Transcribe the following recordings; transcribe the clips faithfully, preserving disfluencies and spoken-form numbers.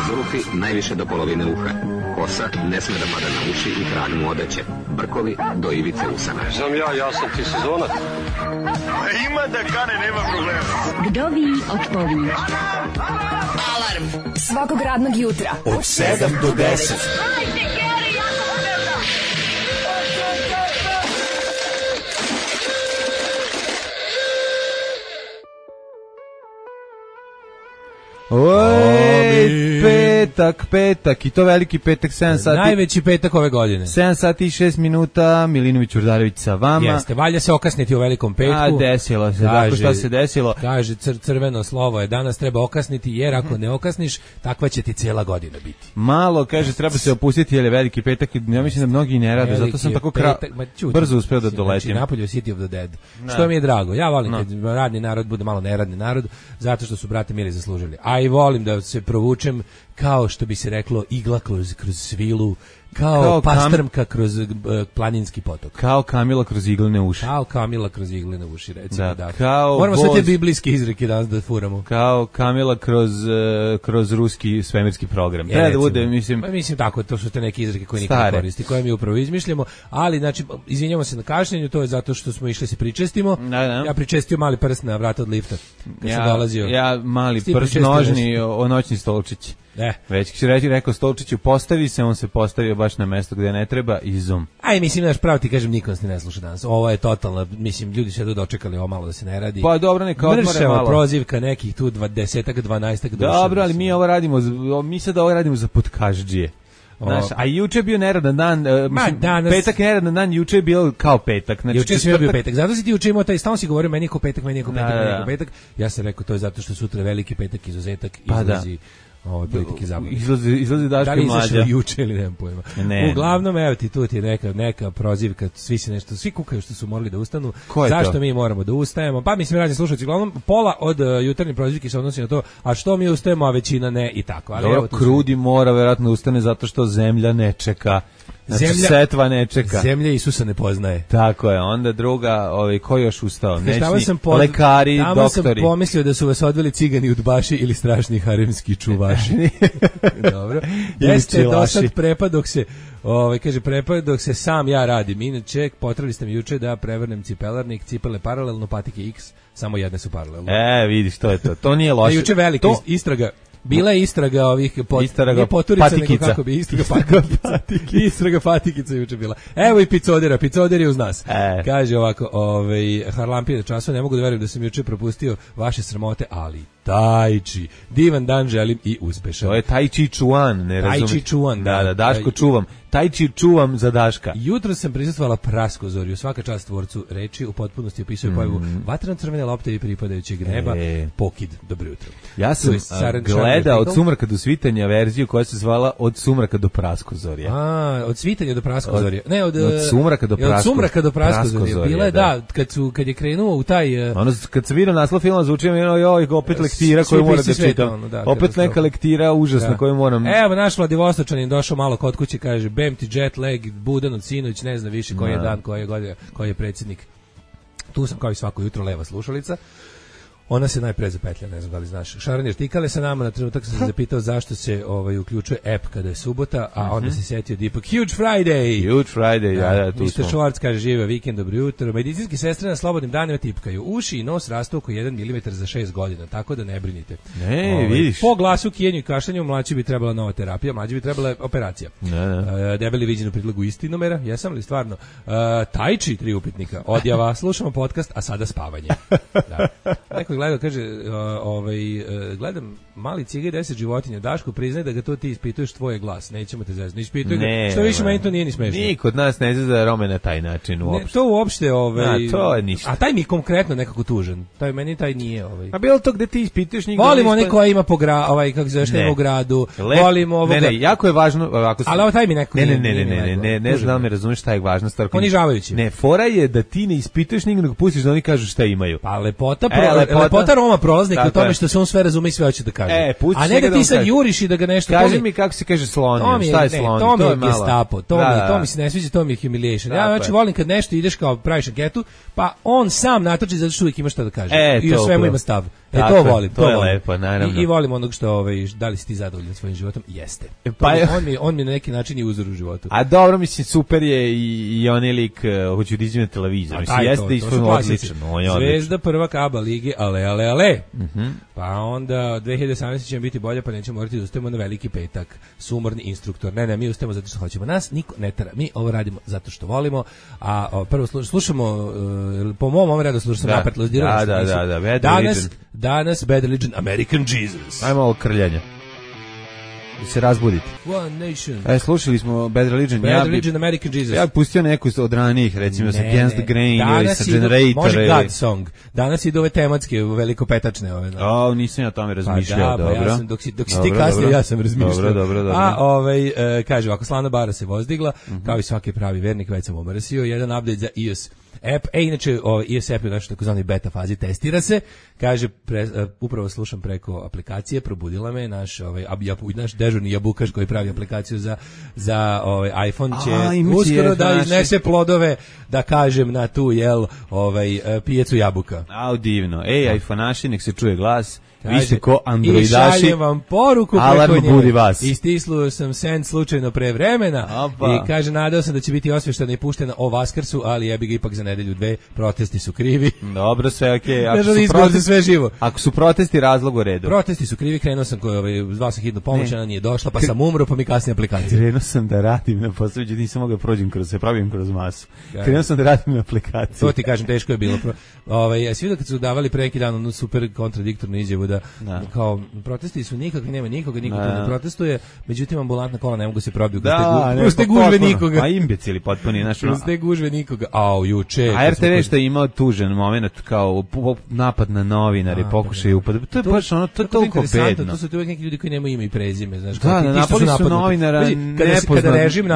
Zulufi najviše do polovine uha. Kosa ne sme da pada na uši i krag mu odeće. Brkovi do ivice usana. Znam ja, ja sam ti sezonac. Ima da kane, nema problema. Vdovi odpovi. Alarm svakog radnog jutra od sedam do deset. Oj, petak, petak, i to veliki petak, sedam sati. Najveći petak ove godine. sedam sati i šest minuta, Milinović Urdarević sa vama. Jeste, valja se okasniti u velikom petku. A, desilo se, tako šta se desilo? Kaže, cr crveno slovo je, danas treba okasniti, jer ako ne okasniš, takva će ti cijela godina biti. Malo, kaže, treba se opustiti, jer je veliki petak, ja mislim da mnogi ne rade, veliki zato sam tako kra... brzo uspeo da doletim. Znači, napolju City of the Dead. No. Što mi je drago, ja volim no. kad radni narod bude malo neradni narod, zato što su brate mili zaslužili. A i volim da se provučem kao što bi se reklo igla kroz, kroz svilu, kao, kao pastrmka kam... kroz uh, planinski potok. Kao Kamila kroz iglene uši. Kao Kamila kroz iglene uši, recimo. Da, da. Kao moramo voz... sve te biblijske izreke danas da furamo. Kao Kamila kroz, uh, kroz ruski svemirski program. Treba da bude, mislim... Pa, mislim tako, to su te neke izreke koje niko ne koristi, koje mi upravo izmišljamo, ali znači, izvinjamo se na kašnjenju, to je zato što smo išli se pričestimo. Da, da. Ja pričestio mali prst na vrata od lifta, kad ja, sam dolazio. Ja mali prst nožni o, o noćni stolčić. Ne. Već će reći, rekao Stolčiću, postavi se, on se postavio baš na mesto gde ne treba i zum. Aj, mislim, naš pravo ti kažem, niko nas ne sluša danas. Ovo je totalno, mislim, ljudi se dočekali ovo malo da se ne radi. Pa dobro, neka odmore malo. Prozivka nekih tu dvadesetak, dvanaestak. Dobro, ali mi ovo radimo, mi sad ovo radimo za podkaždžije. Znaš, a juče je bio neradan dan, uh, mislim, danas... petak je neradan dan, juče je bio kao petak. Znači, juče je bio petak, zato si ti juče imao taj, stalno si govorio, meni je ko petak, meni je ko petak, da, meni je ko petak. Ja sam rekao, to je zato što sutra veliki petak, izuzetak, pa izlazi... Da. Ovo politike zabavne. Izlazi, izlazi Daško Mlađa. Da li izašao juče ili nemam pojma. Ne, Uglavnom, evo ti, tu ti je neka, neka prozivka, svi se nešto, svi kukaju što su morali da ustanu. Zašto to? Mi moramo da ustajemo? Pa mislim, razni slušalci, uglavnom, pola od uh, jutarnje prozivke se odnosi na to, a što mi ustajemo, a većina ne i tako. Ali dobro, evo, Krudi su... mora verovatno ustane zato što zemlja ne čeka. Znači, zemlja, setva ne čeka. Zemlja Isusa ne poznaje. Tako je, onda druga, ovaj, ko još ustao? Nećni sam pod... lekari, tamo doktori. Tamo sam pomislio da su vas odveli cigani udbaši ili strašni haremski čuvaši. Dobro. Jeste do sad prepad dok se, ovaj, kaže, prepad dok se sam ja radim. Inače, potrebali ste mi juče da prevrnem cipelarnik, cipele paralelno, patike X, samo jedne su paralelno. E, vidiš, to je to. To nije loše. Da, juče veliki to... istraga. Bila je istraga ovih pot, istraga poturica, patikica. Nego kako bi istraga patikica. Istraga patikica juče bila. Evo i picodera, picoder je uz nas. E. Kaže ovako, ovaj Harlampije času, ne mogu da verujem da sam juče propustio vaše sramote, ali Tai Chi. Divan dan želim i uspešan. To je Tai Chi Chuan, ne razumiješ. Tai Chi Chuan, da, da, Daško čuvam. Tai Chi čuvam za Daška. Jutro sam prisustvovala Praskozorju, svaka čast tvorcu reči, u potpunosti opisuje mm. pojavu vatreno-crvene lopte i pripadajućeg neba, e. Pokid, dobro jutro. Ja sam uh, gledao od sumraka do svitanja verziju koja se zvala Od sumraka do Praskozorja. A, od svitanja do Praskozorja. Ne, od, od sumraka do Praskozorja. Od sumraka do Praskozorja. Bila je, da, kad, su, kad je krenuo u taj... Uh, ono, kad se vidio naslov filma, zvuči mi, joj, opet lektira koju moram da čitam. Ono, da, opet neka lektira užasna da. Koju moram... Evo, naš Vladivostočanin došao malo kod kuće, kaže, bem ti jet lag, budan od sinoć, ne zna više koji je dan, koji je godina, koji je predsjednik. Tu sam kao i svako jutro leva slušalica. Ona se najpre zapetlja, ne znam da li znaš. Šaran je štikale sa nama, na trenutak sam se zapitao zašto se ovaj uključuje app kada je subota, a onda se setio da ipak Huge Friday. Huge Friday, ja, ja, tu mister Schwartz kaže, žive vikend, dobro jutro. Medicinske sestre na slobodnim danima tipkaju. Uši i nos rastu oko jedan milimetar za šest godina, tako da ne brinite. Ne, ovaj, vidiš. Po glasu, kijenju i kašljanju, mlađi bi trebala nova terapija, mlađi bi trebala operacija. Ne, ne. Uh, debeli viđen u predlogu istinomera, jesam li stvarno? Uh, Tai Chi, tri upitnika. Odjava, slušamo podcast, a sada spavanje. Da. Neko gleda, kaže, uh, ovaj, uh, gledam mali ciga i deset životinja, Daško, priznaj da ga to ti ispituješ tvoj glas, nećemo te zezati, ispituj ne, ga, što više meni to nije ni smešno. Niko od nas ne zezda Rome na taj način uopšte. Ne, to uopšte, ovaj, a, to je ništa. A taj mi je konkretno nekako tužan, taj, meni taj nije. Ovaj. A bilo to gde ti ispituješ njega? Volimo one koja ima po gra, ovaj, kako zove, što ima u gradu, Lep, volimo ovoga. Ne, ne, jako je važno, ako se... Ali ovo taj mi neko ne, ne, ne, ne, ne, ne, ne, ne znam da me razumeš šta je važna stvar. Ponižavajući. Ne, fora je da ti ne ispituješ njega, nego pustiš da oni kažu šta imaju. Pa lepota, pro, e, lepota, lepota Roma prolaznik u tome što se on sve razume i sve hoće da kaže. E, a ne da ti sad juriš i da ga nešto... Kaži mi kako se kaže slonio, šta je slonio? To mi je malo... gestapo, to, da, mi, da. to mi se ne sviđa, to mi je humiliation. Ja znači volim kad nešto ideš kao praviš anketu, pa on sam natoči zato što uvijek ima šta da kaže. E, i o svemu ima stav. E to volim, to, to je volim. Lepo, naravno. I, i volim onog što, ovaj, da li si ti zadovoljan svojim životom? Jeste. Pa je... on, mi, on mi na neki način i uzor u životu. A dobro, mislim, super je i, i onaj lik, uh, hoću da izmene televizor. Mislim, jeste isto odličan. Zvezda prvak A B A lige, ale, ale, ale. Uh-huh. Pa onda dve hiljade osamnaeste će biti bolje, pa nećemo morati da ustajemo na veliki petak. Sumorni instruktor. Ne, ne, mi ustajemo zato što hoćemo. Nas niko ne tera. Mi ovo radimo zato što volimo. A o, prvo slušamo, uh, po mom ovom radu slušamo da. napred. Da, da, da, da, Bad danas, Religion. Danas Bad Religion, American Jesus. Ajmo ovo krljanje. Da se razbudite. One Nation. E, slušali smo Bad Religion. Bad ja Religion, bi, American Jesus. Ja bih pustio neku od ranijih, recimo sa Against the Grain ili sa idu, Generator. Može God Song. Danas idu ove tematske, velikopetačne. Ove, o, nisam ja o tome razmišljao, pa da, dobro. Pa ja sam, dok si, dok si dobro, ti kasnije, ja sam razmišljao. Dobro, dobro, dobro. A, ovaj, e, kaže, ovako, Slana bara se vozdigla, uh-huh. kao i svaki pravi vernik, već sam omrsio, jedan update za i o S app. E, inače, o, i o S app je u našoj takozvanoj beta fazi, testira se. Kaže, pre, uh, upravo slušam preko aplikacije, probudila me, naš, ovaj, ab, jab, naš dežurni jabukaš koji pravi aplikaciju za, za ovaj, iPhone će A, uskoro da iznese plodove, da kažem, na tu, jel, ovaj, pijecu jabuka. Au, divno. Ej, iPhone-aši, nek se čuje glas. Vi ste ko androidaši. I šaljem vam poruku alarm preko budi vas. I stisluo sam send slučajno pre vremena. Opa. I kaže, nadao sam da će biti osvještena i puštena o Vaskrsu, ali jebi ga ipak za nedelju dve. Protesti su krivi. Dobro, sve okej. Okay. Ako, su protesti, sve živo. Ako su protesti, razlog u redu. Protesti su krivi, krenuo sam koji, ovaj, zvao sam hitnu pomoć, ona nije došla, pa sam umro, pa mi kasnije aplikacija. Krenuo sam da radim na poslu, nisam mogao prođem kroz se, pravim kroz masu. Krenuo sam da radim na aplikaciji. To ti kažem, teško je bilo. Ovaj, svi da kad su davali pre neki dan onu super kontradiktornu izjavu da kao protesti su nikakvi, nema nikoga, niko tu ne protestuje, međutim ambulantna kola ne mogu se probiti kroz te gužve nikoga. A imbecili potpuni, znaš, kroz te gužve nikoga. Au, juče. A R T V što je imao tužan moment kao napad na novinare, pokušaj upad. To je baš ono, to je toliko bedno. To su tu uvijek neki ljudi koji nemaju ime i prezime, znaš. Da, napali su novinara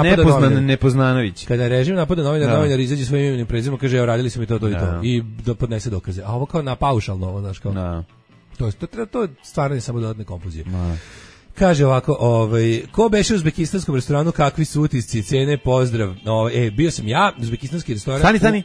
nepoznan Nepoznanović. Kada režim napada novinara, novinar izađe svojim imenom i prezimom, kaže, evo, radili su mi to, to i to. I da podnese dokaze. A ovo kao na paušalno, znaš, kao. To, to, to je stvaranje samo dodatne konfuzije. No. Kaže ovako, ovaj, ko beše u uzbekistanskom restoranu, kakvi su utisci, cene, pozdrav. Ovaj, e, bio sam ja, uzbekistanski restoran. Stani, stani.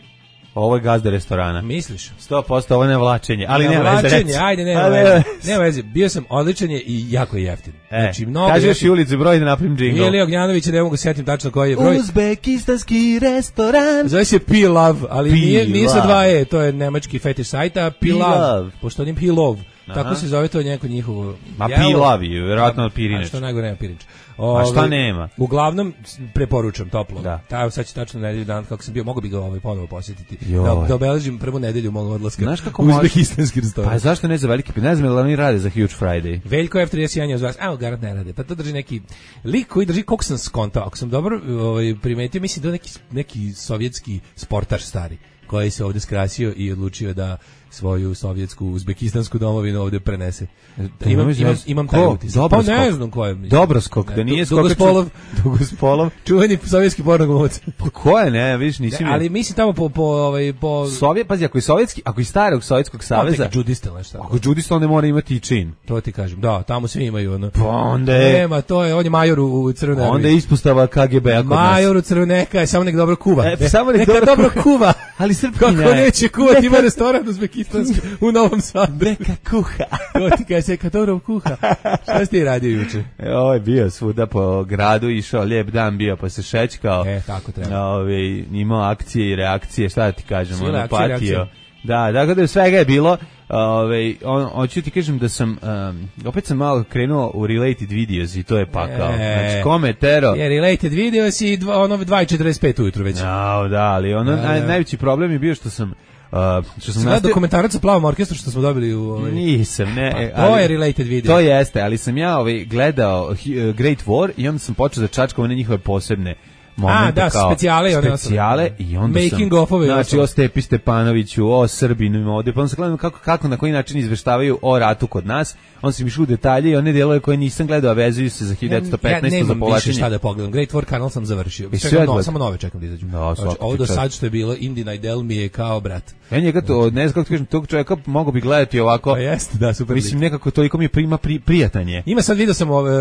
Ovo je gazda restorana. Misliš? sto posto ovo je nevlačenje, ali ne nema veze. Nevlačenje, ajde, nema veze. Nema veze, bio sam odličan je i jako je jeftin. E, znači, mnogo kažeš jeftin. I ulicu broj da napravim džingl. Ili Ognjanovića, ne mogu setim tačno koji je broj. Uzbekistanski restoran. Zove se Pilav, ali nije, nije sa dva E, to je nemački fetiš sajta. Pilav, Pilav. Pošto onim Pilov. Aha. Tako se zove to neko njihovo. Ma Pilavi, vjerojatno od Pirinč. A što najgore nema Pirinč. A šta nema? Uglavnom preporučam toplo. Da. Ta sad će tačno nedelju dan kako sam bio, mogu bi ga ovaj ponovo posjetiti. Da, da obeležim prvu nedelju mog odlaska. Znaš kako u uzbekistanski restoran. Pa zašto ne za veliki? Ne znam da li oni rade za Huge Friday. Veljko F trideset jedan je uz vas. Evo garant ne rade. Pa to drži neki lik koji drži koliko sam skontao. Ako sam dobro ovaj primetio, mislim da neki neki sovjetski sportaš stari koji se ovdje skrasio i odlučio da svoju sovjetsku uzbekistansku domovinu ovdje prenese. Da, imam, imam, imam taj utisak. Pa ne znam ko je. Dobroskok, da nije skokač. Dugospolov. Dugospolov. Čuveni sovjetski pornoglumac. Pa ko je, ne, vidiš, nisi ne, ali mislim tamo po, po, ovaj, po... Sovjet, pazi, ako je sovjetski, ako je starog Sovjetskog saveza... Ako je džudista, nešto. Ako je džudista, onda mora imati i čin. To ti kažem, da, tamo svi imaju ono. Pa onda je... Nema, to je, on je major u, u crvenoj. Onda je ispostava K G B-a kod nas. Major u crvenoj, neka je, samo nek dobro kuva. E, samo nek neka dobro, dobro kuva. Ali srpski ne. Kako neće kuvati, ima restoran uzbekistanski u Novom Sadu. Neka kuha. To ti kaže se, kad dobro kuha. Šta si ti radio juče? E, ovo je bio svuda po gradu, išao lijep dan, bio pa se šećkao. E, tako treba. Ove, imao akcije i reakcije, šta da ti kažem, Sile, ono akcije, patio. reakcije. Da, dakle da svega je bilo. Ove, on, hoću ti kažem da sam, um, opet sam malo krenuo u related videos i to je pakao. E, znači, kome tero? Je related videos i dva, ono dva i četrdeset pet ujutru već. No, da, ali ono, da, naj, da. najveći problem je bio što sam Uh, što sam nastavio dokumentarac sa Plavom orkestru što smo dobili u ovaj... Nisam, ne. Pa, to ali, je related video. To jeste, ali sam ja ovaj gledao uh, Great War i onda sam počeo da čačkam one njihove posebne momente, a, da, kao specijale, specijale i onda making sam, of-ove, znači o Stepi Stepanoviću, o Srbinu ovde, pa onda sam gledao kako, kako, na koji način izveštavaju o ratu kod nas, on sam išao u detalje i one delove koje nisam gledao, a vezuju se za hiljadu devetsto petnaeste ja, za povlačenje. Ja nemam više šta da pogledam, Great War kanal sam završio, čekam, no, samo nove čekam da izađu. No, znači, ovo do sad što je bilo, Indie Idol mi je kao brat. Ja njega to, ne znam kako ti kažem, tog čovjeka mogu bi gledati ovako. Pa jeste, da, super. Mislim, nekako toliko mi je prima pri, prijatanje. Ima sad video sam, ove,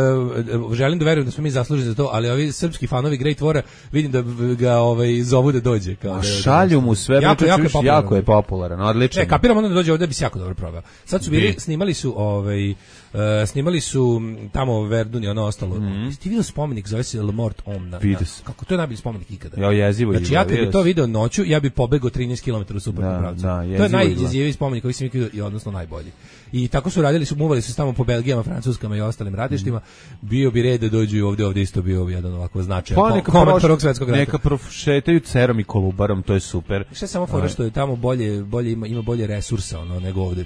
želim da verujem da smo mi zaslužili za to, ali ovi srpski fanovi Great Wara vidim da ga ovaj zovu da dođe kao. A šalju mu sve, jako, jako, jako, jako je popularan, odlično. E, kapiram onda da dođe ovde bi se jako dobro proveo. Sad su bili, snimali su ovaj uh, snimali su tamo Verdun i ono ostalo. Mm. Ti vidio spomenik zove se Le Mort Homme na, na, kako to je najbolji spomenik ikada. Ja jezivo znači ja kad bi to video noću, ja bi pobegao trinaest kilometara u suprotnom pravcu. Da, to je najjeziviji spomenik koji sam vidio i odnosno najbolji. I tako su radili, su muvali su tamo po Belgijama, Francuskama i ostalim ratištima. Mm. Bio bi red da dođu i ovde, ovde isto bio jedan ovako značajan pa, neka komad Prvog svetskog rata. Neka prošetaju Cerom i Kolubarom, to je super. Šta samo fora što je tamo bolje, bolje ima, ima bolje resursa ono nego ovde.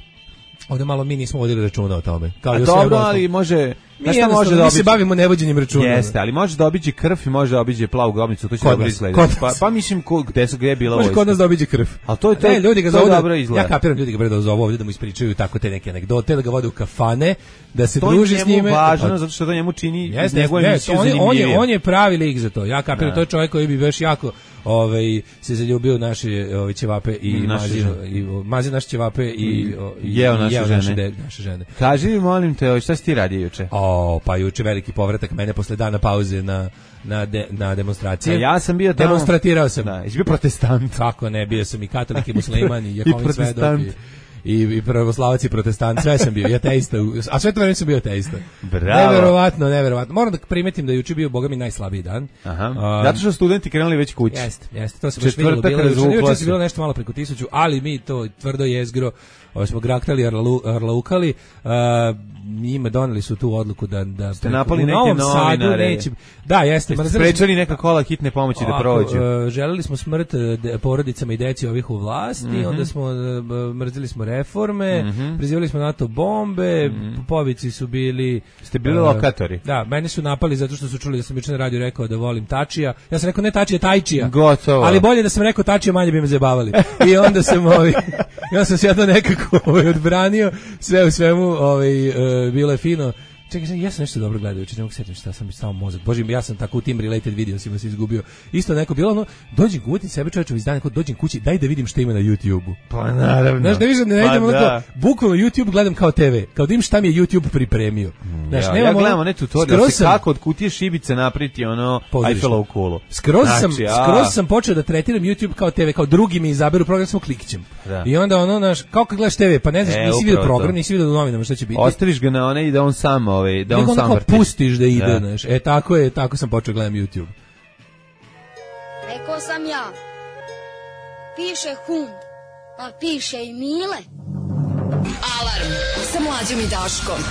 Ovde malo mi nismo vodili računa o tome. Kao a dobro, ali može... Mi, šta može da mi se bavimo nevođenjem računa. Jeste, ali može da obiđe krv i može da obiđe plavu grobnicu, to će dobro izgledati. Pa, pa mislim, ko, gde su gde je bila vojska. Može kod nas da obiđe krv. A to je to, ne, ljudi ga to dobro izgleda. Ja kapiram, ljudi ga bre da zovu ovdje da mu ispričaju tako te neke anegdote, da ga vode u kafane, da se druži s njime. To je važno, zato što to njemu čini njegovu emisiju zanimljivije. On je pravi lik za to. Ja kapiram, to je čovjek koji bi baš jako ovaj se zaljubio u naše ovaj ćevape i mazino i mazi naše ćevape i jeo naše žene. Kaži mi molim te, šta si ti radio juče? O, pa juče veliki povratak mene posle dana pauze na na de, na demonstracije. A ja sam bio tamo. Demonstratirao sam. Da, jesi bio protestant. Kako ne, bio sam i katolik i musliman i Jehovin svedok i i, i pravoslavac i protestant, sve sam bio, i ateista, a sve to vreme sam bio ateista. Bravo. Neverovatno, neverovatno. Moram da primetim da je juče bio, boga mi, najslabiji dan. Aha. Um, Zato što studenti krenuli već kući. Jeste, jeste, to se baš vidjelo. Bilo, juče se bilo nešto malo preko tisuću, ali mi to tvrdo jezgro, ovo smo graktali, arlu, arlaukali, uh, njima doneli su tu odluku da... da ste napali neke novinare. Neće, da, jeste. Ste sprečali neka kola hitne pomoći ovako, da prođu. Uh, želeli smo smrt de, porodicama i deci ovih u vlasti, mm-hmm. onda smo uh, mrzili smo reforme, mm-hmm. prizivali smo NATO bombe, mm-hmm. povici su bili... Ste bili uh, lokatori. Da, mene su napali zato što su čuli da sam juče na radiju rekao da volim Tačija. Ja sam rekao ne Tačija, Tajčija. Gotovo. Ali bolje da sam rekao Tačija, manje bi me zabavali. I onda sam ovi, ja sam se ja to nekako ovaj, odbranio, sve u svemu ovaj, uh, bilo je fino. Čekaj, ja sam nešto dobro gledao, juče ne mogu setim šta sam mi samo mozak. Bože, ja sam tako u tim related videosima se izgubio. Isto neko bilo ono, dođem kući, sebe čovječev izdanje, kod dođem kući, daj da vidim šta ima na YouTubeu. Pa naravno. Znaš, da vidim, ne idem pa onako, bukvalno YouTube gledam kao te ve, kao da im šta mi je YouTube pripremio. Znaš, ja, ja gledam one tutorial, se kako od kutije šibice napriti ono Eiffelovu kulu. Skroz znači, sam, ja. skroz sam počeo da tretiram YouTube kao te ve, kao drugi mi izaberu program, samo klikćem. Da. I onda ono, naš, kao kad gledaš te ve, pa ne znaš, e, nisi vidio program, nisi vidio u novinama šta će biti. Ostaviš ga na one i da on sam, ovaj, da on sam pustiš da ide, znaš. E, tako je, tako sam počeo gledam YouTube. Rekao sam ja, piše hum, a piše i Mile. Alarm sa Mlađom i Daškom.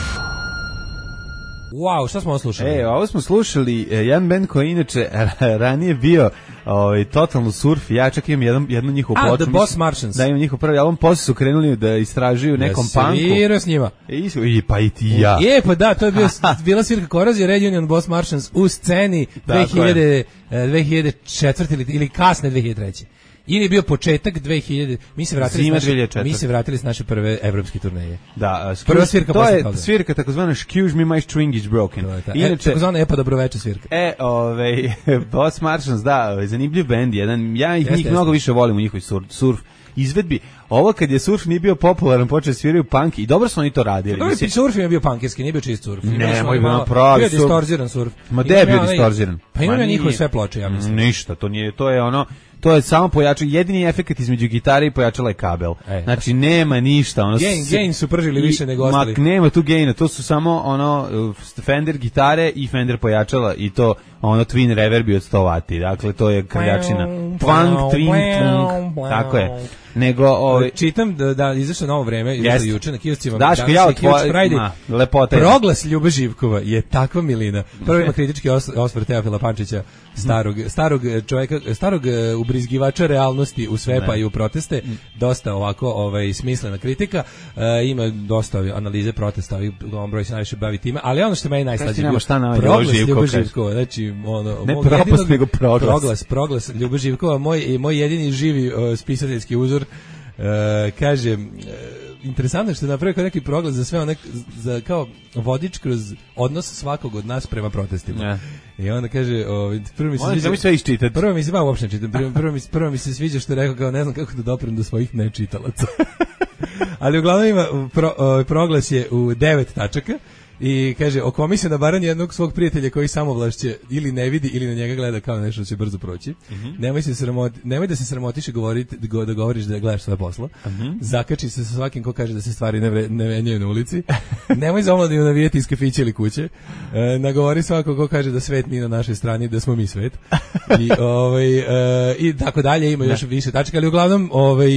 Wow, šta smo ovo slušali? E, ovo smo slušali e, jedan band koji inače ranije bio ovaj, totalno surf, ja čak imam jedan, jednu njihovu ploču. A, The Boss Martians. Da, imam njihov prvi album, posle su krenuli da istražuju nekom ja punku. Svirao s njima. I, I pa i ti ja. Je, pa da, to je bio, bila svirka Korozija, Red Union, Boss Martians u sceni dve hiljade, dve hiljade četvrte ili, ili kasne dve hiljade treće. Ili je bio početak dve hiljade, mi se vratili s naše, mi se vratili s naše prve evropske turneje. Da, uh, prva svirka to je toga. Svirka takozvana Excuse me, my string is broken. Ta. Inače, e, takozvana Epa dobroveče svirka. E, ovaj Boss Martians, da, zanimljiv bend jedan. Ja ih jeste, njih jeste. Mnogo više volim u njihovoj surf, surf izvedbi. Ovo kad je surf nije bio popularan, počeli sviraju punk i dobro su oni to radili. Dobro, mislim, surf je bio punkerski, nije bio čist surf. Ne, moj bio pravi surf. Bio distorziran surf. Ma da je bio distorziran. Pa imam ja njihove sve ploče, ja mislim. Ništa, to nije, to je ono, to je samo pojačao, jedini efekt između gitare i pojačala je kabel. E, znači nema ništa, ono gain, s... gain su pržili više nego ostali. Ma nema tu gaina, to su samo ono Fender gitare i Fender pojačala i to ono twin reverbi od sto vati. Dakle to je krljačina. Twang, twin, twang. Tako je. Nego ovaj čitam da da izašlo novo vreme, izašlo juče na kioscima. Daško, ja tvoj lepota. Proglas Ljube Živkova je takva milina. Prvo ima kritički osvrt Teofila Pančića, starog starog čovjeka, starog ubrizgivača realnosti u sve pa i u proteste, dosta ovako ovaj smislena kritika. E, ima dosta analize protesta, i on broj se najviše bavi time, ali ono što meni najslađe bio Proglas Ljube Živkova, znači ono ne propast nego proglas. Proglas, proglas Ljube Živkova, moj moj jedini živi uh, spisateljski uzor. Uh, kaže uh, interesantno što je napravio kao neki proglas za sve one, za kao vodič kroz odnos svakog od nas prema protestima. Ja. I onda kaže, o, prvo mi se sviđa, mi sve iščitati. Prvo mi se ba uopšte čitam. Prvo, prvo mi prvo mi se sviđa što je rekao kao ne znam kako da doprem do svojih nečitalaca. Ali uglavnom ima pro, o, proglas je u devet tačaka. I kaže, okomi se na baran jednog svog prijatelja koji samovlašće ili ne vidi ili na njega gleda kao nešto će brzo proći. Mm-hmm. Nemoj se sramoti, nemoj da se sramotiš i govoriti, da govoriš da gledaš svoje posla. Mm-hmm. Zakači se sa svakim ko kaže da se stvari ne, vre, ne venjaju na ulici. Nemoj za omladinu navijeti iz kafića ili kuće. E, nagovori svako ko kaže da svet nije na našoj strani, da smo mi svet. I, ovaj, e, i tako dalje, ima još više tačaka, ali uglavnom ovaj,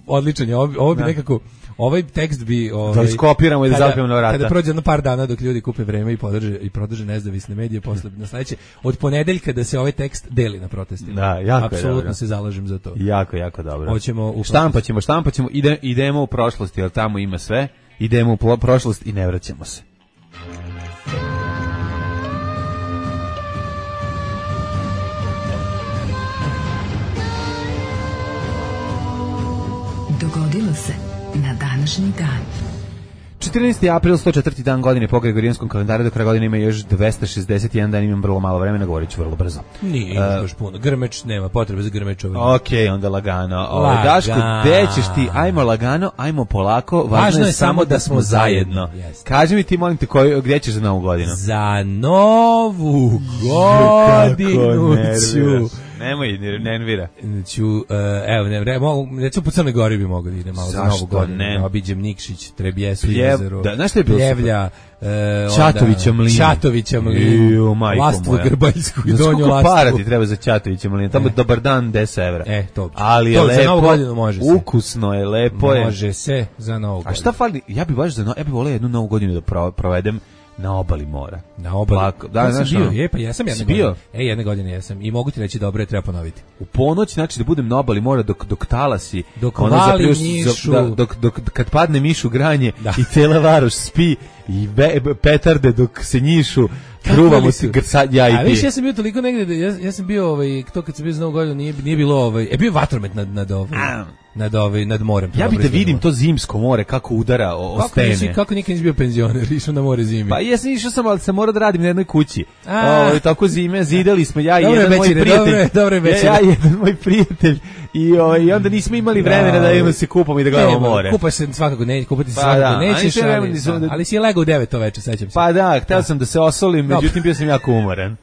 odličan je. Ovo, ovo bi nekako... Ovaj tekst bi ovaj da skopiramo i da zapijemo na vrata. Kada prođe jedno par dana dok ljudi kupe vreme i podrže i prodrže nezavisne medije posle na sledeće od ponedeljka da se ovaj tekst deli na protestima. Da, jako je apsolutno dobro. Se zalažem za to. Jako, jako dobro. Hoćemo u štampaćemo, štampaćemo, ide, idemo u prošlost, jer tamo ima sve. Idemo u prošlost i ne vraćamo se. Dogodilo se na današnji dan. četrnaesti april, sto četvrti dan godine po Gregorijanskom kalendaru, do kraja godine ima još dvesta šezdeset jedan dan, imam vrlo malo vremena, govorit ću vrlo brzo. Nije, ima uh, baš puno. Grmeč, nema potrebe za grmečovim. Ok, onda lagano. O, Daško, gde ćeš ti? Ajmo lagano, ajmo polako, važno, važno je, je samo da smo zajedno. zajedno. Kaži mi ti, molim te, koji, gdje ćeš za novu godinu? Za novu godinu ću... Nemoj, nervira. Ću, uh, evo, ne, re, mogu, recimo po Crnoj Gori bi mogao da idem malo za novu godinu. Ne? Obiđem Nikšić, Trebjesu, Pljev, jezero, da, znaš što je bilo Pljevlja, uh, Čatovića mlin. Čatovića mlin, Lastvu Grbaljsku i Donju Lastvu. Para ti treba za Čatovića mlin, tamo e. dobar dan, deset evra. E, to. Ali je to, lepo, za novu godinu može se. Ukusno je, lepo je. Može se za novu godinu. A šta fali? Ja bih baš za no, ja bih voleo jednu novu godinu da provedem na obali mora. Na obali. Plako. Da, ja znaš, sam bio, je, pa ja sam jedne bio? godine. E, jedne godine jesam. I mogu ti reći dobro je, treba ponoviti. U ponoć, znači da budem na obali mora dok, dok talasi. Dok vali mišu. Da, dok, dok, kad padne mišu granje da. I cela varoš spi i be, petarde dok se njišu. Gruvamo se grca, ja i ti. A viš, ja sam bio toliko negde, ja, ja sam bio, ovaj, to kad sam bio za novu godinu, nije, nije bilo, ovaj, je bio vatromet nad, nad, ovaj, nad, ovaj, nad morem. Ja bih da vidim to zimsko more, kako udara o, o kako stene. Nisi, kako nikad nisi bio penzioner, išao na more zimi? Pa jesam išao sam, ali sam morao da radim na jednoj kući. O, tako zime, zidali smo, ja i dobre jedan večere, moj prijatelj. Dobre, dobre večere. Ja i jedan moj prijatelj. I, o, i onda nismo imali vremena da idemo se kupamo i da gledamo ne, more. Kupaš se svakako, ne, kupati se pa svakako da, nećeš, ali, ali, da, ali si legao u devet to veče, sećam se. Pa da, hteo sam da se osolim, međutim bio sam jako umoran.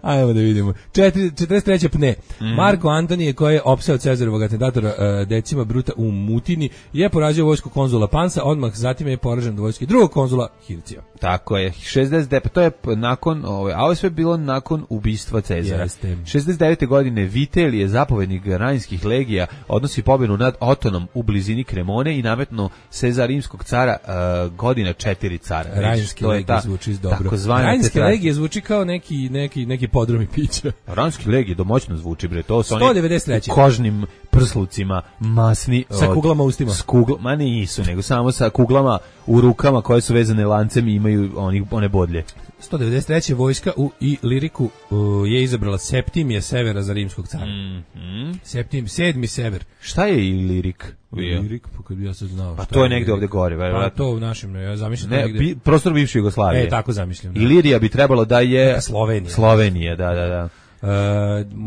Ajmo da vidimo. četrdeset treća pne. Mm. Marko Antonije, koji je opseo Cezarovog atentatora uh, Decima Bruta u Mutini, je porazio vojsku konzula Pansa, odmah zatim je poražen do vojske drugog konzula Hircija. Tako je. šezdeset devet to je nakon, ovaj, a ovo je sve bilo nakon ubistva Cezara. Jeste. šezdeset devete godine Vitelije, zapovednik Ranjskih legija, odnosi pobjedu nad Otonom u blizini Kremone i nametno se za rimskog cara uh, godina četiri cara. Ranjske legije zvuči dobro. Ranjske legije zvuči kao neki, neki, neki podromi pića. Ranjske legije domoćno zvuči, bre. To su sto devedeset treće kožnim prslucima, masni. Sa kuglama u ustima. S kugla, ma nisu, nego samo sa kuglama u rukama koje su vezane lancem i imaju oni, one bodlje. sto devedeset treća vojska u i Liriku uh, je izabrala Septimija Severa za rimskog cara. Mm, mm. Septim, sedmi Sever. Šta je i Lirik? Lirik, pa kad bi ja sad znao. Pa to je negde ovde gore. Pa to u našem, ja zamišljam ne, negde. Bi, prostor bivše Jugoslavije. E, tako zamišljam. Da. Ilirija bi trebalo da je... Neka Slovenija. Slovenija, da, da, da. Uh,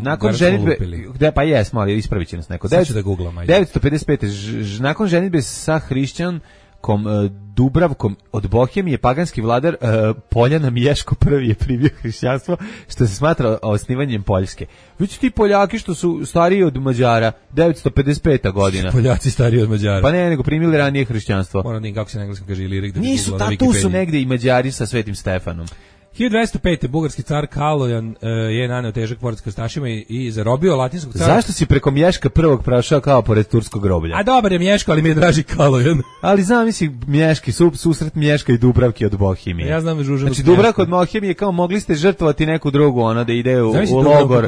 nakon ženitbe, gde pa jesmo, ali ispravit će nas neko. Sad ću da googlam, ajde. devetsto pedeset pete Ž, ž, nakon ženitbe sa hrišćan kom uh, Dubravkom od Bohemije paganski vladar uh, Poljana Miješko prvi je primio hrišćanstvo, što se smatra osnivanjem Poljske. Već ti Poljaki što su stariji od Mađara, devetsto pedeset peta godina. Poljaci stariji od Mađara. Pa ne, nego primili ranije hrišćanstvo. Moram da kako se na engleskom kaže Ilirik. Da nisu, ta, tu su negde i Mađari sa Svetim Stefanom. hiljadu dvesta pete bugarski car Kalojan uh, je naneo težak poraz krstašima i, i zarobio latinskog cara. Zašto si preko Mješka prvog prošao kao pored turskog groblja? A dobar je Mješko, ali mi je draži Kalojan. Ali znam, misli Mješki, su, susret Mješka i Dubravke od Bohemije. Ja znam Žužanu. Znači Dubravka od Bohemije kao mogli ste žrtvovati neku drugu, ona da ide u, u logor.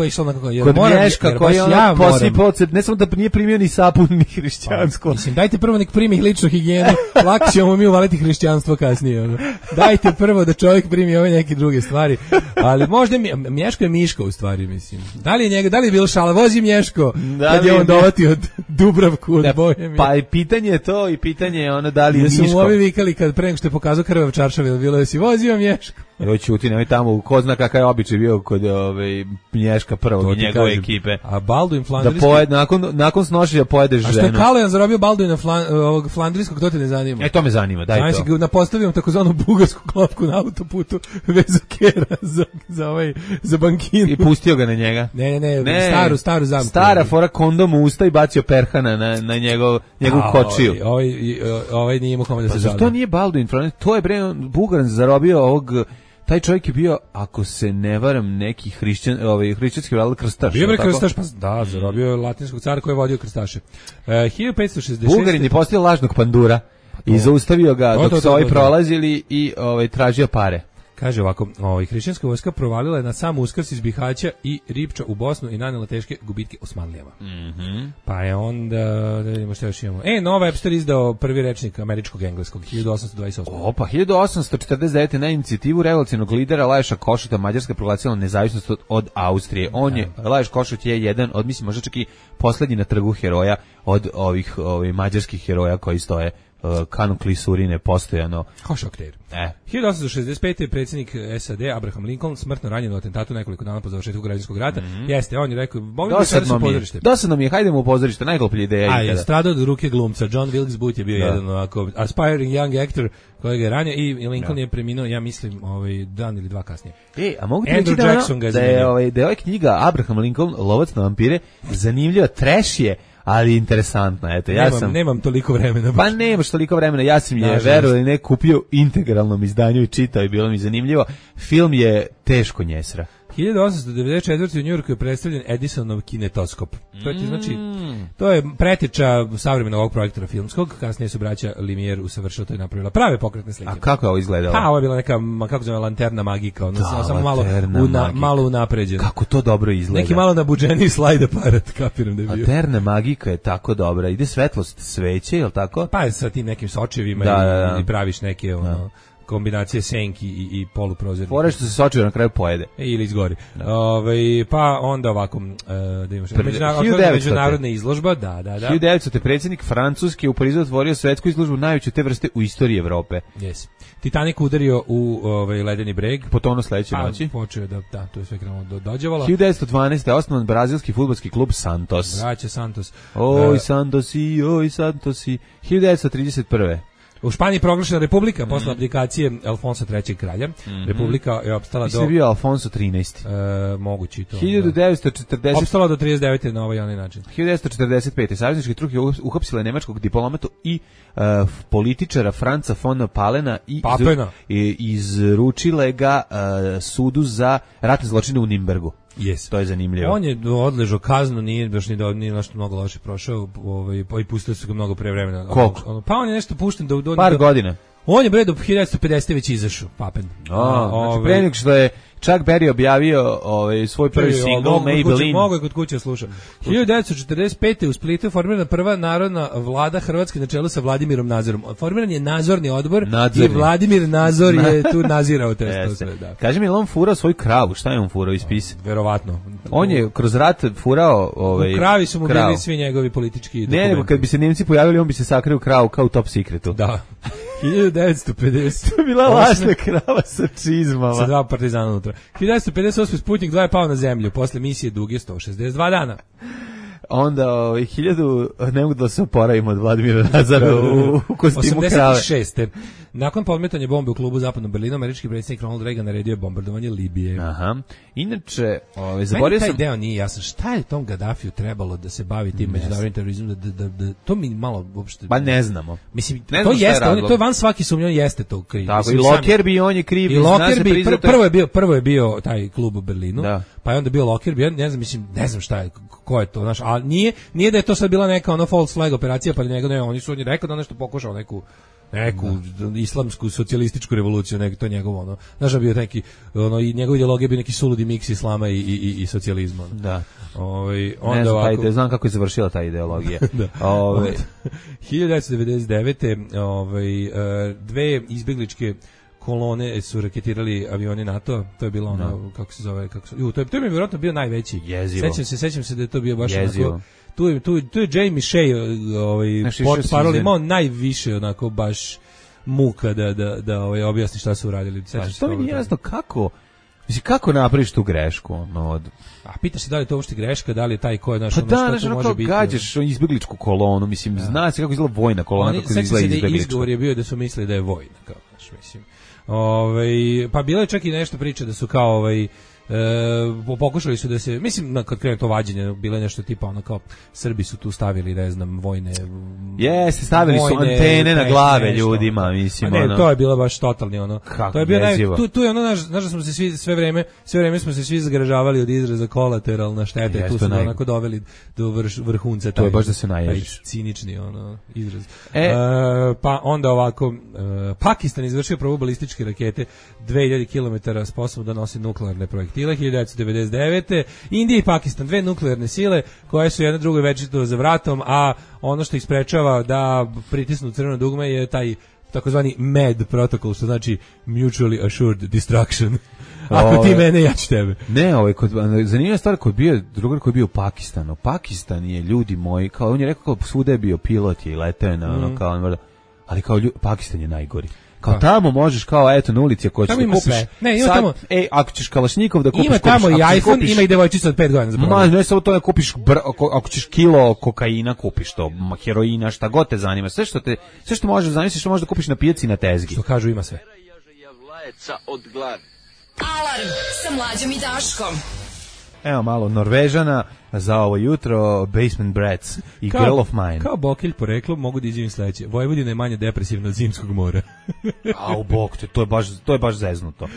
Kod Mješka koji je ona posipao, ne samo da nije primio ni sapun ni hrišćansko. Pa, mislim, dajte prvo nek primi ličnu higijenu, lako ćemo mi uvaliti hrišćanstvo kasnije. Ono. Dajte prvo da čovjek primi ove neke druge stvari. Ali možda mi, Mješko je Miško u stvari, mislim. Da li je njega, da li je bilo šala, vozi Mješko, da kad je on dovati od Dubravku, od Bohemije. Pa i pitanje je to, i pitanje je ono da li je Miško. Da su mu ovi vikali kad pre nego što je pokazao krvav čaršav, bilo je si vozio Mješko. Evo ćuti, nemoj tamo, ko zna kakav je običaj bio kod ove, Mlješka prvog i njegove kažem. Ekipe. A Balduin Flandrijski... Da pojed, nakon, nakon snošenja pojedeš ženu. A što je Kalojan zarobio Balduina Flan, ovog Flandrijskog, to te ne zanima? E, to me zanima, daj Znači, to. Znači, napostavio takozvanu bugarsku klopku na autoputu vezu kera za, za, ovaj, za bankinu. I pustio ga na njega. Ne, ne, ne, ne staru, staru zamku. Stara fora kondom u usta i bacio perhana na, na njegov, njegovu kočiju. Ovaj, ovaj nije imao kome da se žali. To nije Balduin, to je bre, Bugaran zarobio ovog, taj čovjek je bio, ako se ne varam, neki hrišćan, ovaj, hrišćanski vladar krstaš. Bio je krstaš, pa da, zarobio je latinskog cara koji je vodio krstaše. Uh, hiljadu petsto šezdeset šeste. Bugarin je postavio lažnog pandura i zaustavio ga dok su ovi prolazili i ovaj, tražio pare. Kaže ovako, ovaj, hrišćanska vojska provalila je na sam Uskrs iz Bihaća i Ripča u Bosnu i nanela teške gubitke Osmanlijama. Mm-hmm. Pa je onda, da vidimo što još imamo. E, Nova Webster izdao prvi rečnik američkog engleskog, hiljadu osamsto dvadeset osme. Opa, hiljadu osamsto četrdeset devete. na inicijativu revolucionarnog lidera Laješa Košuta Mađarska proglasila nezavisnost od, od Austrije. On je, Laješ Košut je jedan od, mislim, možda čak i poslednji na trgu heroja od ovih, ovih mađarskih heroja koji stoje Kanu Klisurine postojano. Hošokter. E. hiljadu osamsto šezdeset pete. predsjednik S A D Abraham Lincoln smrtno ranjen u atentatu nekoliko dana po završetku građanskog rata. Mm-hmm. Jeste, on je rekao, mogli bi sada se u pozorište. Dosadno mi je, hajdemo u pozorište, najgluplja ideja. A je stradao od ruke glumca. John Wilkes Booth je bio da. jedan ovako aspiring young actor kojega je ranio i Lincoln da. je preminuo, ja mislim, ovaj dan ili dva kasnije. E, a mogu ti reći da, ono, da, je, ovaj, da je ovaj knjiga Abraham Lincoln, Lovac na vampire, zanimljiva, trash je, ali interesantna, eto, ja nemam, sam... Nemam toliko vremena. Pa nemaš toliko vremena, ja sam je, verovali ne, kupio integralnom izdanju i čitao i bilo mi zanimljivo. Film je teško njesra. hiljadu osamsto devedeset četvrte. u Njujorku je predstavljen Edisonov kinetoskop. To je, znači, to je preteča savremenog ovog projektora filmskog, kasnije su braća Lumière usavršili, to je napravila prave pokretne slike. A kako je ovo izgledalo? Pa, ovo je bila neka, kako zove, lanterna magika, ono, da, samo malo, una, malo unapređena. Kako to dobro izgleda. Neki malo nabuđeniji slajd aparat, kapiram da je bio. Lanterna magika je tako dobra, ide svetlost sveće, je li tako? Pa sa tim nekim sočevima da, i, da, da. i praviš neke, ono... Da. Kombinacije senki i, i poluprozornika. Fore što se sočivo na kraju pojede. E, ili izgori. Ove, pa onda ovako, uh, da imamo što. Međunarodna, međunarodna izložba, da, da, da. hiljadu devetsto. predsjednik Francuske u Parizu otvorio svetsku izložbu najveću te vrste u istoriji Evrope. Yes. Titanic udario u ovaj ledeni breg. Potonuo sledeće pa, noći. Počeo da, da, to je sve krenulo do dođevalo. hiljadu devetsto dvanaeste. osnovan brazilski fudbalski klub Santos. Braća Santos. Oj, uh, Santosi, oj, Santosi. hiljadu devetsto trideset prve. U Španiji proglašena republika posle mm. abdikacije Alfonsa trećeg kralja. Mm-hmm. Republika je opstala do... Mislim bio Alfonso trinaesti. E, mogući to. hiljadu devetsto četrdeset. Opstala do trideset devete na ovaj onaj način. hiljadu devetsto četrdeset pete. Savezničke truke uhapsile nemačkog diplomatu i uh, političara Franca von Palena i iz, izručile ga uh, sudu za ratne zločine u Nimbergu. Yes. To je zanimljivo. On je odležao kaznu, nije baš ni do nije nešto mnogo loše prošao, ovaj pa i pustili su ga mnogo pre vremena. Koliko? Pa on je nešto pušten do, do par do, godina. On je bre do hiljadu devetsto pedesete već izašao, Papen. A, znači pre nego što je Chuck Berry objavio ovaj svoj prvi single Maybelline. Mogu je kod kuće sluša. hiljadu devetsto četrdeset pete. u Splitu je formirana prva narodna vlada Hrvatske na čelu sa Vladimirom Nazorom. Formiran je nadzorni odbor nadzorni. I Vladimir Nazor je tu nadzirao te to sve, da. Kaže mi, on furao svoju kravu, šta je on furao iz spisa? Verovatno. On je kroz rat furao ovaj u kravi su mu krav. Bili svi njegovi politički dokumenti. Ne, nego kad bi se Nemci pojavili, on bi se sakrio kravu kao u Top Secretu. Da. hiljadu devetsto pedeset. To je bila lažna krava sa čizmama. Sa dva partizana unutra. hiljadu devetsto pedeset osme. Sputnik dva je pao na zemlju. Posle misije duge sto šezdeset dva dana. Onda ovaj hiljadu ne mogu da se oporavimo od Vladimira Nazara u, u kostimu krave. osamdeset šeste. Nakon podmetanja bombe u klubu zapadnom Berlinu, američki predsjednik Ronald Reagan naredio je bombardovanje Libije. Aha. Inače, ovaj zaboravio sam... Meni taj deo nije jasan. Šta je tom Gaddafiju trebalo da se bavi tim međunarodnim terorizmom? Da, da, da, to mi malo uopšte... Pa ne znamo. Mislim, ne to jeste, on je, to je van svaki sumnja, on jeste to kriv. Tako, i Lockerbie, on je kriv. I Lockerbie, pr prvo je bio, prvo je bio taj klub u Berlinu, da. Pa je onda bio Lockerbie, ne znam, mislim, ne znam šta je, ko je to, znaš, a nije, nije da je to sad bila neka ono false flag operacija, pa nego ne, oni su oni rekao da nešto pokušao neku neku da. islamsku socijalističku revoluciju, nek to njegovo ono. Znaš, bio neki ono i njegova ideologija bio neki suludi miks islama i i i, i socijalizma. Ono. Da. Ovaj onda ne znam, ovako, taj, znam kako je završila ta ideologija. Ovaj hiljadu devetsto devedeset devete. ovaj dve izbegličke kolone su raketirali avioni NATO, to je bilo ono, no. kako se zove, kako se, ju, to je, to je vjerojatno bio najveći. Jezivo. Sećam se, sećam se da je to bio baš Jezivo. onako, tu, tu, tu je Jamie Shea, ovaj, port parol imao najviše onako baš muka da, da, da ovaj, objasni šta su uradili. Pa što mi nije jasno kako, mislim, kako napraviš tu grešku? No, od... A pitaš se da li je to uopšte greška, da li je taj ko je naš, pa ono, da, šta znaš, to ono može kao biti. gađaš izbjegličku kolonu, mislim, ja. Zna se kako izgleda vojna kolona, Oni, kako izgleda izbjeglička. izbjeglička. Je bio da su mislili da je vojna, kao, znaš, mislim. Ove, pa bilo je čak i nešto priče da su kao ovaj E, pokušali su da se, mislim, kad krene to vađenje, bilo je nešto tipa ono kao Srbi su tu stavili, ne znam, vojne jeste, stavili vojne, su antene na glave nešto, ljudima, mislim, ne, ono. to je bilo baš totalni ono. Kako to je bio naj, tu, tu je ono, znaš, znaš da smo se svi sve vreme, sve vreme smo se svi zgražavali od izraza kolateralna šteta, yes, tu su naj... onako doveli do vrš, vrhunca taj, to je baš da se naježiš. Cinični ono izraz. E, e, pa onda ovako, e, Pakistan izvršio probu balističke rakete dve hiljade kilometara sposobno da nosi nuklearne projektile hiljadu devetsto devedeset devete. Indija i Pakistan, dve nuklearne sile koje su jedna drugoj večito za vratom, a ono što ih sprečava da pritisnu crveno dugme je taj takozvani M E D protokol, što znači Mutually Assured Destruction. Ako ti mene, ja ću tebe. Ne, ovaj, kod, zanimljiva stvar, kod bio, drugar koji je bio u Pakistanu. Pakistan je, ljudi moji, kao, on je rekao kao svuda je bio pilot je i letao na ono, mm. kao, ali kao ljudi, Pakistan je najgori. Kao tamo možeš kao eto na ulici ako hoćeš da kupiš. Sve. Ne, ima sad, tamo. Ej, ako ćeš kalašnikov da kupiš. Ima tamo kupiš, i iPhone, kupiš, ima i devojčica od pet godina za Ma, ne samo to da kupiš br, ako, ako ćeš kilo kokaina kupiš to, heroina, šta god te zanima. Sve što te sve što možeš zamisliti što možeš da kupiš na pijaci na tezgi. Što kažu ima sve. Od glave. Alarm sa Mlađom i Daškom. Evo malo Norvežana za ovo jutro, Basement Brats i kao, Girl of Mine. Kao Bokilj poreklo mogu da izjavim sledeće. Vojvodina je manje depresivna od zimskog mora. A u bok te, to je baš, to je baš zeznuto.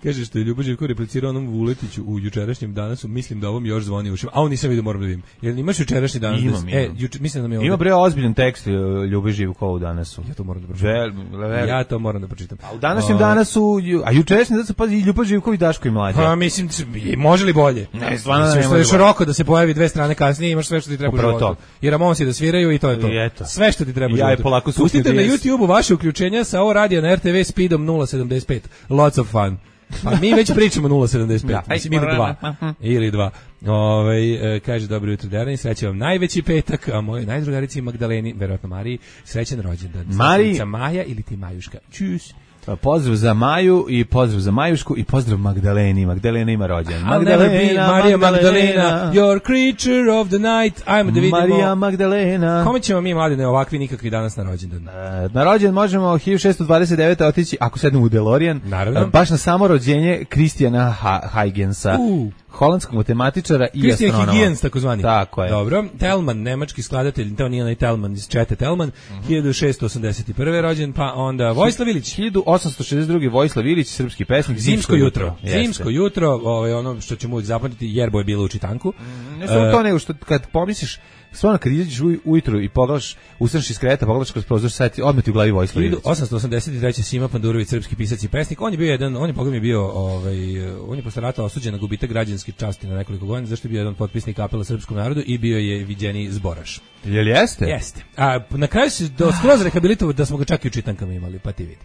Kaže što je Ljubo Živko replicirao onom Vuletiću u jučerašnjem danasu, mislim da ovom još zvoni ušima. A on nisam vidio, moram da vidim. Jel imaš jučerašnji danas? Imam, da, imam. E, juče, mislim da mi je ovdje. Ima bre ozbiljan tekst Ljubo Živko u danasu. Ja to moram da pročitam. Žel, ja to moram da pročitam. A u današnjem o... danasu, a jučerašnji danas pa i Ljubo Živko i Daško i Mlađa. Pa mislim, može li bolje? Ne, stvarno ne, ne može. Široko da se pojavi dve strane kasnije, imaš sve što ti treba u životu. I Ramonsi da sviraju i to je to. Sve što ti treba u životu. Ja pustite na YouTubeu vaše uključenja sa ovo radija na R T V speedom nula sedamdeset pet. Lots of fun. Pa mi već pričamo nula sedamdeset pet. Mislim, ili dva. Ili dva. Ove, kaže, dobro jutro, Derani, sreće vam najveći petak, a moje najdrugarici Magdaleni, verovatno Mariji, srećan rođendan. Mariji. Maja ili ti Majuška. Čus. Pozdrav za Maju i pozdrav za Majušku i pozdrav Magdaleni. Magdalena ima rođendan. Magdalena, Marija Magdalena, your creature of the night. Ajmo da vidimo. Marija Magdalena. Kome ćemo mi, mladine, ovakvi nikakvi danas na rođendan? Na rođendan možemo hiljadu šessto dvadeset devete otići, ako sednemo u DeLorean, naravno, baš na samo rođenje Kristijana Huygensa. Uh. Holandskog matematičara i Christian astronoma. Christian Huygens, takozvani. Tako je. Dobro. Telman, nemački skladatelj, to nije onaj Telman iz Čete Telman, uh-huh. hiljadu šessto osamdeset prve rođen, pa onda Vojislav Ilić. hiljadu osamsto šezdeset druge Vojislav Ilić, srpski pesnik. Zimsko, Zimsko jutro. jutro. Zimsko jutro, ovaj, ono što ćemo uvijek zapamtiti, Jerbo je bilo u čitanku. Mm, ne samo uh, to, nego što kad pomisliš, stvarno kad izađeš ujutru i pogledaš, ustaneš iz kreveta, pogledaš kroz prozor, sad odmah ti u glavi Vojislav Ilić. hiljadu osamsto osamdeset treće Sima Pandurović, srpski pisac i pesnik. On je bio jedan, on je pogledaj bio, ovaj, on je posle rata osuđen na gubitak građanske časti na nekoliko godina, zašto je bio jedan potpisnik apela srpskom narodu i bio je viđeni zboraš. Jel jeste? Jeste. A na kraju se do skroz rehabilitovao da smo ga čak i u čitankama imali, pa ti vidi.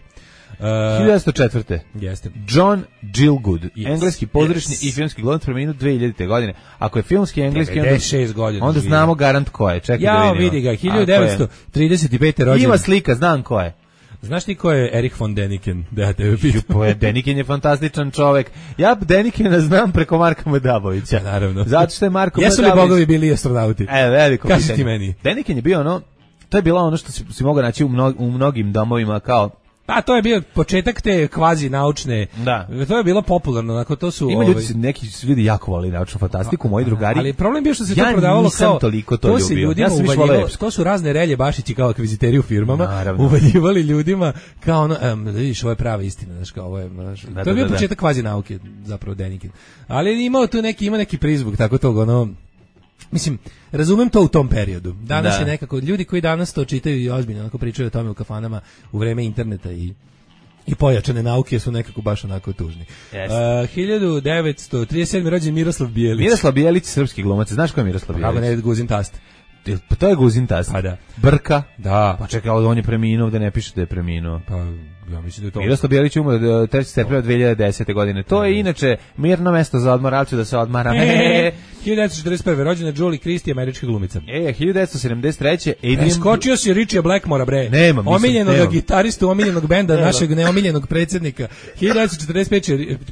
Uh, hiljadu devetsto četvrte Jeste. John Gielgud, yes. engleski pozorišni yes. i filmski glumac, preminuo dve hiljadite godine. Ako je filmski engleski, devedeset šest godina, onda znamo garant ko je. Čekaj ja, da vidimo. vidi ga, hiljadu devetsto trideset pete rođen. Ima slika, znam ko je. Znaš ti ko je Erich von Däniken? Da ja tebe pitam. Je, Däniken je fantastičan čovek. Ja Dänikena znam preko Marka Madabovića. Naravno. Zato što je Marko Jesu Madabović... li bogovi bili astronauti? E, veliko Kaži pitanje. ti meni. Däniken je bio ono, to je bilo ono što si, si mogao naći u, mno, u mnogim domovima kao... Pa to je bio početak te kvazi naučne. Da. To je bilo popularno, onako to su. Ima ljudi, neki ljudi jako vole naučnu fantastiku, moji drugari. Ali problem bio što se ja to prodavalo kao toliko to, to ljubio. se ljudima ja uvaljivalo, to su razne relje bašići kao akviziteri u firmama, naravno, uvaljivali ljudima kao ono, um, da vidiš, ovo je prava istina, znači kao ovo je, znaš, da, to je bio da, početak kvazi nauke, zapravo Däniken. Ali imao tu neki, ima neki prizvuk tako tog, ono, mislim, razumem to u tom periodu. Danas da. je nekako, ljudi koji danas to čitaju i ozbiljno onako pričaju o tome u kafanama u vreme interneta i i pojačane nauke su nekako baš onako tužni. Yes. Uh, hiljadu devetsto trideset sedme rođen Miroslav Bijelić. Miroslav Bijelić, srpski glumac. Znaš ko je Miroslav Bijelić? Kako ne, Guzin tast. Pa to je Guzin tast. Pa da. Brka. Da. Pa čekaj, on je preminuo, da ne piše da je preminuo. Pa ja mislim da je to. Miroslav Bijelić umro trećeg septembra dve hiljade desete godine. To je inače mirno mesto za odmor, ali ću da se odmaram. hiljadu devetsto četrdeset prve rođena Julie Christie, američka glumica. E, hiljadu devetsto sedamdeset treće Adrian... Skočio si Richie Blackmora, bre. Nema, mislim, omiljenog nemam. gitaristu, omiljenog benda, našeg neomiljenog predsjednika. hiljadu devetsto četrdeset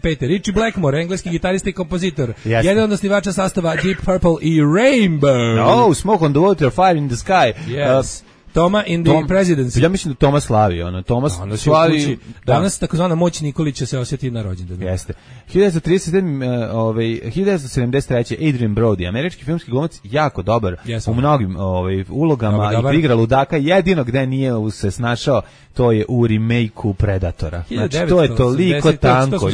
pete Richie Blackmore, engleski gitarista i kompozitor. Jasne. Jedan od osnivača sastava Deep Purple i Rainbow. Oh, Smoke on the Water, Fire in the Sky. Yes. Uh, Toma in the Tom, Presidency. Ja mislim da Toma slavi, ono, Tomas da, slavi... Da. Danas takozvana moć Nikolića se osjeti na rođendanu. Jeste. hiljadu devetsto trideset sedme ovaj hiljadu devetsto sedamdeset treće Adrian Brody, američki filmski glumac, jako dobar yes, u mnogim ovaj ulogama dobar, i igra ludaka, jedino gde nije se snašao to je u remake-u Predatora. Znači to je toliko tanko.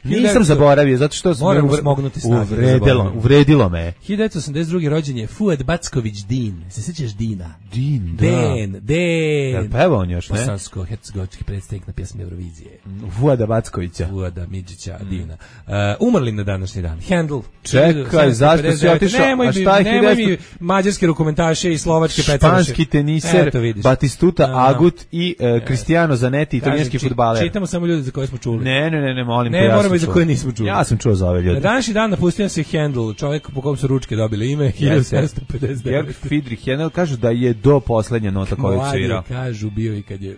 Nisam zaboravio zato što moram smognuti snage. Uvredilo, uvredilo me. hiljadu devetsto osamdeset druge rođen je Fuad Backović Din. Se sećaš Dina? Din, da. Den, Den. Jel pevao on još, ne? Bosansko-hercegovački predstavnik na pjesmi Eurovizije. Fuada Backovića. Fuada Midžića, mm. Dina. Uh, umrli na današnji dan. Handel. Čekaj, zašto si otišao? Nemoj, a šta nemoj devetsto... mi mađarske rukomentaše i slovačke petaraše. Španski teniser, Batistuta a, Agut i uh, Cristiano Zanetti, italijanski fudbaler. Čitamo samo ljudi za koje smo čuli. Ne, ne, ne, ne molim te. Ne, ja moramo i za koje nismo čuli. Ja sam čuo za ove ljude. Na današnji dan napustio se Handel, čovjek po kom su ručke dobili ime, hiljadu sedamsto pedeset devet. Georg Friedrich Handel kažu da je do poslednja nota koju svirao. Kažu bio i kad je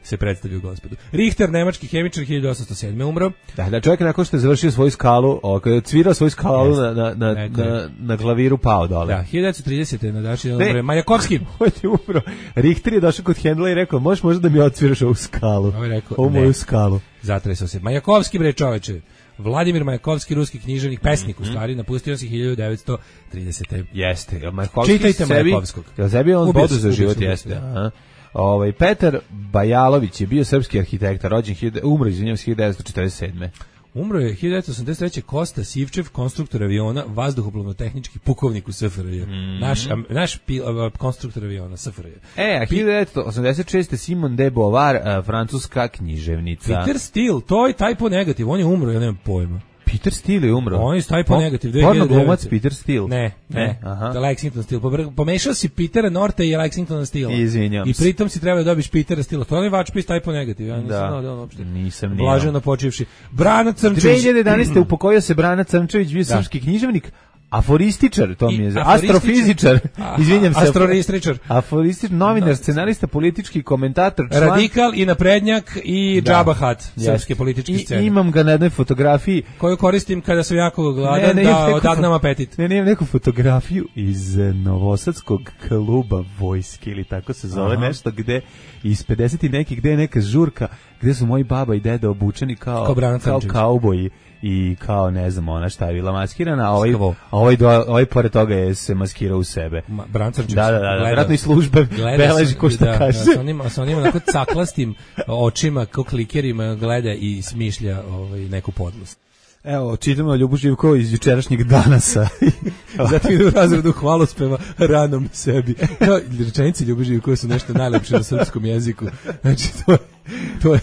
se predstavio gospodu. Richter, nemački hemičar, hiljadu osamsto sedme umro. Da, da čovjek nakon što je završio svoju skalu, o, kad je cvirao svoju skalu yes. na, na, na, na, na klaviru pao dole. Da, hiljadu devetsto tridesete na današnji dan umro Majakovski. On je umro. Richter je došao kod Hendla i rekao, možeš možda da mi odsviraš ovu skalu. On je rekao, ovu moju skalu. Zatresao se. Majakovski, bre čoveče. Vladimir Majakovski, ruski književnik, pesnik, mm -hmm. u stvari, napustio se hiljadu devetsto tridesete. Jeste. Majakovski čitajte Majakovskog. Jel sebi on bodu za život, jeste. Aha. Ovaj Petar Bajalović je bio srpski arhitekta, rođen umro izvinjavam se hiljadu devetsto četrdeset sedme. Umro je hiljadu devetsto osamdeset treće Kosta Sivčev, konstruktor aviona, vazduhoplovno-tehnički pukovnik u S F R J. Mm. Naš, naš pil, konstruktor aviona S F R J. E, a hiljadu devetsto osamdeset šeste Simone de Beauvoir, francuska književnica. Peter Steele, to je Typo Negative, on je umro, ja nemam pojma. Peter Steele je umro. On je Typo Negative. Porno glumac Peter Steele. Ne, ne. ne. Aha. Lexington Steele. Pomešao si Petera Norta i Lexingtona Steele. Izvinjam I pritom si trebao da dobiš Petera Steele. To je vačpis Typo Negative. Ja nisam znao da on uopšte. Nisam nije. Blaženo počivši. Brana Crnčević. dve hiljade jedanaeste upokojio se Brana Crnčević, bio srpski književnik. Aforističar, to mi je za astrofizičar. Izvinjam se. Astrofizičar. Aforističar, novinar, scenarista, politički komentator, član. Radikal i naprednjak i da. Džaba Hat, srpske političke scene. I imam ga na jednoj fotografiji koju koristim kada sam jako gladan ne, ne, da odagnam apetit. Ne, ne, imam neku fotografiju iz Novosadskog kluba vojske ili tako se zove. Aha. Nešto gde iz pedeset i neki gde je neka žurka gde su moji baba i deda obučeni kao kao, kao kauboji. I kao ne znam ona šta je bila maskirana, a ovaj, a ovaj, do, ovaj pored toga je se maskirao u sebe. Ma, Brancarčić. Da, da, da, vjerojatno i službe beleži ko što da, kaže. Da, sa onim, sa onim onako caklastim očima, kao klikerima gleda i smišlja ovaj, neku podlost. Evo, čitamo Ljubu Živkovu iz jučerašnjeg Danasa. Zatim idu u razredu hvalospeva ranom sebi. No, rečenice Ljubu Živkova su nešto najlepše na srpskom jeziku. Znači, to je... To je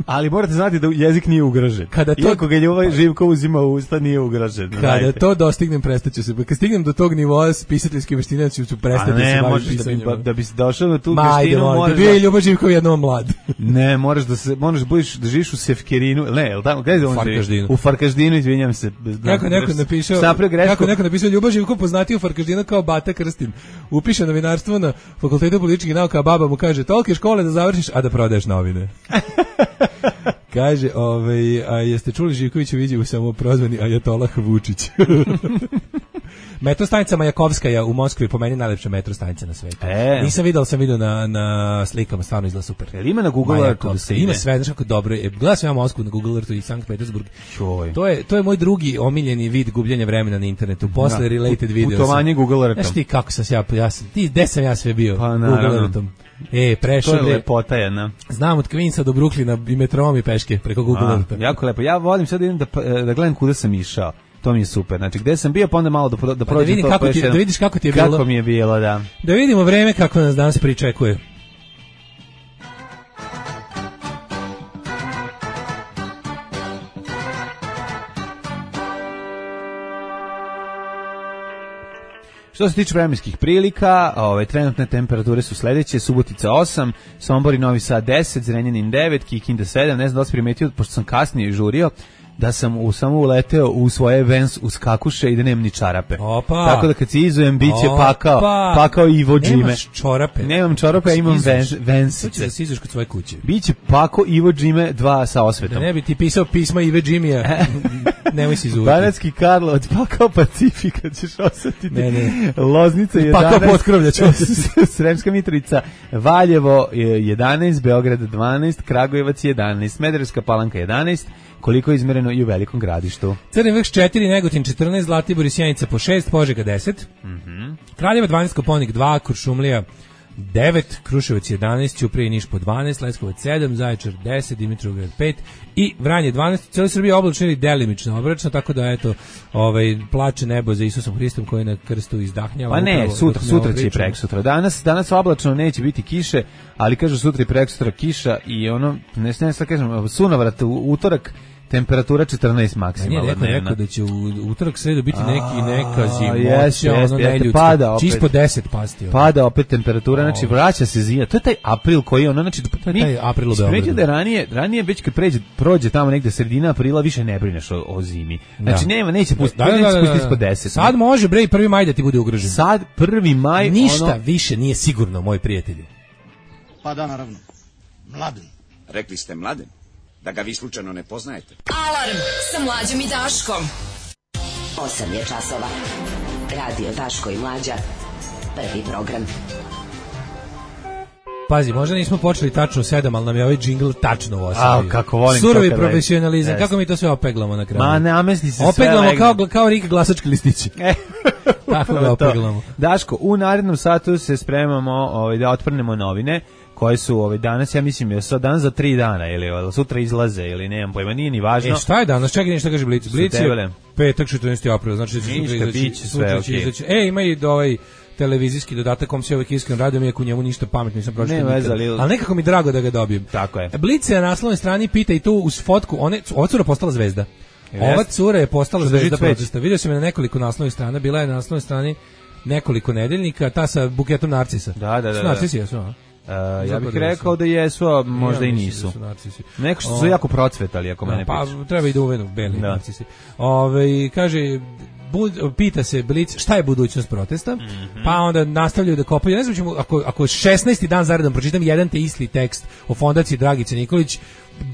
ali morate znati da jezik nije ugrožen. Kada to, iako ga Ljuba Živko uzima u usta, nije ugrožen. Kada znajte. To dostignem, prestaću se. Kad stignem do tog nivoa pisateljske veštine, ću prestati da se bavim pisanjem. Da bi, da bi se došao na tu Ma, veštinu, ajde, moraš da... Bio je Ljuba Živko jednom mlad. Ne, moraš da se, moraš budiš, da živiš u Sefkerinu, ne, jel tamo, gdje je on Farkaždinu. U Farkaždinu, izvinjam se. Kako neko napisao, kako neko napisao Ljuba Živko poznatiji u Farkaždinu kao Bata Krstin. Upiše novinarstvo na Fakultetu političkih nauka, a baba mu kaže, tolike škole da završiš, a da prodaješ novine. Kaže, ovaj, a jeste čuli Živkovića vidi u samoprozvani Ajatolah Vučić. Metro stanica Majakovskaja u Moskvi po meni najlepša metro stanica na svetu. E. Nisam videl, sam vidio na, na slikama, stvarno izgleda super. Jel ima na Google Earthu da se ide? Ima sve, znaš kako dobro je. Gledao sam ja Moskvu na Google Earthu i Sankt Petersburg. To je, to je moj drugi omiljeni vid gubljenja vremena na internetu. Posle da, related video. Putovanje Google Earthom. Znaš ti kako sam ja, ja sam, ti, gde sam ja sve bio? Pa, Google Earthom. E, prešao to je lepota jedna. Znam od Kvinsa do Brooklyna i metrom i peške preko Google Eartha. Jako lepo. Ja volim sad da idem da, da gledam kuda sam išao. To mi je super. Znači, gde sam bio, pa onda malo da, da prođem pa da, to. Kako ti, da vidiš kako ti je kako bilo. Kako mi je bilo, da. Da vidimo vreme kako nas danas pričekuje. Što se tiče vremenskih prilika, ove trenutne temperature su sledeće: Subotica osam, Sombor i Novi Sad deset, Zrenjanin devet, Kikinda sedam, ne znam da li si primetio, pošto sam kasnije žurio, da sam u, samo uleteo u svoje Vans uz kakuše i da nemam ni čarape. Opa. Tako da kad se izujem, bit će pakao, pakao Ivo Džime. Nemaš čorape. Nemam čorape, ja imam Vansice. To će da se izuješ kod svoje kuće. Biće pakao Ivo Džime dva sa osvetom. Da ne bi ti pisao pisma Ive Džimija. Nemoj si izuvati. Banatski Karlovac, pakao Pacifika, ćeš osetiti. Ne, ne. Loznica jedanaest. Pakao Potkrovlja će osetiti. Sremska Mitrovica, Valjevo jedanaest, Beograd dvanaest, Kragujevac jedanaest, Smederevska Palanka jedanaest, koliko je izmereno i u Velikom Gradištu. Crni Vrh četiri, Negotin četrnaest, Zlatibor i Sjenica po šest, Požega deset, mm-hmm. Kraljeva dvanaest, Koponik dva, Kuršumlija devet, Kruševac jedanaest, Ćuprija i Niš po dvanaest, Leskovac sedam, Zaječar deset, Dimitrovgrad pet i Vranje dvanaest. Cijela Srbija oblačno ili delimično oblačno, tako da eto, ovaj plače nebo za Isusom Hristom koji na krstu izdahnjava. Pa ne, sutra, sutra će i preksutra. Danas, danas oblačno neće biti kiše, ali kažu sutra i preksutra kiša i ono, ne znam šta kažem, sunovrat u utorak, temperatura četrnaest maksimalna. Nije rekao, rekao da će u utorak sredu biti neki neka zimoća, ono neljudska. Pada opet. Čisto deset pasti. Ono. Pada opet temperatura, znači vraća se zima. To je taj april koji ono, znači to je taj april u Beogradu. Da ranije, ranije već kad pređe, prođe tamo negde sredina aprila, više ne brineš o, o zimi. Znači da. nema, neće pustiti, da, da, neće pustiti ispod deset. Sad može bre i prvi maj da ti bude ugrožen. Sad prvi maj ništa ono... više nije sigurno, moji prijatelji. Pa da, naravno. Mladen. Rekli ste Mladen? Da ga vi slučajno ne poznajete. Alarm sa Mlađom i Daškom. osam je časova. Radio Daško i Mlađa. Prvi program. Pazi, možda nismo počeli tačno u sedam, ali nam je ovaj džingl tačno u osam. A, kako volim Surovi to profesionalizam, kako mi to sve opeglamo na kraju? Ma, namesti se opeglamo sve. Opeglamo kao, kao Rika glasački listići. Tako ga opeglamo. Daško, u narednom satu se spremamo ovaj, da otprnemo novine koje su ovaj danas, ja mislim, je sad dan za tri dana ili sutra izlaze ili nemam pojma, nije ni važno. E šta je danas? Čekaj, nešto kaže Blic. Blic je petak četrnaesti april, znači da će sutra izaći. Sve, okay. E, ima i do ovaj televizijski dodatak kom se uvek iskreno radujem, iako njemu ništa pametno nisam pročitao nikad. Ali... ali nekako mi drago da ga dobijem. Tako je. Blic je na naslovnoj strani pita i tu uz fotku, one, ova cura postala zvezda. Yes. Ova cura je postala zvezda protesta. Vidio sam je na nekoliko naslovnih strana, bila je na naslovnoj strani nekoliko nedeljnika, ta sa buketom narcisa. Da, da, da. Narcisi jesu, a? Uh, ja bih rekao da jesu, a možda ja, i nisu. Da neko što su o, jako procvetali, ako mene pa, piče. Pa treba i da uvenu beli da. narcisi. Ove, kaže, bud, pita se Blic šta je budućnost protesta, mm-hmm. pa onda nastavljaju da kopaju. Ne znam ćemo, ako, ako šesnaesti dan zaredom pročitam jedan te isti tekst o fondaciji Dragice Nikolić,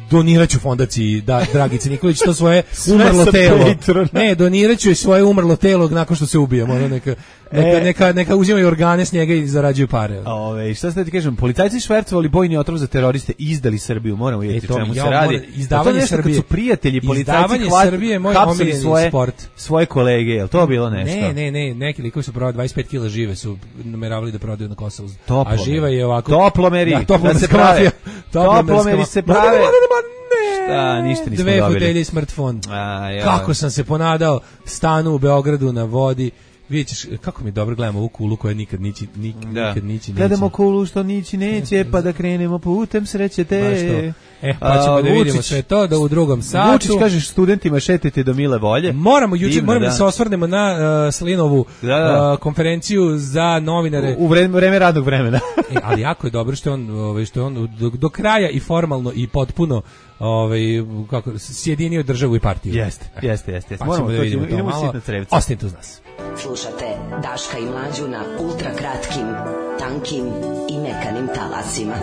doniraću fondaciji da, Dragice Nikolić to svoje umrlo telo. Ne, doniraću svoje umrlo telo nakon što se ubijemo. Ono neka, neka, e, neka, neka uzimaju organe s njega i zarađuju pare. Ove, šta ste ti kažem, policajci švercovali bojni otrov za teroriste, izdali Srbiju, moramo vidjeti e, čemu ja, se radi. Izdavanje Srbije. Kad su prijatelji, policajci Srbije, moj omiljeni svoje, sport. Svoje kolege, je li to bilo nešto? Ne, ne, ne, neki likovi su prodali dvadeset pet kila žive, su nameravali da prodaju na Kosovu. Toplomeri. A živa je ovako... Toplomeri, da, da se prave. Toplomeri se prave. Šta, ništa nismo Dve dobili. Dve fotelje i smartfon. A, ja. Kako sam se ponadao stanu u Beogradu na vodi. Vidjet ćeš, kako mi dobro gledamo ovu kulu koja nikad nići, nik, da. nikad nići neće. Gledamo kulu što nići neće, pa da krenemo putem sreće te. E, pa ćemo A, da vidimo sve to, da u drugom satu. Vučić kažeš studentima šetajte do mile volje. Moramo, juče, moramo da. da se osvrnemo na uh, Slinovu da, da. Uh, konferenciju za novinare. U, u vreme, vreme radnog vremena. e, ali jako je dobro što je on, ovaj, što je on do, do kraja i formalno i potpuno ovaj kako sjedinio državu i partiju. Jeste, jeste, jeste. Pa moramo da vidimo to malo. Ostanite uz nas. Slušate Daška i Mlađu na ultra kratkim, tankim i mekanim talasima.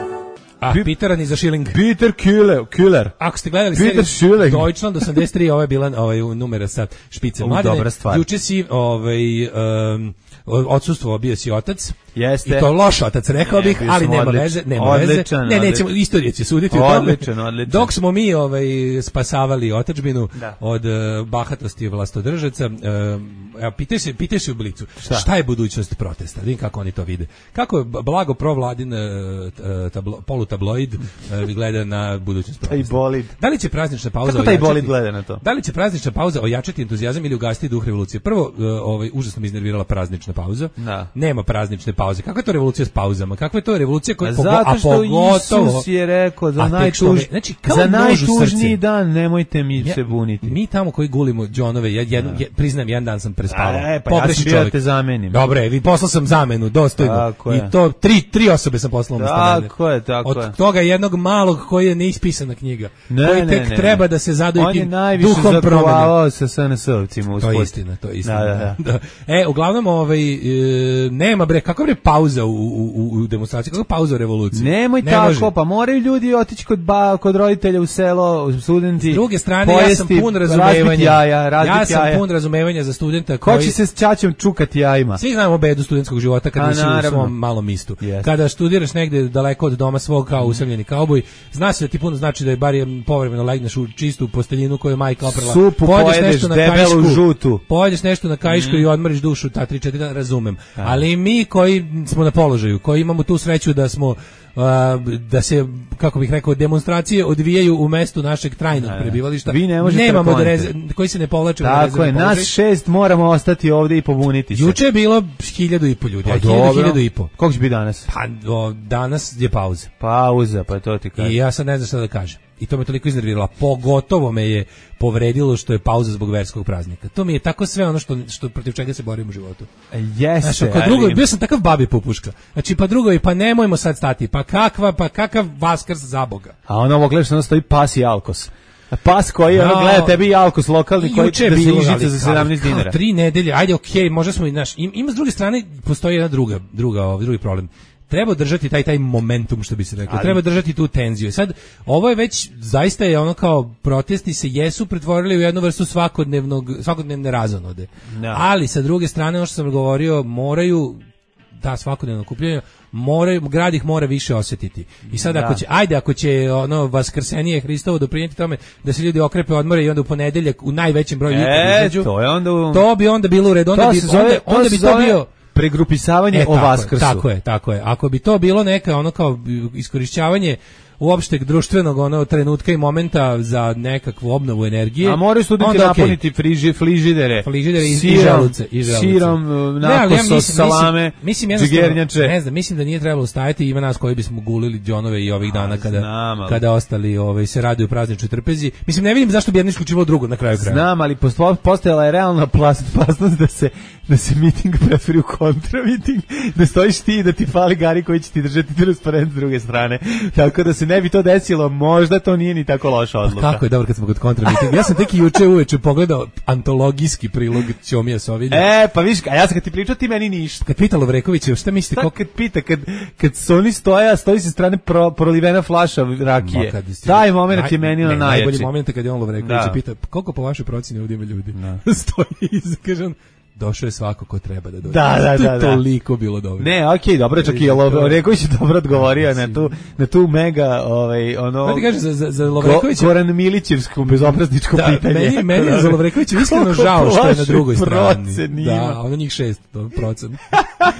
A Peter ni za šiling. Peter Killer, Killer. Ako ste gledali seriju Deutschland osamdeset tri, ovo je bila ovaj numera sa špice mladine. Dobra stvar. Juče si ovaj um, odsustvo bio si otac. Jeste. I to loš otac, rekao bih, ali nema odličan, veze, nema odličan, veze. Ne, nećemo, istorija će suditi o tome. Odličan. Dok smo mi ovaj spasavali otadžbinu da. od uh, bahatosti vlastodržaca, uh, pitaj se, pitaj se u Blicu, šta? šta je budućnost protesta? Vidim kako oni to vide. Kako je blago provladin uh, tablo, polutabloid uh, gleda na budućnost protesta? Taj bolid. Da li će praznična pauza kako taj bolid gleda na to? Da li će praznična pauza ojačati entuzijazam ili ugasiti duh revolucije? Prvo, uh, ovaj užasno me iznervirala praznična pauza. Da. Nema praznične pauze. Kakva je to revolucija s pauzama? Kakva je to revolucija koja pogo, zato što a pogotovo Isus je rekao za, a najtuž, znači, za najtužniji dan nemojte mi ja, se buniti. Mi tamo koji gulimo džonove, ja, jednu, ja, priznajem, jedan dan sam prespavao. E, pa ja sam bio da te zamenim. Dobre, vi poslao sam zamenu, dostojno. I to tri, tri osobe sam poslao umesto mene. Tako je, tako Od je. Od toga jednog malog koji je neispisana knjiga. Ne, koji tek ne, ne, treba da se zadoji tim duhom promene. On je najviše zaprovavao sa S N S-ovcima. To je istina, to je istina. Da, da, da. Da. E, uglavnom, ovaj, e, nema bre, kako bre pauza u, u, u demonstraciji, kako pauza u revoluciji? Nemoj ne tako, može. Pa moraju ljudi otići kod, ba, kod roditelja u selo, studenti. S druge strane, pojesti, ja sam pun razumevanja. Jaja, ja sam jaja. pun razumevanja za studenta koji... Ko će se s ćaćom čukati jajima? Svi znamo bedu studentskog života kada si u svom malom mistu. Yes. Kada studiraš negde daleko od doma svog kao usamljeni kauboj, zna se da ti puno znači da je bar povremeno legneš u čistu posteljinu koju je majka oprala. Supu pojedeš, debelu žutu. Pojedeš nešto na kaišku mm. i odmoriš dušu ta tri četiri dana, razumem. A. Ali mi koji smo na položaju, koji imamo tu sreću da smo Uh, da se, kako bih rekao, demonstracije odvijaju u mestu našeg trajnog ne, prebivališta. Vi ne možete nemamo dreze, koji se ne povlače. Tako je, nas šest moramo ostati ovdje i pobuniti se. Juče je bilo hiljadu i po ljudi, pa, a hiljadu, hiljadu i po. Koliko će biti danas? Pa o, danas je pauza. Pauza, pa to ti kažem. I ja sad ne znam šta da kažem. I to me toliko iznerviralo. Pogotovo me je povredilo što je pauza zbog verskog praznika. To mi je tako sve ono što, što protiv čega se borim u životu. Jeste. Znači, kod drugo, bio sam takav babi popuška. Znači, pa drugo, pa nemojmo sad stati. Pa kakva, pa kakav Vaskrs za Boga. A ono ovo gledaš, ono stoji pas i Alkos. Pas koji no, ono gleda tebi i Alkos lokalni koji će da se ižice za sedamnaest dinara. Tri nedelje, ajde, okej, okay, možda smo i naš. Ima s druge strane, postoji jedna druga, druga, ovaj, drugi problem. Treba držati taj taj momentum, što bi se reklo. Ali treba držati tu tenziju. Sad ovo je već zaista je ono kao protesti se jesu pretvorili u jednu vrstu svakodnevnog svakodnevne razonode. No. Ali sa druge strane, ono što sam govorio, moraju ta svakodnevno okupljanje, moraju, grad ih mora više osjetiti. I sad ako će, ajde ako će ono vaskrsenije Hristovo doprinijeti tome da se ljudi okrepe odmore i onda u ponedeljak u najvećem broju e, izađu, to je onda u... to bi onda bilo u redu, onda bi zove, onda, onda bi to bio pregrupisavanje e, o Vaskrsu. Tako je, tako je. Ako bi to bilo neka ono kao iskorišćavanje uopšteg društvenog ono trenutka i momenta za nekakvu obnovu energije. A moraju studenti napuniti okay. friži, frižidere, frižidere i, sirom, i želuce, i želuce. Sirom, nakoso, ja salame, mislim, džigernjače. Ne znam, mislim da nije trebalo ustajati, ima nas koji bismo gulili džonove i ovih dana kada, znam, kada ostali ovaj, se raduju prazničnoj trpezi. Mislim, ne vidim zašto bi jedno isključivalo drugo na kraju kraja. Znam, ali postojala je realna opasnost da se da se miting pretvori u kontramiting, da stojiš ti i da ti fali gari koji će ti držati transparent s druge strane. Tako da se ne bi to desilo, možda to nije ni tako loša odluka. A kako je dobro kad smo kod kontramitinga. Ja sam tek i juče uveče pogledao antologijski prilog Ćomija Sovilja. E, pa viš, a ja sam kad ti pričao ti meni ništa. Kad pita Lovrekovića, šta mislite? Tako kad pita, kad, kad su oni stoja, stoji se strane pro, prolivena flaša rakije. Taj moment je meni ono najjači. Najbolji moment kad je on Lovrekovića pita, koliko po vašoj procjeni ovdje ima ljudi? Stoji i kaže on, došao je svako ko treba da dođe. Da, da, da, da. Toliko bilo dobro. Ne, okej, okay, dobro, čak i Lovreković je dobro odgovorio na tu, na tu mega, ovaj, ono... Da ti kažeš, za, za, za Lovrekovića... Goran Milićevskom bezoprazničko da, pitanje. Meni, meni je za Lovrekovića iskreno žao što je na drugoj strani. Da, ono njih šest procent.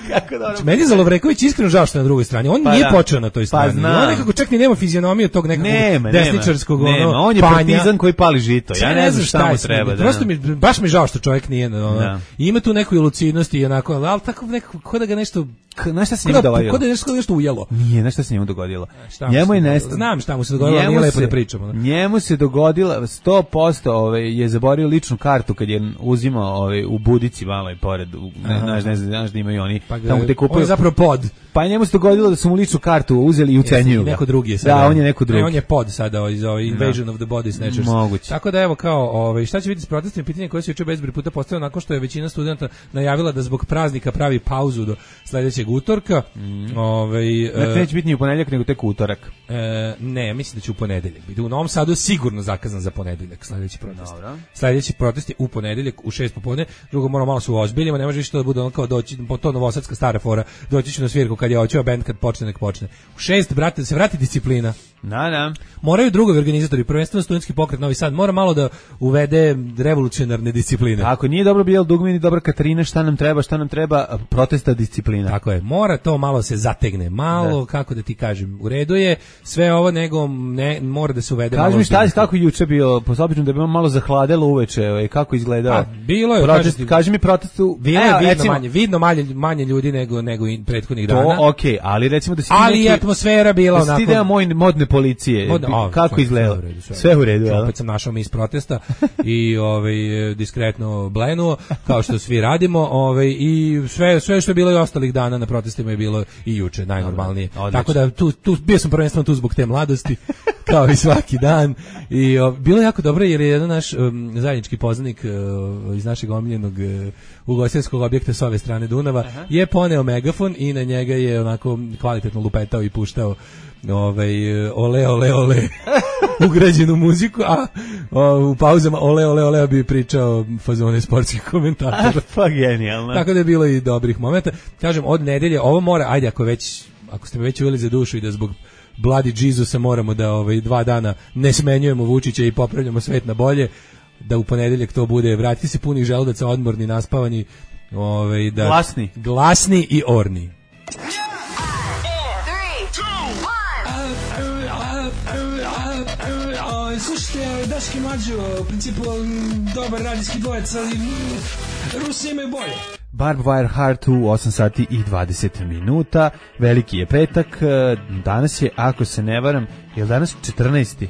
Kako dobro. Znači, meni je za Lovreković iskreno žao što je na drugoj strani. On pa nije da. počeo na toj strani. Pa on nekako čak ni nema fizionomiju tog nekakvog nema, desničarskog nema, ono, nema. On je partizan koji pali žito. Ja ne znam šta mu treba. Prosto mi, baš mi žao što čovjek nije... Ima tu neku lucidnosti i onako, ali tako nekako, ko da ga nešto... Znaš šta se njemu dogodilo? Ko da je nešto, nešto ujelo? Nije, znaš šta se njemu dogodilo? Njemu je nestalo. Znam šta mu se dogodilo, nije lepo da pričamo. Njemu se dogodilo, sto posto ovaj, je zaborio ličnu kartu kad je uzimao ovaj, u Budici malo i pored, ne, znaš, ne znaš da imaju oni, pa tamo te kupuju. On je zapravo pod. Pa njemu se dogodilo da su mu ličnu kartu uzeli i ucenjuju ga. Neko drugi je sada. Da, on je neko drugi. Ne, on je pod sada iz ovaj Invasion of the Body Snatchers. Moguće. Tako da evo kao, ovaj šta će biti s protestnim pitanjem koje se juče bezbroj puta postavilo nakon što je većina studenata najavila da zbog praznika pravi pauzu do sledećeg utorka. Mm. Ovaj dakle, neće biti ni u ponedeljak nego tek utorak. E, ne, mislim da će u ponedeljak biti. U Novom Sadu je sigurno zakazan za ponedeljak sledeći protest. Dobro. Sledeći protest je u ponedeljak u šest popodne. Drugo moramo malo se uozbiljimo, ne može više to da bude on kao doći po to novosadska stara fora. Doći će na svirku kad je hoćeo bend kad počne nek počne. U šest brate da se vrati disciplina. Da, da. Moraju drugovi organizatori, prvenstveno studentski pokret Novi Sad mora malo da uvede revolucionarne discipline. Ako nije dobro bio dugme, dobra Katarina, šta nam treba, šta nam treba, protesta disciplina. Tako je, mora to malo se zategne, malo, da. Kako da ti kažem, u redu je, sve ovo nego ne, mora da se uvede. Kaži mi šta je, kako juče bio, posobično da bi malo zahladelo uveče, kako izgledao? Pa, bilo je, protest, kaži, kaži mi protestu. Bilo je vidno, recimo, manje, vidno manje, manje ljudi nego, nego prethodnih dana. To, okej, okay, ali recimo da si ali neki, atmosfera bila da onako. Da si ti moj modne policije, modne, o, kako izgledao? Sve, sve u redu, opet sam našao mis protesta i ovaj diskretno blenuo, kao što svi radimo, ovaj i sve sve što je bilo i ostalih dana na protestima je bilo i juče najnormalnije. Odlično. Tako da tu tu bio sam prvenstveno tu zbog te mladosti, kao i svaki dan i o, bilo je jako dobro jer je jedan naš um, zajednički poznanik uh, iz našeg omiljenog uh, ugostiteljskog objekta s ove strane Dunava. Aha. Je poneo megafon i na njega je onako kvalitetno lupetao i puštao ovaj ole ole ole ugrađenu muziku, a o, u pauzama ole ole ole bi pričao fazone sportskih komentatora. Pa genijalno. Tako da je bilo i dobrih momenta. Kažem, od nedelje ovo mora, ajde ako već ako ste me već uveli za dušu i da zbog Bloody Jesusa moramo da ovaj dva dana ne smenjujemo Vučića i popravljamo svet na bolje, da u ponedeljak to bude vratiti se punih želudaca, odmorni, naspavani, ovaj da glasni, glasni i orni. Slušajte, Daški Mlađo, u principu dobar radijski dvojec, ali Rusi imaju bolje. Barbed Wire Heart u osam sati i dvadeset minuta, veliki je petak, danas je, ako se ne varam, je li danas četrnaesti?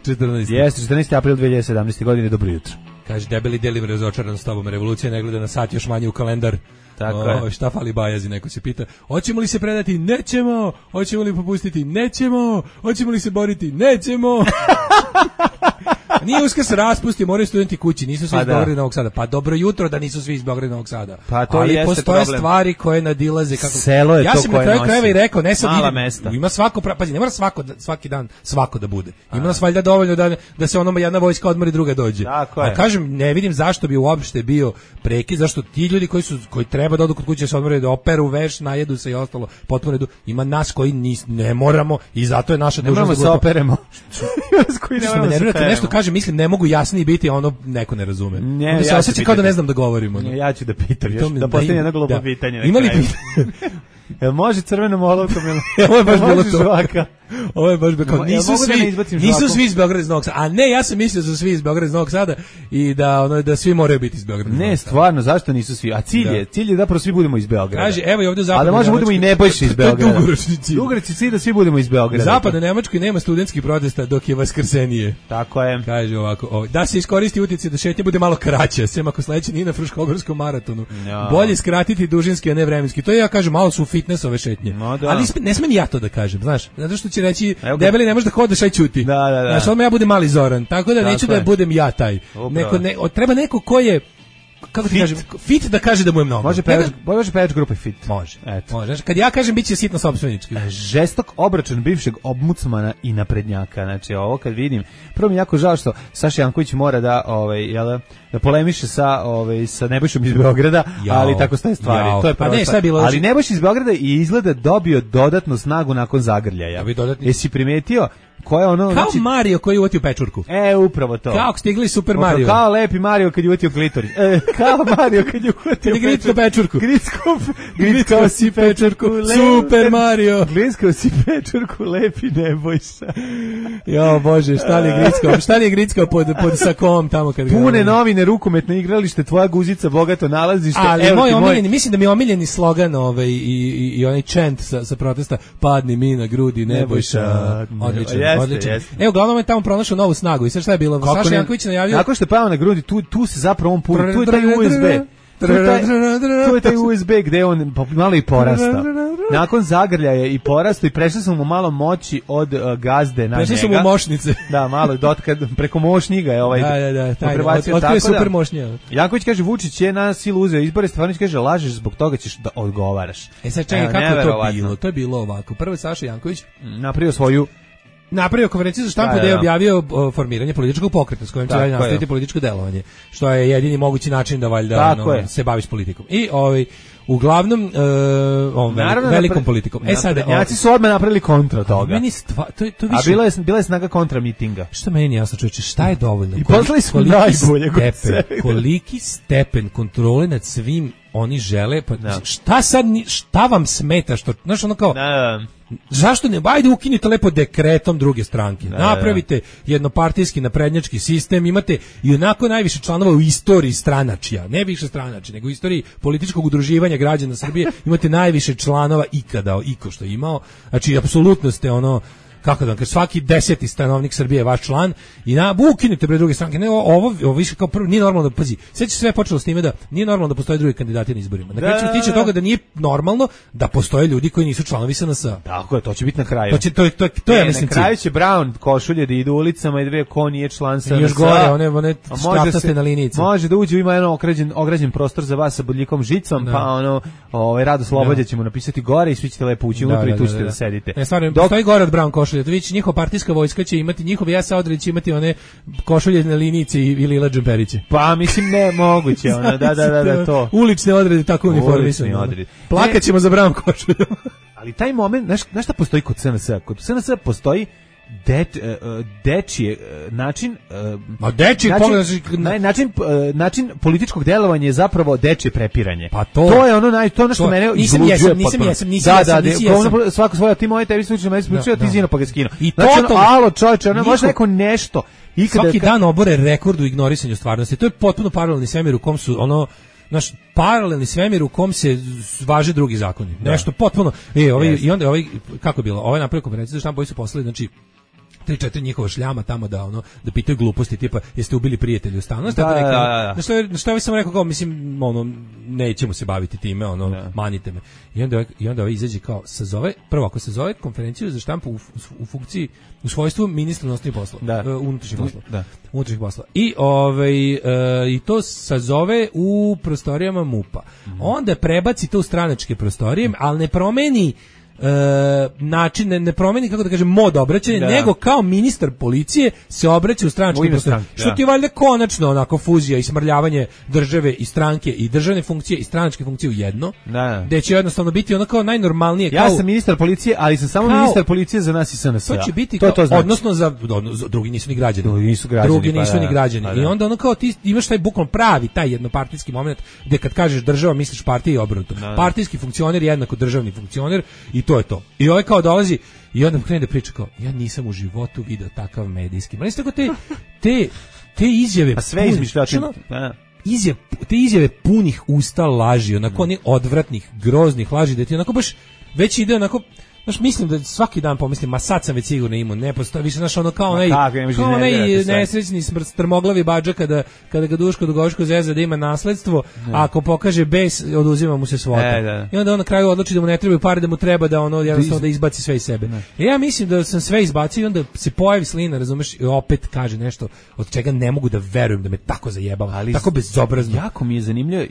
četrnaesti. Jeste, četrnaesti april dve hiljade sedamnaeste. godine, dobro jutro. Kaže, debeli delim razočaran s tobom, revolucija ne gleda na sat, još manje u kalendar. Tako o, je. Šta fali Bajazi, neko se pita. Hoćemo li se predati? Nećemo. Hoćemo li popustiti? Nećemo. Hoćemo li se boriti? Nećemo. Nije Uskrs raspusti, moraju studenti kući, nisu svi pa iz Beograda i Novog Sada. Pa dobro jutro da nisu svi iz Beograda i Novog Sada. Pa to ali jeste postoje problem. Stvari koje nadilaze kako. Selo je ja to sam koje na kraju krajeva i rekao, ne sad mala idem, mesta. Ima svako, pazi, ne mora svako svaki dan svako da bude. Ima nas valjda dovoljno da da se onoma jedna vojska odmori, druga dođe. A kažem, ne vidim zašto bi uopšte bio prekid, zašto ti ljudi koji su koji treba da odu kod kuće se odmore, da operu veš, najedu se i ostalo, potpuno redu. Ima nas koji nis, ne moramo i zato je naša dužnost da se operemo. Koji ne moramo da se nešto kaže, mislim ne mogu jasniji biti, ono neko ne razume. Ne, onda se ja osjeća kao da ne znam da govorimo. Ne, ja ću da pitam, još, da postavim jedno glupo pitanje. Ima li Jel može crvenom olovkom ili ovo je baš bilo to. Žvaka? Ovo je baš bilo. Nisu ja svi, da nisu svi iz Beograda iz Novog Sada. A ne, ja sam mislio da su svi iz Beograda iz Novog Sada i da ono da svi moraju biti iz Beograda. Ne, stvarno, zašto nisu svi? A cilj je, cilj je da prvo svi budemo iz Beograda. Kaže, evo i ovde u zapadnoj. Ali možemo budemo i Nebojša iz Beograda. Dugoročni cilj. Dugoročni cilj da svi budemo iz Beograda. U zapadnoj Nemačkoj nema studentskih protesta dok je vaskrsenije. Tako je. Kaže ovako, ovo, da se iskoristi utjecaj da šetnja bude malo kraća, sem ako sledeće nije na Fruškogorskom maratonu. No. Bolje skratiti dužinski, a ne vremenski. To je, ja kažem, malo su fitness ove šetnje. No, da. Ali ne smem ja to da kažem, znaš, zato što će reći debeli ne može da hodaš, aj ćuti. Da, da, da. Znaš, odmah ja budem mali Zoran, tako da tako neću je. Da budem ja taj. Neko, ne, treba neko ko je, kako ti fit. Kažem, fit da kaže da mu je mnogo. Može pevač, može pevač grupe fit. Može, eto. Može. Kad ja kažem biće sitno sopstvenički. Žestok obračun bivšeg ombudsmana i naprednjaka. Znači, ovo kad vidim, prvo mi jako žao što Saša Janković mora da, ovaj, jel, da polemiše sa, ovaj, sa Nebojšom iz Beograda, jao, ali tako staje stvari. Jao. To je prvo. Pa ne, bilo ali Nebojša iz Beograda i izgleda dobio dodatnu snagu nakon zagrljaja. Dodatni... Jesi primetio? Ko je ono, kao znači, Mario koji je uvatio pečurku. E, upravo to. Kao stigli Super Mario. Kao lepi Mario kad je uvatio klitoris. E, kao Mario kad je uvatio pečurku. pečurku. Gritskao, gritskao si pečurku. Super Mario. Gritskao si pečurku, lepi Nebojša. Jo, Bože, šta li je gritskao? Šta li je gritskao pod, pod sakom tamo kad ga... Pune novine, rukometno igralište, tvoja guzica, bogato nalazište. Ali moj omiljeni, mislim da mi je omiljeni slogan ovaj, i, i, i onaj chant sa, sa protesta, padni mi na grudi Nebojša. Odličan, jeste, odličan. Jeste. Evo, uglavnom je tamo pronašao novu snagu i sve šta je bilo? Kako Saša ne, Janković najavio... Nakon što je pao na grudi, tu, tu se zapravo on puni, tu je taj U S B. Tu je taj, tu je taj U S B gde on malo i porastao. Nakon zagrljaja i porastao i prešli smo mu malo moći od uh, gazde na prešli njega. Prešli smo mu mošnice. Da, malo dotka, preko mošnjiga je ovaj. Da, da, da, taj, od, od je super mošnja. Janković kaže, Vučić je na silu uzeo izbore, Stefanović kaže, lažeš, zbog toga ćeš da odgovaraš. E sad čekaj, kako je to bilo? To je bilo ovako. Prvo je Saša Janković napravio svoju napravio konferenciju za štampu gde je objavio uh, formiranje političkog pokreta s kojim će dalje nastaviti političko delovanje, što je jedini mogući način da valjda ono, se baviš politikom. I ovaj uglavnom uh, ovom velikom, velikom politikom. E sad, Njaci su odmah napravili kontra toga. Meni stva, to, to više, a bila je, bila je snaga kontra mitinga. Šta meni jasno, čovječe, šta je dovoljno? I poslali smo najbolje. Stepen, koliki stepen kontrole nad svim oni žele, pa no. šta sad, šta vam smeta, što, znaš, ono kao, no. zašto ne, ajde ukinite lepo dekretom druge stranke, no, napravite jednopartijski naprednjački sistem, imate i onako najviše članova u istoriji stranačija, ne više stranači, nego u istoriji političkog udruživanja građana Srbije, imate najviše članova ikada, iko što je imao, znači, apsolutno ste ono, kako da, kad svaki deseti stanovnik Srbije je vaš član i na ukinite bre druge stranke. Ne, ovo, ovo više kao prvo nije normalno da pazi. Sve će sve počelo s time da nije normalno da postoje drugi kandidati na izborima. Na kraju će tiče toga da nije normalno da postoje ljudi koji nisu članovi S N S. Tako je, to će biti na kraju. To će to to to je mislim. Na kraju će Brown košulje da idu ulicama i dve ko nije član S N S. Još gore, one one škraptaste na linijici. Može da uđe, ima jedan ograđen ograđen prostor za vas sa bodljikom žicom, da. Pa ono, ovaj Rado Slobodja ćemo napisati gore i svi ćete lepo ući unutra i tu ćete da sedite. Ne, stvarno, postoji gore od Brown košulje. To vić njihova partijska vojska će imati njihov Jasa Odreć će imati one košulje na linijici ili Lila Džemperiće. Pa mislim ne moguće, ona da da da da to. Ulične odrede tako uniformisane. Plakaćemo za Brown košulju. Ali taj moment, znaš, znaš šta postoji kod S N S? Kod S N S postoji Det, uh, dečije uh, način uh, Ma dečiji način, naj, način, uh, način političkog delovanja je zapravo dečije prepiranje. Pa to, to je ono naj to nešto mene izluđuje. Nisam nisam jesam, nisam da, jesam, da, nisam, da, nisam. svako svoje ti moje tebi slučaj meni slučaj ti zino pa ga skino. I znači, to alo čoveče, ona može neko nešto. I svaki dan obore rekord u ignorisanju stvarnosti. To je potpuno paralelni svemir u kom su ono naš paralelni svemir u kom se važe drugi zakoni. Da. Nešto potpuno. E, ovaj yes. I onda ovaj kako je bilo? Ovaj napravio konferenciju za štampu, su poslali znači tri četiri njihova šljama tamo da ono da pitaju gluposti tipa jeste ubili prijatelja u stanu. Da, da, da, da. Na što je na što ja sam rekao kao mislim ono nećemo se baviti time, ono da. Manite me. I onda i onda ovaj izađe kao sazove prvo ako se zove konferenciju za štampu u, u funkciji u svojstvu ministra unutrašnjih poslova, da. uh, unutrašnjih poslova. Da. Unutrašnjih poslova. I ovaj uh, i to sazove u prostorijama MUP-a. Mm. Onda prebaci to u stranačke prostorije, ali ne promeni E, način ne, ne promeni kako da kažem mod obraćanja, da. Nego kao ministar policije se obraća u stranački prostor. Što ti je valjda konačno onako fuzija i smrljavanje države i stranke i državne funkcije i stranačke funkcije u jedno. Da. Gde će jednostavno biti ono kao najnormalnije. Ja kao, sam ministar policije, ali sam samo kao, ministar policije za nas i S N S. To će biti to, kao, to znači. Odnosno za, odnosno, drugi nisu ni građani. Drugi nisu građani. Drugi nisu pa, ni građani. Pa, I onda ono kao ti imaš taj bukvalno pravi taj jednopartijski moment gde kad kažeš država misliš partija i obrnuto. Partijski funkcioner jednako državni funkcioner i to je to. I ovaj kao dolazi i onda krene da priča kao ja nisam u životu video takav medijski. Meni tako te te te izjave pa sve izmišljotina. Izjave, te izjave punih usta laži, onako ne odvratnih, groznih laži da ti onako baš već ide onako. Znaš, mislim da svaki dan pomislim, ma sad sam već sigurno imao, ne postoji, više, znaš, ono kao onaj, kao onaj nesrećni strmoglavi badža kada, kada ga Duško Dugoško zeza da ima nasledstvo, ne. A ako pokaže bes, oduzima mu se svota. E, da. I onda on na kraju odluči da mu ne trebaju pare, da mu treba da ono jednostavno da izbaci sve iz sebe. E, ja mislim da sam sve izbacio i onda se pojavi slina, razumeš, i opet kaže nešto od čega ne mogu da verujem da me tako zajebava, ali tako bezobrazno. Jako mi je zanimljivo,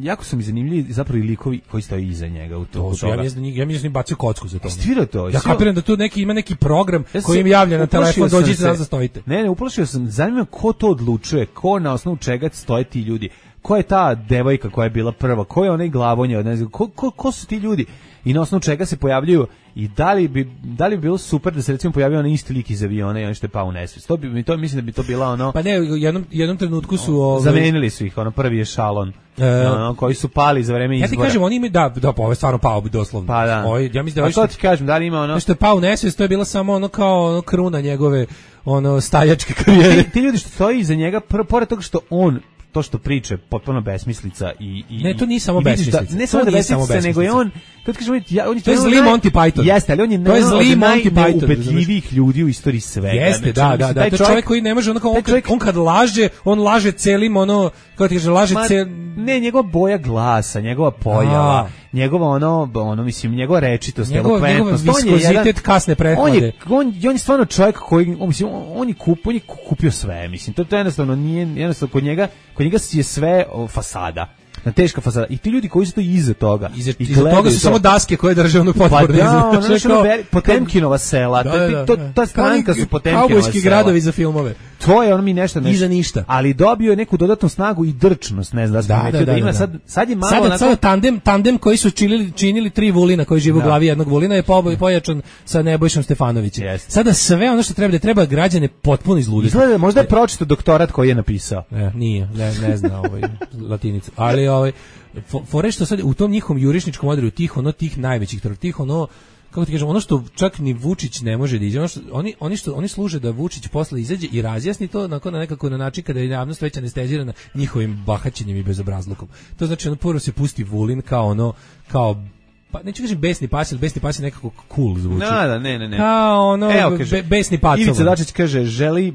jako su mi zanimljivi zapravo i likovi koji stoje iza njega u to. to ja mislim da ja mislim da bacio kocku za to. Stvira to. Ja kapiram da tu neki ima neki program ja koji im javlja na telefon, dođite da zastojite. Ne, ne, uplašio sam. Zanima ko to odlučuje, ko na osnovu čega stoje ti ljudi. Ko je ta devojka koja je bila prva, ko je onaj glavonja, ne znam, ko, ko, ko su ti ljudi i na osnovu čega se pojavljuju i da li bi da li bi bilo super da se recimo pojavio onaj isti lik iz aviona i on što je pao u nesvest. To bi mi to mislim da bi to bila ono. Pa ne, u jednom jednom trenutku su ovaj zamenili su ih, ono prvi je Šalon. E, ono, koji su pali za vreme izbora. Ja ti kažem, oni imaju da da pa ovo je stvarno pao bi doslovno. Pa da. Ovaj ja mislim da ovo. A to ti kažem, da li ima ono što je pao u nesvest, to je bila samo ono kao ono kruna njegove ono staljačke karijere. Ti, ti ljudi što stoji iza njega, pr, pored toga što on to što priče potpuno besmislica i i ne, to nije samo besmislica. Da, ne samo da besmislica, nego je on kad kažemo ja on je to je zli Monty Python. Jeste, ali on je to je zli Monty Python. Ubedljivih ljudi u istoriji svega. Jeste, da, da, da. To je čovjek koji ne može onako on, čovjek, on kad laže, on laže celim ono kako ti kaže laže cel ne njegova boja glasa, njegova pojava, njegova ono ono mislim njegova rečitost, elokventnost, on je jedan kasne prehlade. On je on, on je stvarno čovjek koji on mislim on je kup, on je kupio sve, mislim. To to jednostavno nije jednostavno kod njega, kod njega je sve o, fasada. na teška fasada. I ti ljudi koji su to iza toga. Iza, i iza toga su to samo daske koje drže onu potporne. Pa da, ono, znači, ono, Potemkinova sela, da, da, to, ta stranka su Potemkinova sela. Kaubojski gradovi za filmove. To je on mi nešto nešto. Iza ništa. Ali dobio je neku dodatnu snagu i drčnost, ne znam, da, da, da, da ima sad, sad je malo sad, onako... sad tandem, tandem koji su činili, činili tri Vulina koji žive u glavi jednog Vulina je po, pojačan sa Nebojšom Stefanovićem. Yes. Sada sve ono što treba da treba građane potpuno izluditi. Izgleda, možda je pročitao doktorat koji je napisao. Ne, nije, ne, ne zna ovaj latinicu. Ali ovaj fore što sad u tom njihovom jurišničkom odredu tih ono tih najvećih tih ono kako ti kažem, ono što čak ni Vučić ne može da iđe, ono što, oni, oni, što, oni služe da Vučić posle izađe i razjasni to na nekako na način kada je javnost već anestezirana njihovim bahaćenjem i bezobrazlukom. To znači ono prvo se pusti Vulin kao ono, kao pa neću kažem besni pas, ili besni pas je nekako cool zvuči. Da, da, ne, ne, ne. Kao ono, Evo, kaže, be, besni pacova. Ivica Dačić kaže, želi e,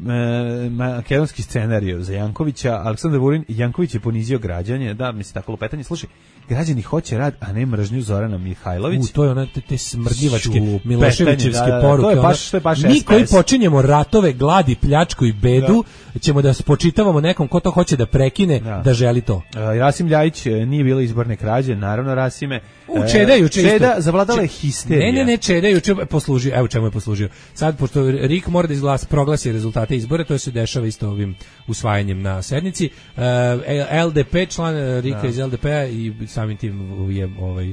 makedonski scenariju za Jankovića, Aleksandar Vulin, Janković je ponizio građanje, da, misli tako lupetanje, slušaj, građani hoće rad, a ne mržnju Zorana Mihajlović. U, to je ona, te, te smrdljivačke, Miloševićevske da, da, poruke. To je baš, to je baš mi koji počinjemo ratove, gladi, pljačku i bedu, da. ćemo da spočitavamo nekom ko to hoće da prekine, da, da želi to. E, Rasim Ljajić nije bilo izborne krađe, naravno Rasime. U, Čeda je juče Čeda zavladala je histerija. Ne, ne, ne, Čeda je juče poslužio, evo čemu je poslužio. Sad, pošto Rik mora da izglas, proglasi rezultate izbora, to se dešava isto ovim usvajanjem na sednici. Uh, L D P, član Rika da. iz L D P-a i samim tim je ovaj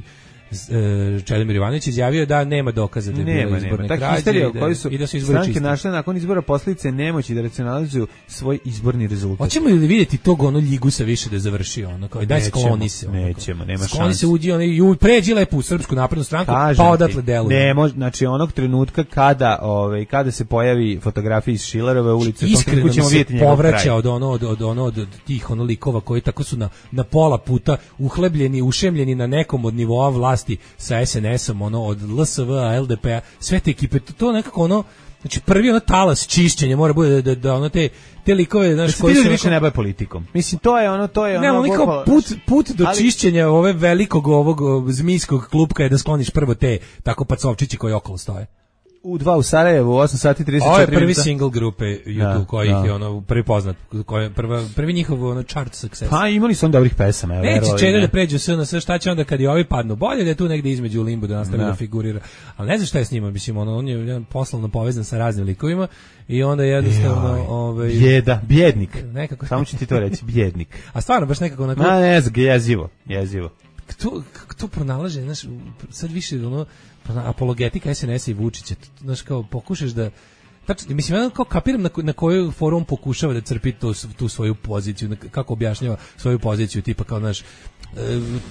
Čedomir Ivanović izjavio da nema dokaza da je bilo izborne krađe i, da, i da su izbori čisti. Našle nakon izbora posljedice nemoći da racionalizuju svoj izborni rezultat. Hoćemo li vidjeti tog ono Ljigusa više da završi ono kao daj skloni se. Ono, nećemo, nema šanse. Skloni se uđi ono i pređi lepo u Srpsku naprednu stranku, pa odatle deluje. Ne može, znači onog trenutka kada ovaj kada se pojavi fotografija iz Šilerove ulice, iskreno ćemo vidjeti njegov kraj. Povraća od ono od od ono od tih ono likova koji tako su na na pola puta uhlebljeni, ušemljeni na nekom od nivoa vlasti sa S N S-om, ono, od L S V-a, L D P-a, sve te ekipe, to, to nekako ono, znači prvi ono talas čišćenja mora bude da, da, da ono te, te likove, znaš, koji su... više ne baje politikom. Mislim, to je ono, to je ne, ono... Ne, kao put, put do ali... čišćenja ove velikog ovog zmijskog klupka je da skloniš prvo te tako pacovčići koji okolo stoje. U dva u Sarajevu, osam sati trideset četiri. Ovo je prvi single grupe YouTube da, koji da. je ono prvi poznat, koji je prva, prvi njihov ono chart success. Pa imali su on dobrih pesama. Neće Čeda da pređu sve na sve, šta će onda kad i ovi padnu? Bolje da je tu negde između u limbu da nastavi da. da figurira. Ali ne znam šta je s njima, mislim, ono, on je poslovno povezan sa raznim likovima i onda jednostavno... Ovaj, Bjeda, bjednik. Nekako... Samo ću ti to reći, bjednik. A stvarno, baš nekako... Onako, Ma ne znam, jezivo, jezivo. To, to pronalaže, znaš, sad više ono... apologetika S N S-a i Vučića, znaš, kao pokušaš da tačno, mislim, ja kao kapiram na, na koju forum pokušava da crpi to, tu svoju poziciju, kako objašnjava svoju poziciju, tipa kao, znaš,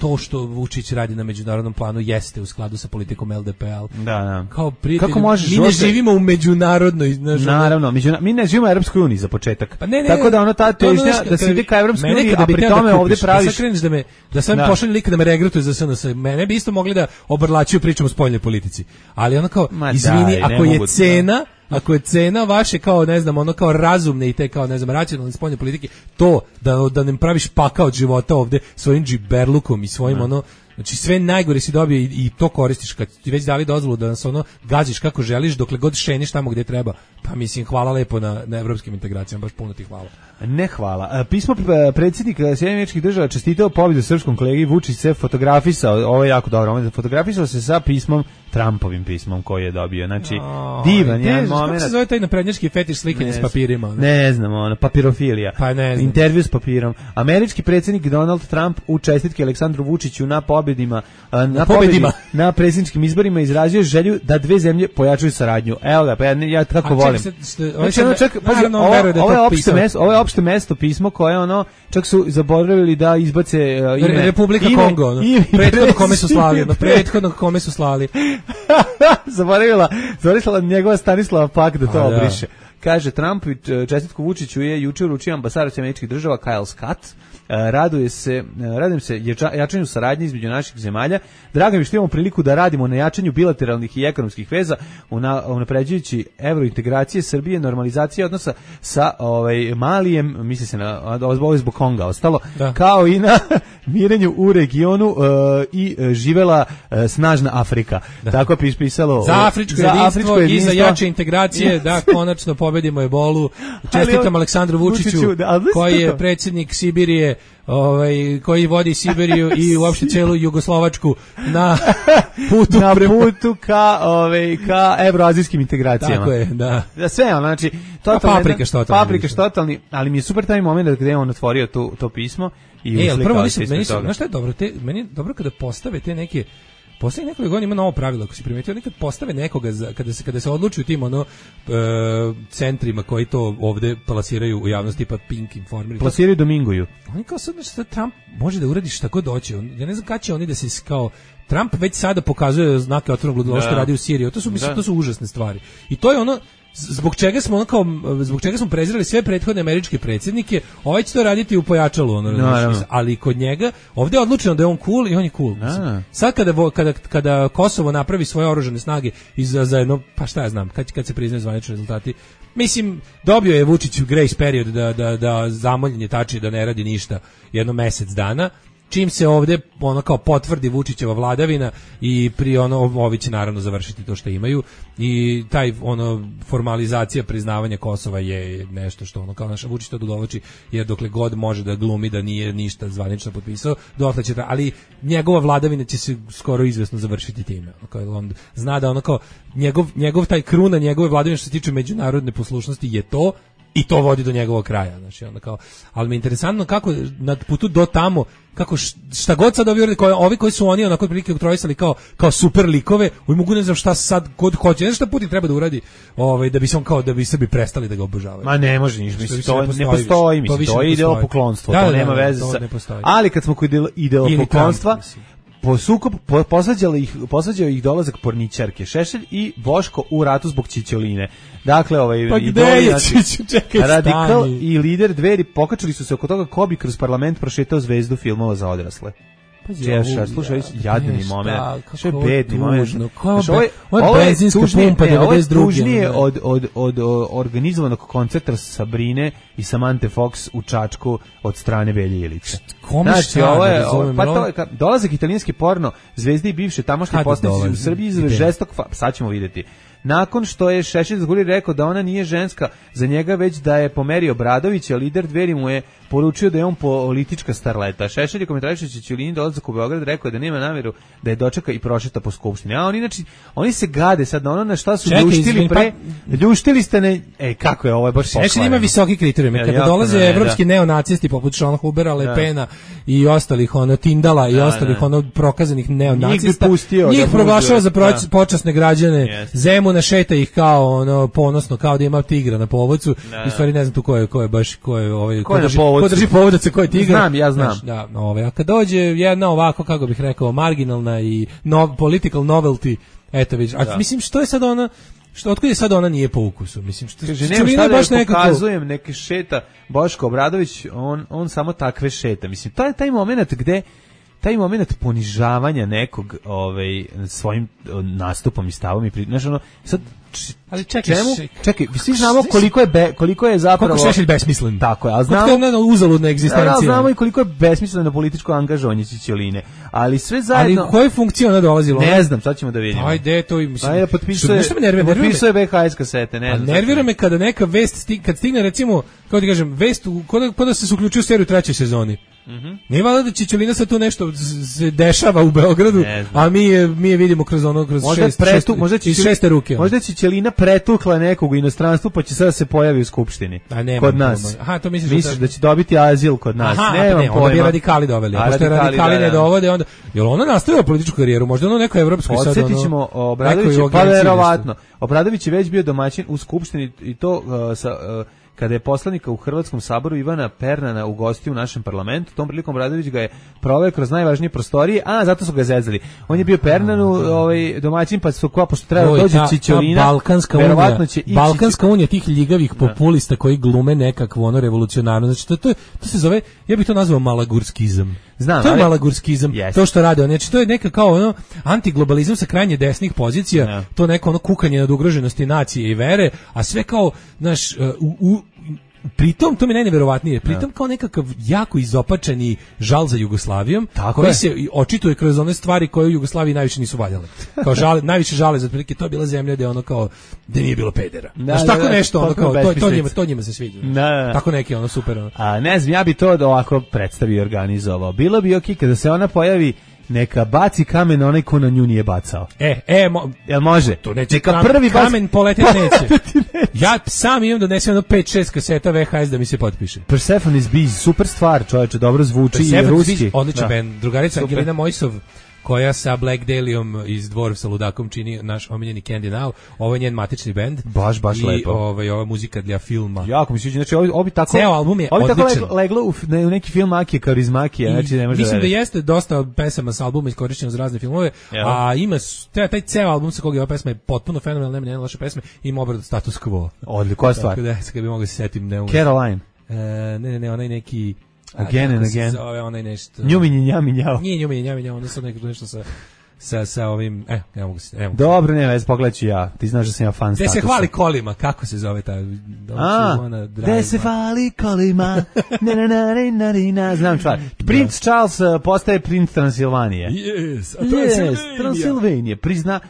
to što Vučić radi na međunarodnom planu jeste u skladu sa politikom L D P-a. Da, da. Kao prijatelj, mi ne živimo u međunarodnoj, znaš, naravno, međuna, mi ne živimo u Europskoj uniji za početak. Pa ne, ne, tako da ono ta težnja da se ide ka Europskoj uniji, a pri tome ovdje praviš... Da, da, me, da sam da. pošalju lika da me regrutuje za S N S. Mene bi isto mogli da obrlačuju pričom o spoljnoj politici. Ali ono kao, Ma izvini, daj, ako je cena... Ako je cena vaše kao, ne znam, ono kao razumne i te kao, ne znam, racionalne spoljne politike, to da, da ne praviš pakao od života ovde svojim džiberlukom i svojim no. ono, znači sve najgore si dobio i, i to koristiš kad ti već dali dozvolu da nas ono gađiš kako želiš dokle god šeniš tamo gdje treba. Pa mislim, hvala lepo na, na evropskim integracijama, baš puno ti hvala. Ne hvala. Pismo predsjednika Sjedinjenih Američkih Država čestitao pobjedu srpskom kolegi, Vučić se fotografisao, ovo je jako dobro, on je fotografisao se sa pismom, Trumpovim pismom koji je dobio. Znači, oh, divan je moment. Kako se zove taj naprednjački fetiš slikanje s papirima? Ne, ne znam, ono, papirofilija. Pa ne znam. Intervju s papirom. Američki predsjednik Donald Trump u čestitke Aleksandru Vučiću na pobjedima, na, na pobjedima na predsjedničkim izborima izrazio želju da dve zemlje pojačaju saradnju. Evo ga, pa ja, ja tako volim. Znači, ono, čak, pazi, ovo, ovo, ovo je opšte mesto, ovo je opšte mesto pismo koje ono, čak su zaboravili da izbace uh, ime Republika ime, Kongo, ono. Prethodno kome su slali, ono, prethodno kome su slali. zaboravila, zaboravila njegova Stanislava Pak da to A, obriše. Da. Kaže, Trump čestitku Vučiću je juče uručio ambasador Američkih Država Kyle Scott. Raduje se, radujem se jačanju saradnje između naših zemalja. Drago mi što imamo priliku da radimo na jačanju bilateralnih i ekonomskih veza, unapređujući evrointegracije Srbije, normalizacije odnosa sa ovaj Malijem, misli se na ovo zbog Konga ostalo, da. Kao i na mirenju u regionu uh, i uh, živela uh, snažna Afrika. Da. Tako je pisalo za afričko, za jedinstvo, afričko jedinstvo i za jače integracije, yes. Da, konačno pobjeda pobedimo ebolu. Čestitam Aleksandru Vučiću, Vučiću da, koji je predsjednik Sibirije, ovaj, koji vodi Sibiriju i uopšte celu Jugoslovačku na putu, na putu ka, ovaj, ka evroazijskim integracijama. Tako je, da. Da sve, znači, totalni, paprika što totalni. Paprika što totalni, ali mi je super taj moment gde je on otvorio tu, to pismo i e, uslikao prvo, se ispred meni toga. Znaš šta je dobro? Te, meni je dobro kada postave te neke poslednjih nekoliko godina ima novo pravilo, ako si primetio, nekad postave nekoga za, kada se kada se odlučuju tim ono e, centrima koji to ovde plasiraju u javnosti, tipa Pink, Informer. Plasiraju Dominguju. Oni kao sad nešto Trump može da uradi šta god hoće. Ja ne znam kada će oni da se kao Trump već sada pokazuje znake otvorenog ludila što radi u Siriji. To su mislim to su užasne stvari. I to je ono zbog čega smo ono kao zbog čega smo prezirali sve prethodne američke predsjednike, ovaj će to raditi u pojačalu ono, no, ali kod njega ovdje je odlučeno da je on cool i on je cool. Sad kada kada kada Kosovo napravi svoje oružane snage i za zajedno pa šta ja znam, kad kad se priznaju zvanični rezultati, mislim dobio je Vučić grace period da da da zamoljenje tači da ne radi ništa jedno mjesec dana. Čim se ovdje ono kao potvrdi Vučićeva vladavina i pri ono ovi će naravno završiti to što imaju i taj ono formalizacija priznavanja Kosova je nešto što ono kao naša Vučić to dovlači jer dokle god može da glumi da nije ništa zvanično potpisao dotle će ta, ali njegova vladavina će se skoro izvesno završiti time ono kao on zna da ono kao njegov njegov taj kruna njegove vladavine što se tiče međunarodne poslušnosti je to i to vodi do njegovog kraja, znači onda kao, ali mi je interesantno kako na putu do tamo, kako šta god sad ovi, koji, ovi koji su oni onako prilike utrojisali kao, kao super likove, oni mogu ne znam šta sad kod hoće, ne znam šta Putin treba da uradi, ovaj, da bi se on kao, da bi Srbi prestali da ga obožavaju. Ma ne može ništa, mislim, to ne postoji, ne postoji mislim, to, to je ideolopoklonstvo, to nema veze sa, ali kad smo kod ideolopoklonstva, po sukob po, posvađali ih posvađao ih dolazak porničarke Šešelj i Boško u ratu zbog Ćićoline. Dakle, ovaj pa gde je Čekaj, Radikal stani. I lider Dveri pokačili su se oko toga ko bi kroz parlament prošetao zvezdu filmova za odrasle. Češa, slušaj, jadni moment. Što je bedni moment. Ovo je benzinska pumpa devedeset druge. Tužnije od, od, od, od organizovanog koncerta Sabrine i Samante Fox u Čačku od strane Velje Ilića. Znači, ovo je, pa to je, dolazak italijanski porno, zvezde i bivše tamošnje poslanici u Srbiji izve žestok, sad ćemo vidjeti. Nakon što je Šešelj zguri rekao da ona nije ženska za njega, već da je pomerio Obradovića, lider Dveri mu je poručio da je on politička starleta. Šešelj je komentarišući Ćićolini dolazak u Beograd rekao da nema namjeru da je dočeka i prošeta po skupštini. A oni, znači, oni se gade sad na ono na šta su Čekaj, ljuštili izvin, pre, pa... ljuštili ste ne... E, kako je ovo, je baš pokvareno. Šešelj ima visoki kriterijum. Kada ja, dolaze ne, evropski da. neonacisti poput Sean Hubera, Le Pena i ostalih ono Tindala i da, ostalih da. ono prokazanih neonacista, njih, njih proglašava za proč, da. počasne građane, yes. Zemuna šeta ih kao ono ponosno, kao da ima tigra na povodcu. Da. I stvari ne znam tu ko je, ko je baš ko je ovaj ko, ko drži, ko drži povodac, ko je tigar. Znam, ja znam. Znači, da, ovaj, a kad dođe jedna ovako, kako bih rekao, marginalna i no, political novelty, eto vidiš. A mislim što je sad ona što otkud je sad ona nije po ukusu, mislim što kaže nema šta da baš nekako pokazujem neke šeta Boško Obradović, on on samo takve šeta. Mislim taj taj momenat gde taj momenat ponižavanja nekog ovaj svojim nastupom i stavom i znači ono sad ali čekaj, čemu? Čekaj, svi znamo koliko je be, koliko je zapravo koliko Šešelj besmislen. Tako je, al znamo koliko je uzaludna egzistencija. Da, znamo i koliko je besmisleno političko angažovanje Ćićoline. Ali sve zajedno. Ali u kojoj funkciji ona dolazila? Ne znam, sad ćemo da vidimo. Ajde, to i mislim. Ajde, potpisuje. Nešto me nervira, potpisuje B H S kasete, ne znam. Nervira me kada neka vest stigne, kad stigne recimo, kako ti kažem, vest kod da se uključuje u seriju trećoj sezoni. Mhm. Mm ne valjda da Ćićolina sad tu nešto se dešava u Beogradu, a mi je, mi je vidimo kroz ono kroz možda šest, pretu, šest, možda iz šeste ruke. Možda Ćićolina pretukla nekog u inostranstvu, pa će sada se pojavi u skupštini. Kod nas. Aha, to misliš, misliš da će dobiti azil kod nas? Aha, ne, ne, onda bi radikali doveli. A pošto radikali ne dovode, onda jel ona nastavila političku karijeru, možda ono neko evropsko sad ono. Podsjetićemo Obradović, pa verovatno. Obradović je već bio domaćin u skupštini i to uh, sa uh, kada je poslanika u Hrvatskom saboru Ivana Pernana ugostio u našem parlamentu, tom prilikom Obradović ga je proveo kroz najvažnije prostorije, a zato su ga zezali. On je bio Pernanu ovaj, domaćin, pa su kao, pošto treba dođe Ćićolina, Balkanska unija, će ići... Balkanska unija tih ljigavih populista koji glume nekakvu ono revolucionarno, znači to, to, to se zove, ja bih to nazvao malagurskizam. Znam, to je ali... malagurskizam, yes. to što rade oni, znači to je neka kao ono antiglobalizam sa krajnje desnih pozicija, yeah. to neko ono kukanje nad ugroženosti nacije i vere, a sve kao, znaš, u, u pritom, to mi je najneverovatnije, pritom kao nekakav jako izopačeni žal za Jugoslavijom, Tako koji je. se očituje kroz one stvari koje u Jugoslaviji najviše nisu valjale. Kao žale, najviše žale za otprilike, to je bila zemlja gde ono kao, gde nije bilo pedera. Da, Znaš, da, tako da, nešto, ono potpuno kao, to, to, besmislica. njima, to njima se sviđa. Da, da, da. Tako neki, ono, super. Ono. A ne znam, ja bi to ovako predstavio i organizovao. Bilo bi okej kada se ona pojavi, neka baci kamen na onaj ko na nju nije bacao. E, e, mo, Jel može? to neće Neka kam, prvi baci- kamen poletiti neće. Ja sam imam da donesem jedno pet šest kaseta V H S da mi se potpiše. Persephone's Bees, super stvar, čoveče, dobro zvuči i Persephone ruski. Beach, odličan Da. band. Drugarica Super. Angelina Mojsov, koja sa Black Dahliom iz Dvor sa ludakom čini naš omiljeni Candy Now. Ovo je njen matični bend. Baš, baš I lepo. ovaj, ova muzika dla filma. Jako mi se sviđa, znači ovi, ovi tako... Ceo album je ovi tako odličan. leglo, leglo u, f- ne, u neki film Akije Kaurismakija, znači ne može Mislim da veriti. jeste dosta pesama sa albuma iskorišćeno za razne filmove, Jel? a ima s- taj, taj ceo album sa kog je ova pesma je potpuno fenomenalna, nema nijedne loše pesme, ima obradu Status Quo. Odlično, koja stvar? Tako da, sad kad bi mogao da se setim, ne mogu. Caroline. E, ne, ne, ne, onaj neki... a, Again and kako se again. Zove, onaj nešto... Njuminji, njami, njao. Nije njumi, njami, njao, ono sad neko nešto sa... Sa, sa ovim, e, ne mogu se, ne mogu. Dobro, ne vez, pogledat ću ja. Ti znaš da sam ja fan Gde statusa. se hvali kolima, kako se zove ta? A, gde se hvali kolima, na na na na na na, znam čvar. Prince Charles uh, postaje princ Transilvanije. Yes, a Yes, Transilvanije. Prizna,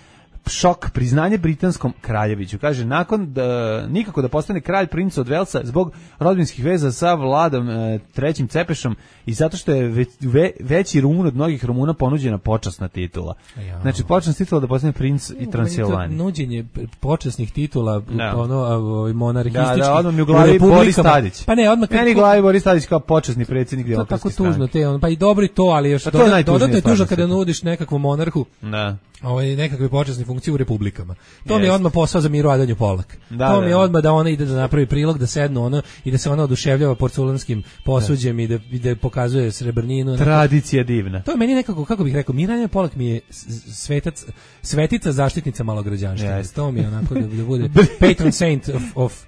šok, priznanje britanskom kraljeviću. Kaže, nakon da, nikako da postane kralj princ od Velsa zbog rodbinskih veza sa Vladom e, trećim Cepešom i zato što je već, ve, veći Rumun od mnogih Rumuna ponuđena počasna titula. Ja. Znači, počasna titula da postane princ i Transilvanije. Nuđenje počasnih titula, Da. ono, a, ovaj, monarhističkih. Da, da, odmah mi u u glavi republikama. Boris Tadić. Pa ne, odmah kad- Meni u glavi Boris Tadić kao počasni predsjednik to je tako Demokratske tužno, stranke. te, on, pa i dobro i to, ali još Pa to je dodat- najtužnija dodatno je stvar tužno na kada svijetu. nudiš nekakvom monarhu Da. ovaj, nekakve počasne funkcije u republikama. To mi je Jest. odmah posao za Miru Adanju Polak. Da, to da, mi je da. odmah da ona ide da napravi prilog, da sednu ono i da se ona oduševljava porculanskim posuđem i da, i da pokazuje srebrninu. Tradicija divna. To je meni nekako, kako bih rekao, Mira Adanja Polak mi je s- svetac, svetica zaštitnica malograđanstva. Jest. To mi je onako da, da bude patron saint of, of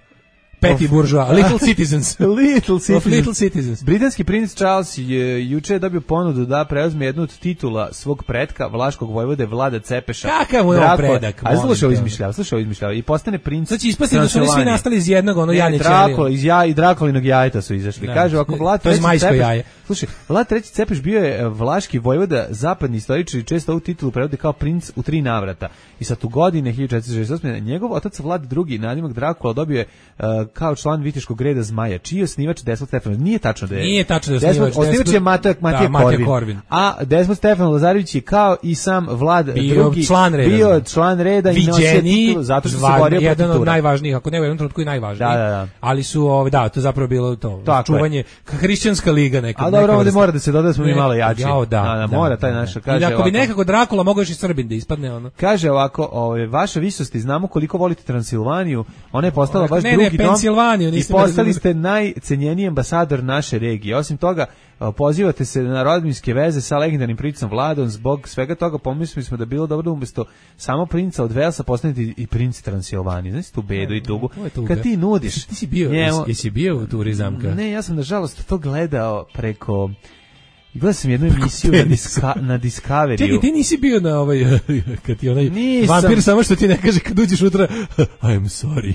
petty bourgeois, little citizens. Little citizens. Of little citizens. Britanski princ Charles je juče dobio ponudu da preuzme jednu od titula svog pretka, vlaškog vojvode Vlada Cepeša. Kakav mu je on Drakula- predak, A molim slušaj, ovo te. izmišljava, slušaj, ovo izmišljava. I postane princ. Sad će ispasti da su oni svi Transilvanije. nastali iz jednog, ono Ne, janje Drakula, iz ja, i Drakolinog jajeta su izašli. Da. Kaže, ako Vlad To je treći zmajsko Cepeš- jaje. Slušaj, Vlad treći Cepeš bio je e, vlaški vojvoda, zapadni istoričari često ovu titulu prevode kao princ u tri navrata. I sad u godine hiljadu četiristo šezdeset osme njegov otac Vlad drugi, nadimak Drakula, dobio je e, kao član Viteškog reda Zmaja, čiji je osnivač Desmond Stefanović. Nije tačno da je. Nije tačno da je Desmond, osnivač. osnivač je Desmond- Matija, Matija, da, Matija Korvin. Korvin. A Desmond Stefan Lazarević je kao i sam Vlad Bio drugi član reda. bio član reda i nosio Viđeniji, titulu zato što se zvan- borio protiv jedan od Turaka. najvažnijih, ako ne u jednom trenutku i najvažniji. Da, da, da. Ali su, ovaj, da, to je zapravo bilo to, Tako je. čuvanje, hrišćanska liga neka. A dobro, neka ovdje vrsta. mora da se doda da smo mi Ne, malo jači. jao, da, Da, da, da, mora taj da, naša, da. kaže I ako bi ovako. nekako Drakula mogao još i Srbin da ispadne, ono. Kaže ovako, ovaj, vaša visosti, znamo koliko volite Transilvaniju, ona je postala Rekao, vaš ne, ne, drugi dom Pensilvaniju, i nisam postali razumio. ste najcenjeniji ambasador naše regije. Osim toga, pozivate se na rodbinske veze sa legendarnim princem Vladom, zbog svega toga pomislili smo da bi bilo dobro da umjesto samo princa od Velsa postanete i princ Transilvanije. Znaš tu bedu i tugu. To je tuga. Kad ti nudiš... Ti si bio, njemu- jesi, jesi bio u turi zamka? Ne, ja sam nažalost to gledao preko... Gledao sam jednu emisiju na, diska, na Discoveryu. Čekaj, ti nisi bio na ovaj, kad ti onaj Nisam. vampir samo što ti ne kaže kad uđeš utra, I'm sorry.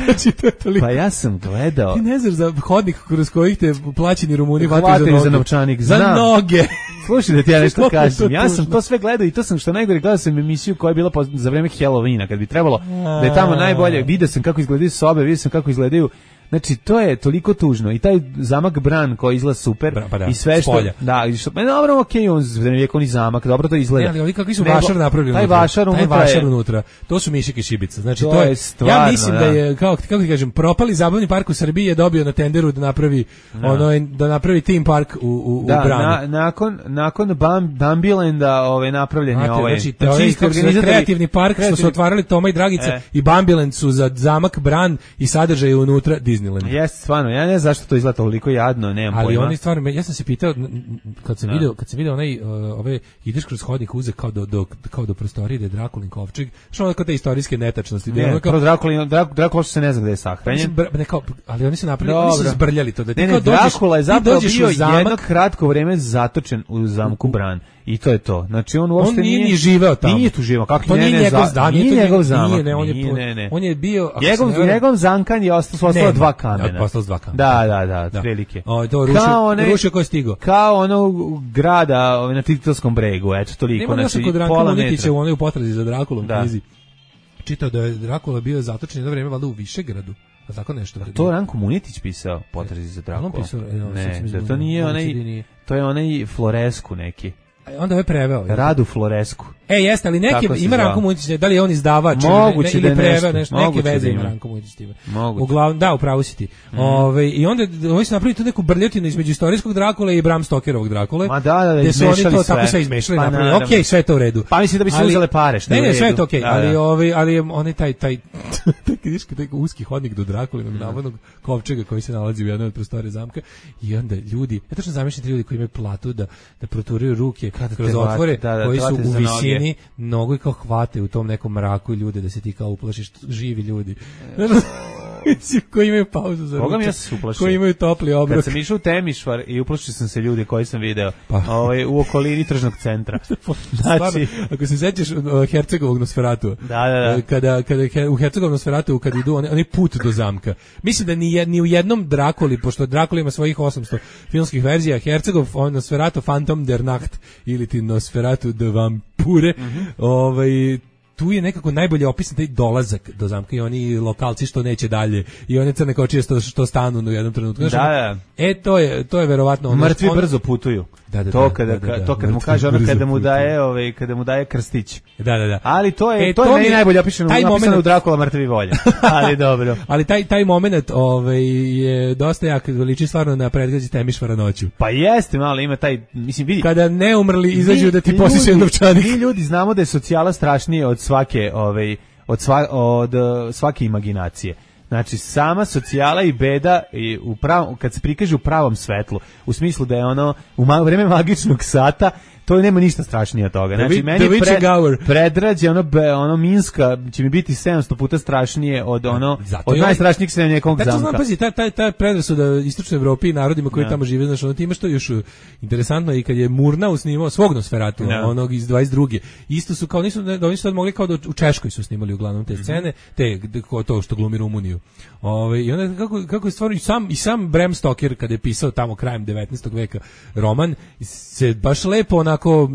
Znači, to je toliko. Pa ja sam gledao... Ti ne znaš za hodnik kroz kojih te plaćeni Rumuni hvataju Hvataju za za noge. novčanik, Za znam. noge. Slušaj da ti ja nešto Kako je to kažem. Ja sam tužno. to sve gledao i to sam što najgore gledao sam emisiju koja je bila po, za vreme Halloweena, kad bi trebalo da je tamo najbolje. Video sam kako izgledaju sobe, video sam kako izgledaju. Znači to je toliko tužno i taj zamak Bran koji izgleda super Bra- pa da, i sve što spolja. da i što, ma dobro, okej, on srednjovjekovni zamak, dobro to izgleda. Ne, ali ovi kakvi su Nego, vašar napravili taj unutra. vašar unutra taj vašar je- unutra. To su mišike šibica. Znači To to, je je, stvarno, ja mislim da, da. je kako kako ti kažem, propali zabavni park u Srbiji je dobio na tenderu da napravi ono da napravi theme park u u, Da, u Branu. na, nakon nakon Bam, Bambilenda ovaj napravljen je Znate, ovaj. znači, te ovaj isti kako se zove, organizatori- kreativni park što su kreativni- otvarali Toma i Dragica E. i Bambiland su za zamak Bran i sadržaj je unutra Disneyland. Jeste, stvarno, ja ne znam zašto to izgleda toliko jadno, nemam Ali pojma. oni stvarno, ja sam se pitao n- n- kad sam Da. video, kad sam video onaj uh, ove ideš kroz hodnik uze kao do, do kao do prostorije da je Drakulin kovčeg, što ono kao te istorijske netačnosti, da je Ne, ono kao pro Drakula, Drak, Drakula što se ne zna gde je sahranjen. Mislim, br- ne, kao, ali oni su napravili, oni su Dobro. zbrljali to da ti Ne, kao ne, dođeš, Drakula je ti zapravo dođeš bio u zamak, jedno kratko vreme zatočen u zamku Bran. I to je to. Znači on uopšte on nije, nije ni živeo tamo. Nije tu živeo. Kako to ne, nije ne, njegov za, zdan, nije nije njegov zamak. Nije, ne, on je, nije, ne, ne. on je bio njegov njegov zankan je ostao ostalo dva kamena. Ostalo dva kamena. Da, da, da, da. Prilike. O, to rušio, kao one, rušio ko je stigao. Kao ono grada ovaj, na Titelskom bregu, eto toliko. Nema znači kod pola metra. U onoj u potrazi za Drakulom da. knjizi. Čitao da je Drakula bio zatočen jedno vreme valjda u Višegradu. A tako nešto. A to Ranko Munitić pisao, Potrazi za Drakula. On pisao, ne, da to nije onaj, to je onaj Floresku neki. Onda je preveo. Radu Floresku. E, jeste, ali neki ima Ranko Munitić, da li je on izdavač moguće ili, ne, ili preveo nešto, nešto, neke veze ima Ranko Munitić s time. Moguće. Uglavnom, da, upravo si ti. Mm. Ove, I onda oni su napravili tu neku brljotinu između istorijskog Drakula i Bram Stokerovog Drakule. Ma da, da, da, gde su oni to sve. tako sve izmešali, pa, napravili. Okej, okay, sve je to u redu. Pa mislim da bi se ali, uzele pare, što ne, je u redu. Ne, sve je to okej, okay, ali, da. ovaj, ali on je taj, taj, taj kriški, taj uski hodnik do Drakulinog mm. navodnog kovčega koji se nalazi u jednoj od prostorija zamka i onda ljudi, ja tačno zamišljam ljudi koji imaju platu da, da proturaju ruke kroz otvore, koji su u visini nogu i kao hvate u tom nekom mraku ljude da se ti kao uplašiš, živi ljudi. Koji imaju pauzu za ručak. Ja koji imaju topli obrok. Kad sam išao u Temišvar i uplašio sam se ljudi koji sam video pa. ovaj, u okolini tržnog centra. Znači, ako se sećaš uh, Hercegovog Nosferatu, da, da, da. Kada, kada u Hercegovom Nosferatu kad idu oni, oni put do zamka. Mislim da ni, ni u jednom Drakuli, pošto Drakula ima svojih osamsto filmskih verzija, Hercegov on Nosferatu Phantom der Nacht ili ti Nosferatu de Vampure, mm-hmm. ovaj tu je nekako najbolje opisan taj dolazak do zamka i oni lokalci što neće dalje i one crne kočije što, što stanu u jednom trenutku. Da, da. E, to je, to je verovatno ono... Mrtvi on, brzo putuju. Da, da, to kada, da, da, da, to kad mu kaže ono kada mu daje, ovaj, kada mu daje krstić. Da, da, da. Ali to je, e, to, to je meni najbolje opisano, napisano moment, u Drakula mrtvi volje. Ali dobro. Ali taj, taj moment ovaj, je dosta jak, liči stvarno na predgrađi Temišvara noću. Pa jeste, malo ima taj, mislim, vidi. Kada neumrli izađu da ti posjećaju novčanik. Mi ljudi znamo da je socijala strašnije od svake, ovaj, od, sva, od svake imaginacije. Znači, sama socijala i beda i u pravom, kad se prikaže u pravom svetlu, u smislu da je ono u ma, vreme magičnog sata, to nema ništa strašnije od toga. Znači, meni pred, predrađe, ono, be, ono Minska će mi biti sedamsto puta strašnije od ono, zato od najstrašnijeg srednjekog zamka. Znam, pazi, ta, ta, ta predrasuda istočnoj Evropi i narodima koji ja. tamo žive, znači, ono, ti imaš to još interesantno i kad je Murnau snimao svog Nosferatu, ja. onog iz dvadeset druge isto su kao, nisu, da oni su sad mogli kao da u Češkoj su snimali uglavnom te scene, te, to što glumi Rumuniju. Ove, I onda kako, kako je stvarno, i sam, i sam Bram Stoker, kada je pisao tamo krajem devetnaestog veka roman, se baš lepo onako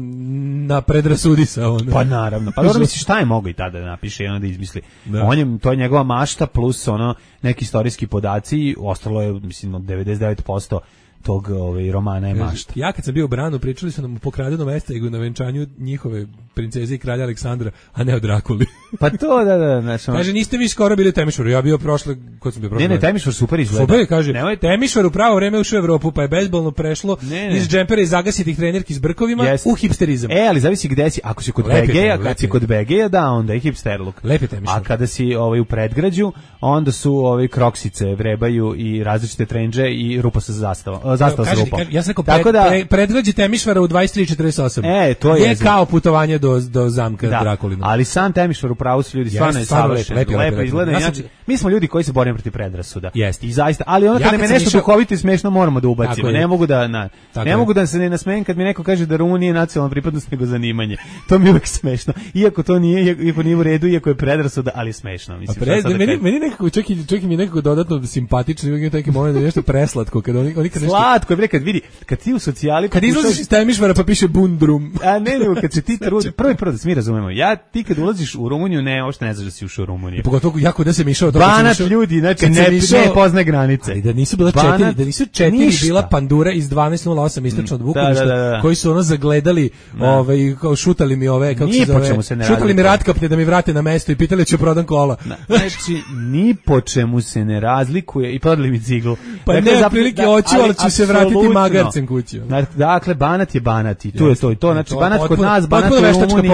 na predrasudi sa ono. Pa naravno, pa dobro misliš šta je mogo i tada da napiše i onda izmisli. Da. On je, to je njegova mašta plus ono neki istorijski podaci, ostalo je mislim od devedeset devet posto tog ovaj romana je mašta. Ja kad sam bio u Branu, pričali su nam o pokradenom Estegiju na venčanju njihove princeze i kralja Aleksandra, a ne o Drakuli. Pa to da da, znači. Kaže niste vi skoro bili u Temišvaru, ja bio prošle, kod sam bio prošle. Ne, ne, Temišvar super izgleda. Super, kaže. Nemoj Temišvar u pravo vreme ušao u Evropu, pa je bezbolno prešlo ne, ne. iz džempera i zagasitih trenerki s brkovima yes. u hipsterizam. E, ali zavisi gde si. Ako si kod Begeja, kad si kod Begeja, da, onda je hipster look. Lepi Temišvar. A kada si ovaj u predgrađu, onda su ovaj kroksice, vrebaju i različite trendže i rupa sa zastavom. Zastava sa rupom. Ja sam rekao, pred, da, pre, predgrađe Temišvara u dvadeset tri četrdeset osam. E, to je, je kao putovanje do, do zamka da, Drakulina. Ali sam Temišvar u pravu su ljudi, stvarno je savršen, lepo, lepo izgleda. Ja sam, mi smo ljudi koji se borimo protiv predrasuda. Jest. I zaista, ali ono ja kad nam je nešto išao... duhovito i smešno moramo da ubacimo. Ne mogu da na, ne mogu da se ne nasmejem kad mi neko kaže da Rumunija nije nacionalna pripadnost nego zanimanje. To mi je uvek smešno. Iako to nije, iako nije u redu, iako je predrasuda, ali smešno. Mislim, pred, meni, kad... meni nekako čak i, čak i mi nekako dodatno simpatično, ima neki moment da je nešto preslatko kad oni, oni kad nešto... Slatko, bre, kad vidi, kad ti u socijali kad izlaziš iz Temišvara pa piše Bundrum. A ne, ne, kad se ti trudi, prvi prvo da se mi razumemo. Ja ti kad ulaziš u Rumuniju, ne, uopšte ne znaš da si ušao u Rumuniju. Pogotovo jako da se mi išao Banat ljudi, znači ne, ne poznaje granice. Ali da nisu bila Banat, četiri, da nisu četiri ništa. Bila pandura iz dvanaest nula osam istočno od Bukurešta, da, da, da, da. koji su ono zagledali, ovaj kao šutali mi ove, kako se zove, se šutali mi ratkapne da mi vrate na mesto i pitali će prodan kola. Znači ni po čemu se ne razlikuje i prodali mi ciglu. Pa dakle, ne, prilike hoću, ali ću se vratiti magarcem kući. Dakle, Banat je Banat i tu je to i to. Znači Banat kod nas, Banat u Rumuniji.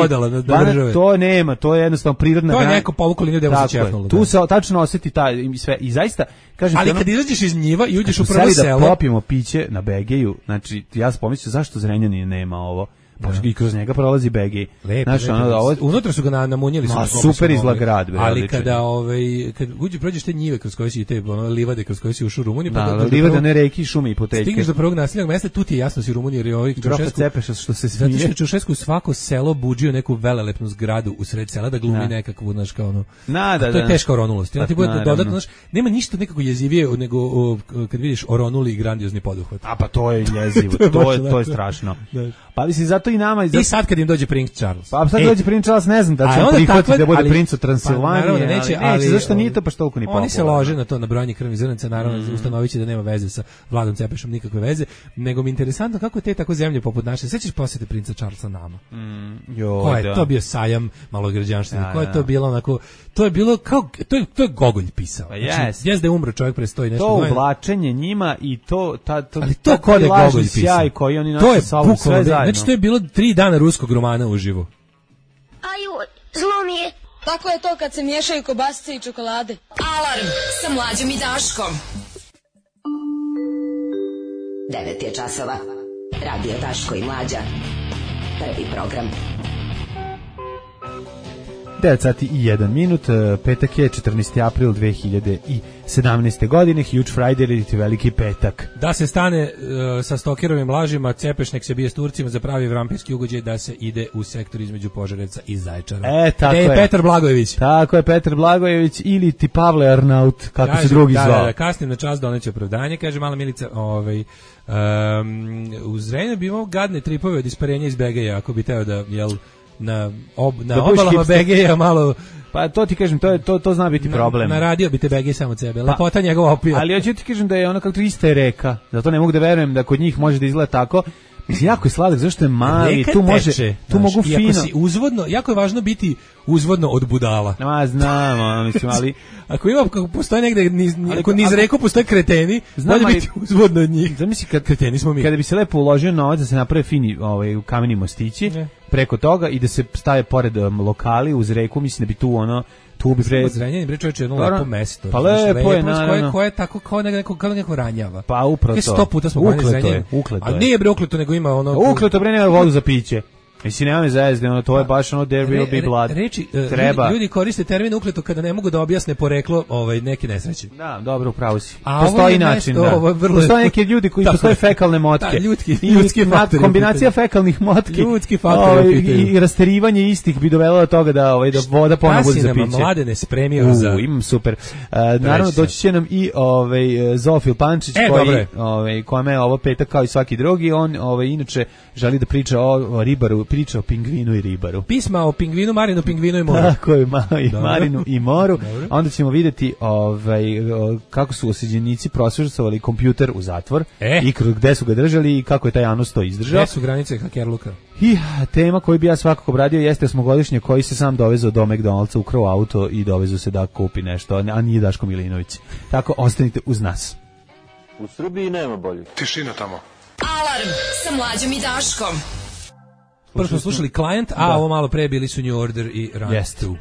Banat to nema, to je jednostavno prirodna granica. To je neko povuklo liniju da se čefnulo. Tu se tačno osjeti ta i sve i zaista kažem ali ono, kad izađeš iz njiva i uđeš u prvo selo da popijemo piće na Begeju, znači ja sam pomislio zašto Zrenjanin nema ovo. Pa i kroz njega prolazi B G. Lepo, Znaš, lepo. ono, ovo, unutra su ga na, namunjili. Ma, super izgleda grad, bre, ali odličan. kada, ovaj, kad uđe, prođeš te njive kroz koje si, te ono, livade kroz koje si ušao u Rumuniju, pa da, do- do livade, prvog- ne reki, šume i poteljke. stigneš do prvog naseljenog mesta, tu ti je jasno si u Rumuniji, jer je ovaj Grofa Čaušesku- Cepeša što se Zato što smije. je Čaušesku svako selo buđio neku velelepnu zgradu u sred sela da glumi Da. nekakvu, znaš, kao ono. Na, da, a to je da. teška oronulost. I onda ti bude Naravno. dodatno, znaš, nema ništa nekako jezivije nego o, kad vidiš oronuli i grandiozni poduhvat. A pa to je jezivo, To je to, baš je, to je onako. strašno. Da. Pa mislim, zato i nama... I, I zato, sad kad im dođe princ Charles. pa sad E, dođe princ Charles, ne znam da a će on onda prihvatiti takva- da bude ali- princ od pa, Transilvanije, naravno da neće, ali, neće, zašto ali, nije to baš toliko ni popularno. Oni se lože na to, na brojanje krvnih zrnaca, naravno mm. ustanovit će da nema veze sa Vladom Cepešom, nikakve veze, nego mi je interesantno kako te tako zemlje poput naše, sećaš posjete princa Charlesa nama? Mm, jo, Ko je da. to bio sajam malograđanština? Da, Ko je da. to bilo onako, to je bilo kao, to je, to je Gogolj pisao. Pa Znači, jest. jest da je umro čovjek pre sto i nešto To godina. uvlačenje njima i to ta to Ali to taj ko da je lažni Gogolj pisao. sjaj koji oni To nose je sa sobom, bukvalno, sve zajedno. znači to je bilo tri dana ruskog romana uživo. Aju, zlo mi je. Tako je to kad se miješaju kobasice i čokolade. Alarm sa Mlađom i Daškom. devet je časova. Radio Daško i Mlađa. Prvi program. devet sati i jedan minut, e, petak je četrnaesti april dve hiljade sedamnaeste. godine, Huge Friday ili ti veliki petak. Da se stane uh, sa stokerovim lažima, Cepeš nek se bije s Turcima za pravi vampirski ugođaj da se ide u sektor između Požarevca i Zaječara. E, tako Gde je je. Petar Blagojević. Tako je, Petar Blagojević ili ti Pavle Arnaut, kako Kaže, se drugi da, zvao. Da, da, kasnim na čas doneće opravdanje, kaže mala Milica, ovaj, um, u Zrenju bi imao gadne tripove od isparenja iz Begeja, ako bi teo da, jel, na, ob, na Da budeš obalama hipster. Begeja malo... Pa to ti kažem, to je to to zna biti problem. Na, naradio bi te Begej samo od sebe, lepota njegova opija. Ali hoću ti kažem da je ono kako to ista je reka. Zato ne mogu da verujem da kod njih može da izgleda tako. Mislim, jako je sladak, zašto je mali, Reka tu može, teče, tu znaš, mogu i ako fino. si uzvodno, jako je važno biti uzvodno od budala. Ma, znam, ono, mislim, ali... Ako ima, ako postoje negde, niz, Ali- ako niz ako- reku postoje kreteni, Znam, bolje ali- biti uzvodno od njih. Zamisli kad Kreteni smo mi. Kada bi se lepo uložio novac da se naprave fini ovaj kameni mostići Ne. preko toga i da se stave pored um, lokali uz reku, mislim da bi tu ono tu bi pre... Zrenjanin, bre, čovječe, jedno Dobro. lepo mesto. Pa znaš, lepo je, koje, naravno. koje je tako kao neko, kao neko ranjava. Pa upravo Kaj to. sto puta smo branili Ukleto je, Zrenjanin. ukleto A je. nije bre ukleto, nego ima ono... Ukleto bre, nema vodu za piće. Mislim, nema me zajezde, ono, to je baš ono there will be Re- re- blood. Reči, e, Treba. Ljudi, ljudi koriste termin ukleto kada ne mogu da objasne poreklo ovaj, neke nesreće. Da, dobro, upravo si. A ovo Postoji je način, mesto, da. ovo je vrlo- Postoje neki ljudi koji Tako postoje je. fekalne motke. Da, ljudski- I ljudski na- faktor je u kombinacija pitanju. fekalnih motki. Ljudski faktor je u ovaj, pitanju. i, i rasterivanje istih bi dovelo do toga da ovaj da voda ponovo bude za Šta si nam, piće. Mladene, spremio U, za... imam super. Uh, naravno sad. doći će nam i ovaj uh, Zofil Pančić E, koji dobro je. ovaj kome je ovo petak kao i svaki drugi, on ovaj inače želi da priča o, o ribaru, priča o pingvinu i ribaru. Pisma o pingvinu, Marinu, pingvinu i moru. Tako je, ma, i Dobro. Marinu i Moru. Dobro. Onda ćemo vidjeti ovaj, o, kako su osuđenici prosvećovali kompjuter u zatvor E. i kroz gde su ga držali i kako je taj Janus to izdržao. Gde su granice hakerluka? I tema koju bi ja svakako obradio jeste osmogodišnje koji se sam dovezao do McDonald'sa, ukrao auto i dovezao se da kupi nešto, a nije Daško Milinović. Tako, ostanite uz nas. U Srbiji nema bolje. Tišina tamo. Alarm sa Mlađom i Daškom. Prvo smo slušali Client, a Da. ovo malo pre bili su New Order i Run Jeste. dva.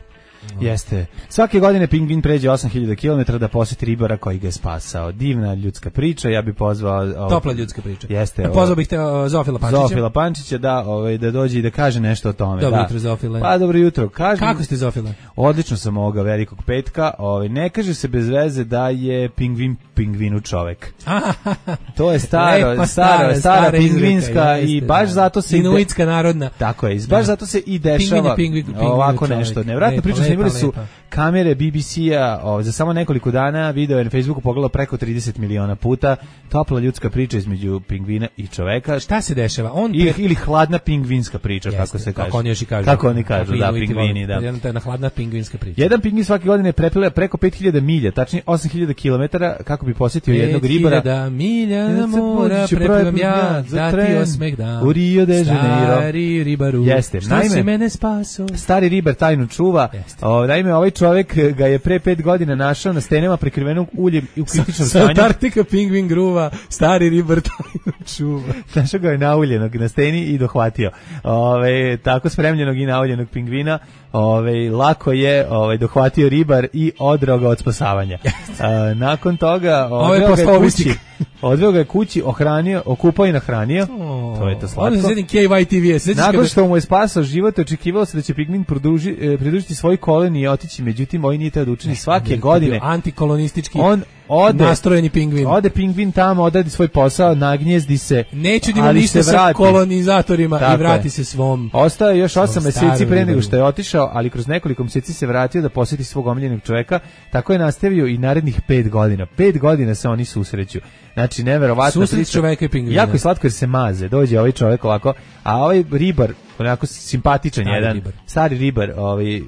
Jeste. Svake godine pingvin pređe osam hiljada kilometara da poseti ribara koji ga je spasao. Divna ljudska priča, ja bih pozvao... Ovaj, Topla ljudska priča. Jeste. E, pozvao bih te uh, Zofila Pančića. Zofila Pančića, da, ovaj, da dođe i da kaže nešto o tome. Dobro da. jutro, Zofile. Pa dobro jutro. Kažem, Kako ste, Zofile? Odlično sam ovoga velikog petka. Ovaj, ne kaže se bez veze da je pingvin pingvinu čovek. To je staro, Lepa, stara, stara, stara stara pingvinska izreka, i jeste, baš da. zato se... ide- Inuitska narodna. Tako je, baš Da. zato se i Pingvin dešava je pingvin- pingvin ovako čovek. nešto. Nevratno Lepa, priču lepa, snimili su lepa. kamere B B C-a, o, za samo nekoliko dana video je na Facebooku pogledalo preko trideset miliona puta. Topla ljudska priča između pingvina i čoveka. Šta se dešava? On Ili, pre- ili hladna pingvinska priča, Jeste, kako se kaže. Kako oni još i kažu. Kako oni kažu, Kako da, Inuiti pingvini, vole. da. Jedna ta jedna hladna pingvinska priča. Jedan pingvin svake godine prepile preko pet hiljada milja, tačnije osam hiljada kilometara kako bi posjetio jednog ribara. pet hiljada milja Ja se mora pođu, preplivam preplivam ja, ja za da ti tren osmeh dam. u Rio de Janeiro. Stari ribaru, Jeste, što naime- si mene spaso? Stari ribar tajnu čuva. Jeste. O, naime, ovaj čovek ga je pre pet godina našao na stenama prekrivenog uljem i u kritičnom Sa stanju. Antarktika pingvin gruva, stari ribar tajnu čuva. Našao ga je nauljenog na steni i dohvatio. Ove, tako spremljenog i nauljenog pingvina. Ove, lako je ove, dohvatio ribar i odrao ga od spasavanja. A, nakon toga Ovo je odveo ga je postao kući. vistik. Odveo ga je kući, ohranio, okupao i nahranio. to je to slatko. Onda se sjedim K Y T V. Nakon što mu je spasao život, očekivalo se da će pingvin produži, eh, pridružiti svoj koloni i otići, međutim, ovaj nije teo da učini svake godine. Antikolonistički on ode, nastrojeni pingvin. Ode pingvin tamo, odradi svoj posao, nagnjezdi se. Neću da ima ništa sa kolonizatorima. Tako i vrati je. Se svom. Ostao je još osam meseci pre nego što je otišao, ali kroz nekoliko meseci se vratio da posjeti svog omiljenog čoveka. Tako je nastavio i narednih pet godina. Pet godina se oni susreću. Znači, neverovatno. Susret čoveka i pingvina. Jako je slatko jer se maze. Dođe ovaj čovek ovako, a ovaj ribar, onako simpatičan stari jedan, ribar. stari ribar, ovaj, uh,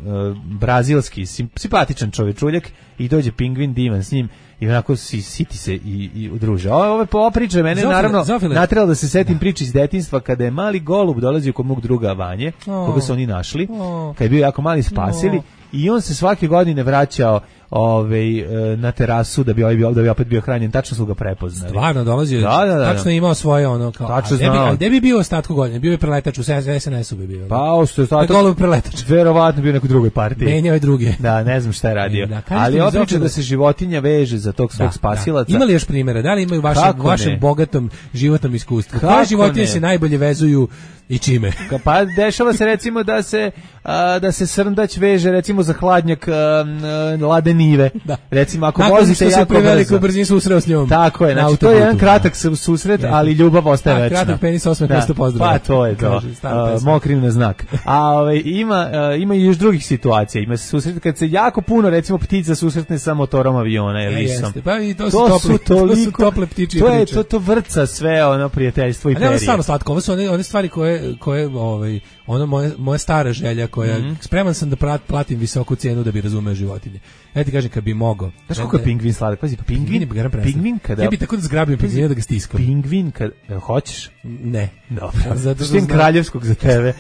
brazilski, sim, simpatičan čovečuljak i dođe pingvin divan s njim i onako si, siti se i, i udruže. Ove, ove, ova priča mene Zofile, naravno natrela da se setim da. priče iz detinjstva kada je mali golub dolazio kod mog druga Vanje, oh. koga su oni našli, oh. kad je bio jako mali spasili oh. i on se svake godine vraćao ovaj na terasu da bi ovaj bio da bi opet bio hranjen, tačno su ga prepoznali. Stvarno dolazio, da, da, da, tačno je imao svoje ono kao. Tačno a gde bi, gde bi bio ostatku godine? Bio je preletač u S N S-u bi bio. Pa ostatak. Golub preletač. Verovatno bio u nekoj drugoj partiji. Menjao je druge. Da, ne znam šta je radio. Da, ali opriča da se životinja veže za tog svog da, spasilaca. Da. Ima li još primjera? Da li imaju vašem vašem bogatom životnom iskustvu? Koje životinje se najbolje vezuju i čime? Pa dešava se recimo da se a, da se srndać veže recimo za hladnjak a, a, ladenive. Da. Recimo ako nakon vozite jako brzo. Nakon brzini susreo s njom. Tako je, znači to je jedan kratak susret, ja. ali ljubav ostaje večna. Kratak penis osmeh mesto pozdrav. Pa to je to. Uh, Mokrim na znak. A ovaj ima uh, ima i još drugih situacija. Ima se susret kad se jako puno recimo ptica susretne sa motorom aviona ili ja, lisom. Pa i to su to tople, su toliko, to su tople ptičije to je to to vrca sve ono prijateljstvo i perije. Ali stvarno slatko, ovo su one, one stvari koje koje ovaj ono moje moja stara želja koja mm-hmm. spreman sam da prat, platim visoku cenu da bi razumeo životinje. Ja ti kažem kad bi mogao. Znaš kako je pingvin sladak? Pazi, pingvin, pingvin kada ja bi tako da zgrabim pingvina da ga stiskam. Pingvin kad hoćeš? Ne. Dobro. Zato što je kraljevskog za tebe.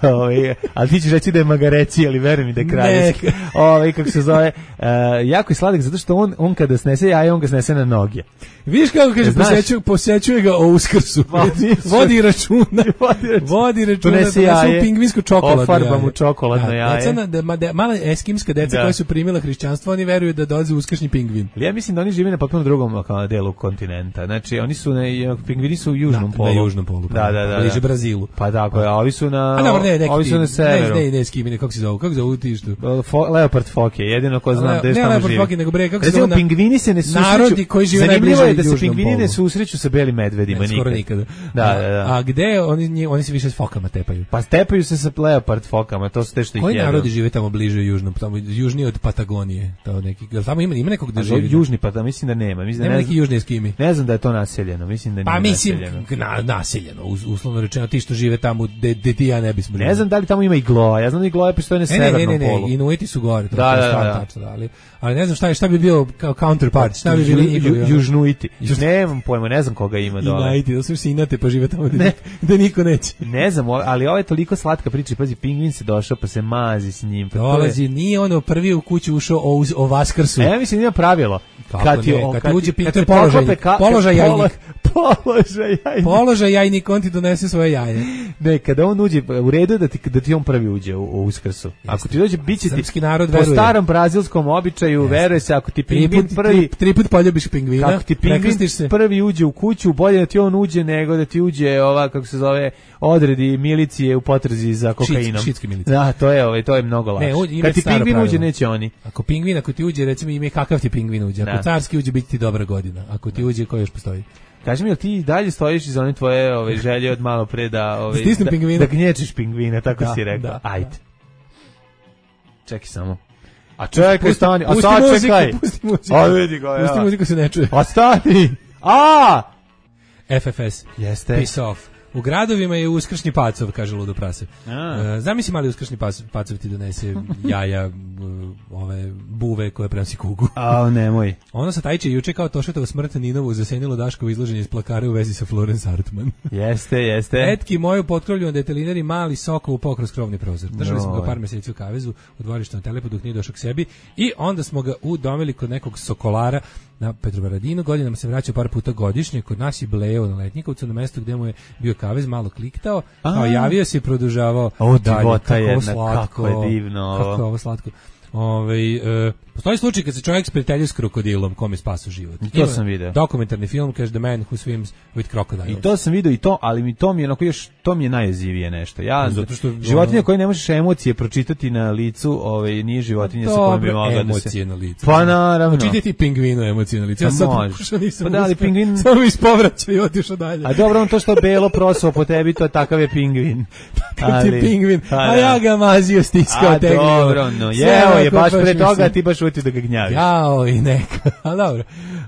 Ovaj, ali ti ćeš reći da je magareci, ali veruj mi da je kraljevski. Ovaj kako se zove, uh, jako je sladak zato što on on kada snese jaje, on ga snese na noge. Viš kako kaže posećuje posećuje ga o Uskrsu. Vodi računa. Vodi računa. Donese jaje. Pingvinsku čokoladu. Ofarba mu čokoladno da, jaje. Deca, da, da, mala eskimska deca da. koja su primila hrišćanstvo, oni veruju da dolazi uskršnji pingvin. Ja mislim da oni žive na potpuno drugom delu kontinenta. Znači oni su na pingvini su u južnom da, polu. Na južnom polu. Da, da, da. Bliže Brazilu. Pa tako je, a ovi su na a, dobro, ne, ovi su na severu. Ne, ne, ne, eskimine, kako se zove? Kako se zove ti što? Leopard foke, jedino ko znam gde tamo živi. Ne, Leopard nego bre, kako se zove? Pingvini se ne susreću. Narodi koji žive najbliže je da se pingvini ne susreću sa belim medvedima nikad. Da, da, da. A gde oni oni se više s fokama tepaju? Pa tepaju se sa leopard fokama, to su te što ih jedu. Koji narodi žive tamo bliže južnom, tamo južnije od Patagonije, to neki. Tamo ima ima nekog da živi. Južni pa da mislim da nema, mislim da nema neki južni eskimi. Ne znam da je to naseljeno, mislim da nije. Pa mislim naseljeno. Na, naseljeno, uslovno rečeno ti što žive tamo gde ti ja ne bismo. Ne znam da li tamo ima igloa. Ja znam da igloa postoje na severnom polu. Ne, ne, ne, Inuiti su gore, to da, je da, da. tačno, ali ali ne znam šta je, šta bi bio kao counterpart, šta bi bili Ju, južnuiti. Nemam pojma, ne znam koga ima dole. Inuiti, da su se inate pa žive tamo gde, gde niko neće. Ne znam, ali ovo je toliko slatka priča, pazi, pingvin se došao pa se mazi s njim. Pa dolazi, nije ono prvi u kuću ušao o, o Vaskrsu. E, ja mislim da ima pravilo. Kad ti kad uđe pingvin, to je položaj, položaj jajnik. Položaj jajnik. Položaj jajnik, on ti donese svoje jaje. Ne, kada on uđe, u redu da ti, da ti on prvi uđe u, u Uskrsu. Ako ti dođe, bit će ti srpski narod po veruje. starom brazilskom običaju, veruje se, ako ti pingvin prvi... Tri put poljubiš pingvina, ako ti pingvin prvi uđe u kuću, bolje da ti on uđe nego da ti uđe ova, kako se zove, odredi milicije u potrzi za kokainom. Šitski milicije. Da, to je, ovaj, to je mnogo lakše. Kad ti pingvin uđe, neće oni. Ako pingvin, ako ti uđe, recimo ime kakav ti pingvin uđe. Ako carski uđe, biti ti dobra godina. Ako ti uđe, koji još postoji? Kaži mi, jel ti dalje stojiš iz one tvoje ove, želje od malo pre da, ove, da, da gnječiš pingvina, tako da, si rekao. Da. Ajde. Čekaj samo. A čekaj, stani. A sad čekaj. Pusti muziku. A vidi ga, ja. Pusti muziku, se ne čuje. A stani. A! F F S. Jeste. Peace off. U gradovima je uskršnji pacov, kaže ludo prase. Uh, zamisli mali uskršnji pacov ti donese jaja, ove buve koje prenosi kugu. A nemoj. Ono sa Tajče juče kao Tošetovo smrt Ninovu zasenilo Daškovo izloženje iz plakara u vezi sa Florence Hartman. Jeste, jeste. Etki moju potkrovlju na detelinari mali Sokol upao kroz krovni prozor. Držali no. smo ga par meseci u kavezu u dvorištu na Telepu dok nije došao k sebi i onda smo ga udomili kod nekog sokolara na Petrovaradinu. Godinama se vraćao par puta godišnje, kod nas je bleo na Letnjikovcu na mestu gde mu je bio kavez, malo kliktao, kao javio se i produžavao o, dalje. Divota kako jedna, slatko, kako je divno. Kako je ovo slatko. Ovaj e, postoji slučaj kad se čovjek sprijateljio s krokodilom kome spaso život. I to Ima sam video. Dokumentarni film kaže The Man Who Swims with Crocodiles. I to sam video i to, ali mi to mi je onako još to mi je najjezivije nešto. Ja zato što životinja koja ne možeš emocije pročitati na licu, ovaj nije životinja sa kojom bi mogla da se emocije na licu. Pa naravno. Čitati pingvinu emocije na licu. Ja sam pokušao nisam. Pa da li pingvin samo mi ispovraćao i otišao dalje. A dobro, on to što belo prosao po tebi, to takav je pingvin. Ali ti pingvin. A ja ga mazio, stiskao teglio. A dobro, no. Evo je baš pre toga ti baš uti da ga gnjaviš. Jao i neka. A dobro.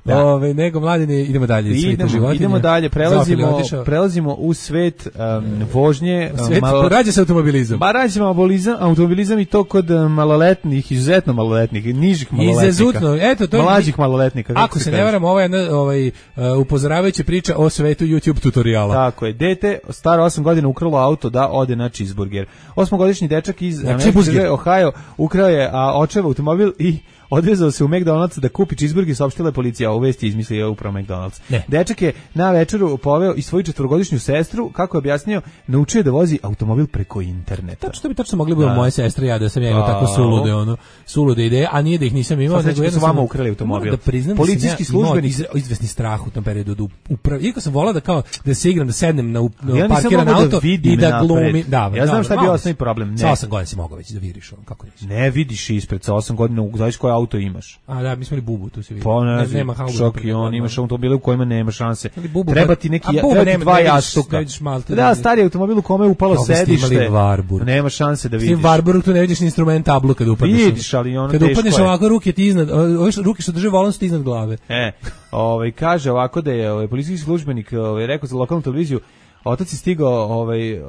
Da. Ove, nego mladine, idemo dalje. Idemo, idemo dalje, prelazimo, prelazimo u svet um, vožnje. U svet, malo, rađa se automobilizam. Ba, rađa se automobilizam, automobilizam i to kod maloletnih, izuzetno maloletnih, nižih maloletnika. Izuzetno, eto, to je mlađih maloletnika. Ako se, se ne varam, ovo je jedna ovaj, uh, upozoravajuća priča o svetu YouTube tutoriala. Tako je, dete staro osam godina ukralo auto da ode na cheeseburger. Osmogodišnji dečak iz Amerike, Ohio ukrao je a, očev automobil i odvezao se u McDonald's da kupi cheeseburger, saopštila je policija, a u vesti izmislio upravo McDonald's. Ne. Dečak je na večeru poveo i svoju četvorogodišnju sestru, kako je objasnio, naučio da vozi automobil preko interneta. Tačno bi tačno mogli biti moje sestre, ja da sam ja imao tako sulude, ono, sulude ideje, a nije da ih nisam imao, nego jedno su vama ukrali automobil. Da priznam, policijski da službenik iz, izvesni strah u tom periodu da upravo, iako sam volao da kao da se igram, da sednem na, na ja parkiran auto da i da glumi, da, ja znam šta je bio osnovni problem. Ne. Sa osam godina si mogao već da vidiš, on kako nisi. Ne vidiš ispred sa osam godina, znaš koji auto imaš. A da, mi smo li bubu, tu se vidi. Pa ne, ne, nema čak i on, imaš automobile u kojima nema šanse. Treba ti neki, treba ti dva jastuka. Da, stari automobil u kome je upalo sedište, nema šanse da vidiš. Ti Varboru tu ne vidiš ni instrument tablu kad upadneš. Vidiš, ali ono teško je. Kad upadneš ovako, ruke ti iznad, ove ruke što drže volan su ti iznad glave. E, ovaj, kaže ovako da je ovaj, policijski službenik ovaj, rekao za lokalnu televiziju, otac je stigao ovaj, uh,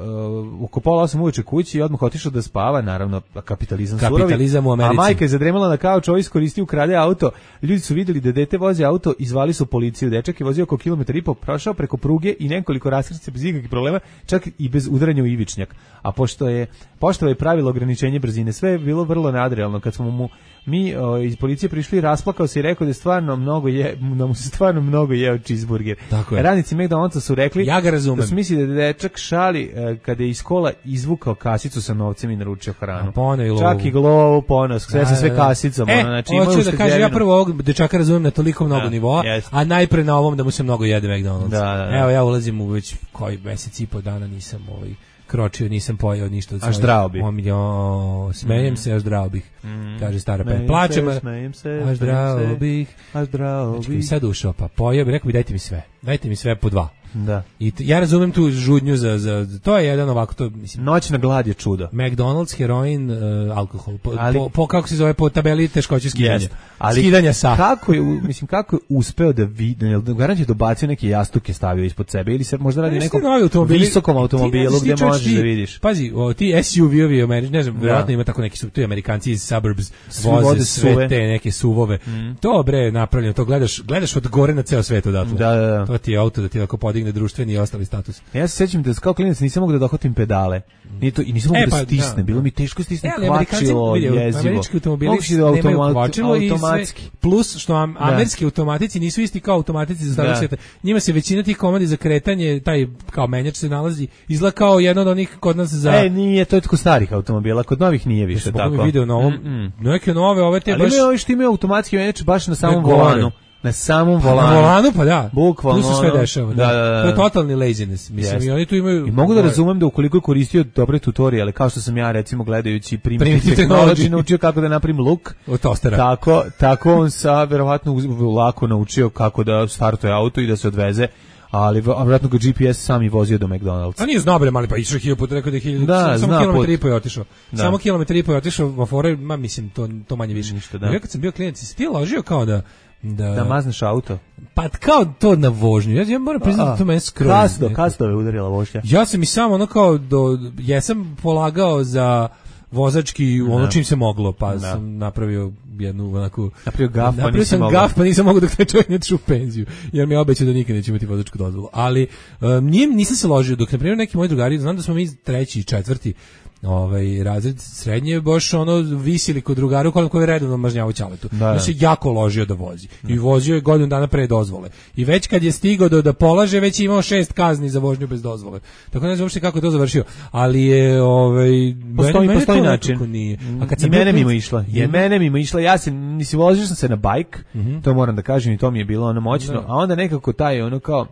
oko pola osam uveče kući i odmah otišao da spava, naravno kapitalizam, kapitalizam surovi, u Americi. A majka je zadremala na kauču, ovaj iskoristio, ukrade auto, ljudi su vidjeli da dete vozi auto i zvali su policiju, dečak je vozio oko kilometar i po, prošao preko pruge i nekoliko raskršća bez ikakvih problema, čak i bez udaranja u ivičnjak, a pošto je pošto je pravilo ograničenje brzine, sve je bilo vrlo nadrealno, kad smo mu mi o, iz policije prišli, rasplakao se i rekao da je stvarno mnogo je, da mu se stvarno mnogo jeo cheeseburger. Radnici McDonald'sa su rekli, ja ga razumem, da su misli da dečak šali e, kada je iz kola izvukao kasicu sa novcem i naručio hranu. I čak i glovu, ponos, sve sa sve kasicom. E, ono, znači, hoću da kažem, ja prvo ovog dečaka razumem na toliko mnogo da, nivoa, yes. a najpre na ovom da mu se mnogo jede McDonald's. Da, da, da. Evo, ja ulazim u već koji mesec i po dana nisam ovaj kročio, nisam pojeo ništa od svojih. A zdravo bih. Omiljo, smejem mm. se, a zdravo bih. Mm. Kaže stara pe. Plačem, smejem se, a zdravo bih. A zdravo bih. Sad ušao, pa pojeo bih, rekao bi dajte mi sve. Dajte mi sve po dva. Da. I t, ja razumem tu žudnju za, za, to je jedan ovako, to mislim. Noćna glad je čudo. McDonald's, heroin, uh, alkohol. Po, ali, po, po, kako se zove, po tabeli teškoće skidanja. Yes. Ali skidanja sa. Kako je, mislim, kako je uspeo da vidi, garant je dobacio neke jastuke stavio ispod sebe, ili se možda radi nekom visokom automobilu gdje možeš ti, da vidiš. Pazi, o, ti S U V-ovi, ne znam, vjerojatno ima tako neki, tu Amerikanci iz suburbs voze sve suve. Te neke suvove. Mm. To bre napravljeno, to gledaš, gledaš od gore na ceo svet odatle. Da, da, da. To ti je auto da ti tako podigne društveni i ostali status. Ja se sećam da kao klinac nisam mogao da dohvatim pedale. Ni to i nisam mogao e, pa, da stisnem, da, bilo mi teško stisnem e, kvačilo, jezivo. Američki automobili nemaju kvačilo i sve, plus što am, američki automatici nisu isti kao automatici za starog sveta. Njima se većina tih komandi za kretanje, taj kao menjač se nalazi, izgleda kao jedan od onih kod nas za... E, nije, to je kod starih automobila, kod novih nije više tako. Ja sam video na ovom, mm -mm. neke nove, ove te ali baš... Ali imaju ovi što imaju automatski menjač baš na samom volanu. Na samom volanu. Na volanu, pa da. Bukvalno. Tu se sve dešava. Da, da, da. To je totalni laziness. Mislim, yes. I oni tu imaju... I mogu da razumem da ukoliko je koristio dobre tutoriale, kao što sam ja, recimo, gledajući Primitive Technology, naučio kako da napravim luk. Od tostera. Tako, tako on sa, verovatno, lako naučio kako da startuje auto i da se odveze. Ali vjerojatno ga G P S sam i vozio do McDonald's. A nije znao bre, mali pa išao hiljadu puta, rekao da je hiljadu, da, samo kilometar i po je otišao. Da. Samo kilometar i po je otišao, vafore, ma mislim, to, to manje više. Ništa, da. Ja kad sam bio klijent, si ti ložio kao da... Da, da mazneš auto. Pa kao to na vožnju. Ja, ja moram priznati da to mene skroz. Kasno, kasno je udarila vožnja. Ja sam i samo ono kao, do, jesam polagao za vozački no. ono čim se moglo, pa no. sam napravio jednu onako... Napravio gaf, pa napravio sam mogao. gaf, pa nisam mogao dok taj čovjek ne otišao u penziju, jer mi je obećao da nikad neće imati vozačku dozvolu. Ali um, njim nisam se ložio, dok na primjer neki moji drugari, znam da smo mi treći i četvrti, ovaj razred srednje baš ono visili kod drugara koji koji redovno mažnjavao ćaletu. Da, da se jako ložio da vozi. Da. I vozio je godinu dana pre dozvole. I već kad je stigao do da polaže već je imao šest kazni za vožnju bez dozvole. Tako ne znam uopšte kako je to završio, ali je ovaj postoji mene, postoji način. Nije. A kad i mene mimo išla. I mene mimo išla. Ja se nisi vozio sam se na bajk. Mm -hmm. To moram da kažem i to mi je bilo ono moćno. Da. A onda nekako taj ono kao